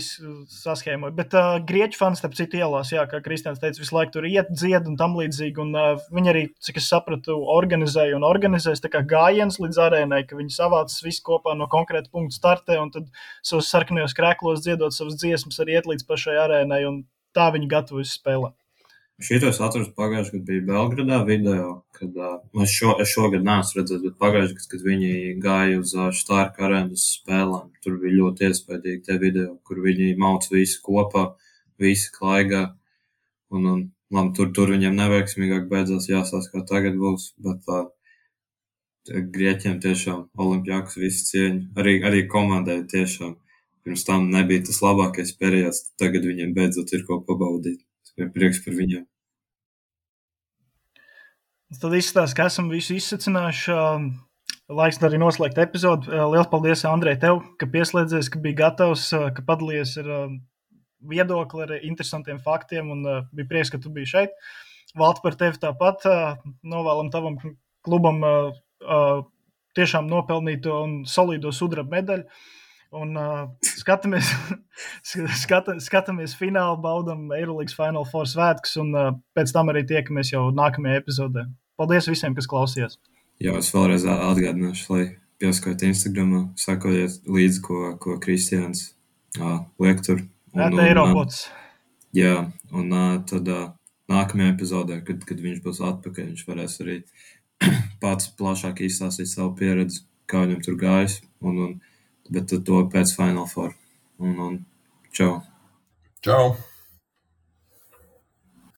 [SPEAKER 1] saskēmoju. Bet grieķu fani, starp citu, ielās, jā, kā Kristians teica, visu laiku tur iet, dzied un tam līdzīgi, un viņi arī, cik es sapratu, organizēs tā kā gājiens līdz arēnai, ka viņi savācas visu kopā no konkrēta punkta startē, un tad savus sarkanajos krēklos dziedot savas dziesmas arī iet līdz pašai arēnai, un tā viņi gatavojas spēlēt.
[SPEAKER 2] Šitos atrastu pagājušajā gadā bija Belgradā video, kad es šogad neesmu redzējis, bet pagājušajā gadā, kad viņi gāja uz Štārka arēnas spēlēm, tur bija ļoti iespaidīgi tie video, kur viņi mauc visi kopā, visi klaigā, un tur viņiem neveiksmīgāk beidzās, jāsās, kā tagad būs, bet Grieķiem tiešām Olimpiakos visi cieņi, arī komandai tiešām pirms tam nebija tas labākais periods, tagad viņiem beidzot ir ko pabaudīt. Ir prieks par viņiem.
[SPEAKER 1] Tad izskatās, ka esam visu izsacinājuši. Laiks arī noslēgt epizodu. Liels paldies, Andrej, tev, ka pieslēdzies, ka biji gatavs, ka padalījies ar viedokli, ar interesantiem faktiem, un bija prieks, ka tu biji šeit. Valti, par tevi tāpat. Novēlam tavam klubam tiešām nopelnīto un solīdo sudraba medaļu. Un skatāmies finālu, baudam Eirolandes Final Four svētkus, un pēc tam arī tiekamies jau nākamajā epizodē. Paldies visiem, kas klausījās.
[SPEAKER 2] Jā, es vēlreiz atgādināšu, lai piesakojiet Instagramā, sakojiet līdzi, ko Kristians liek tur.
[SPEAKER 1] Eiropods.
[SPEAKER 2] Jā, un tad nākamajā epizodē, kad viņš būs atpakaļ, viņš varēs arī pats plašāk izstāstīt savu pieredzi, kā viņam tur gājis, bet to pēc Final Four. Un čau.
[SPEAKER 3] Čau.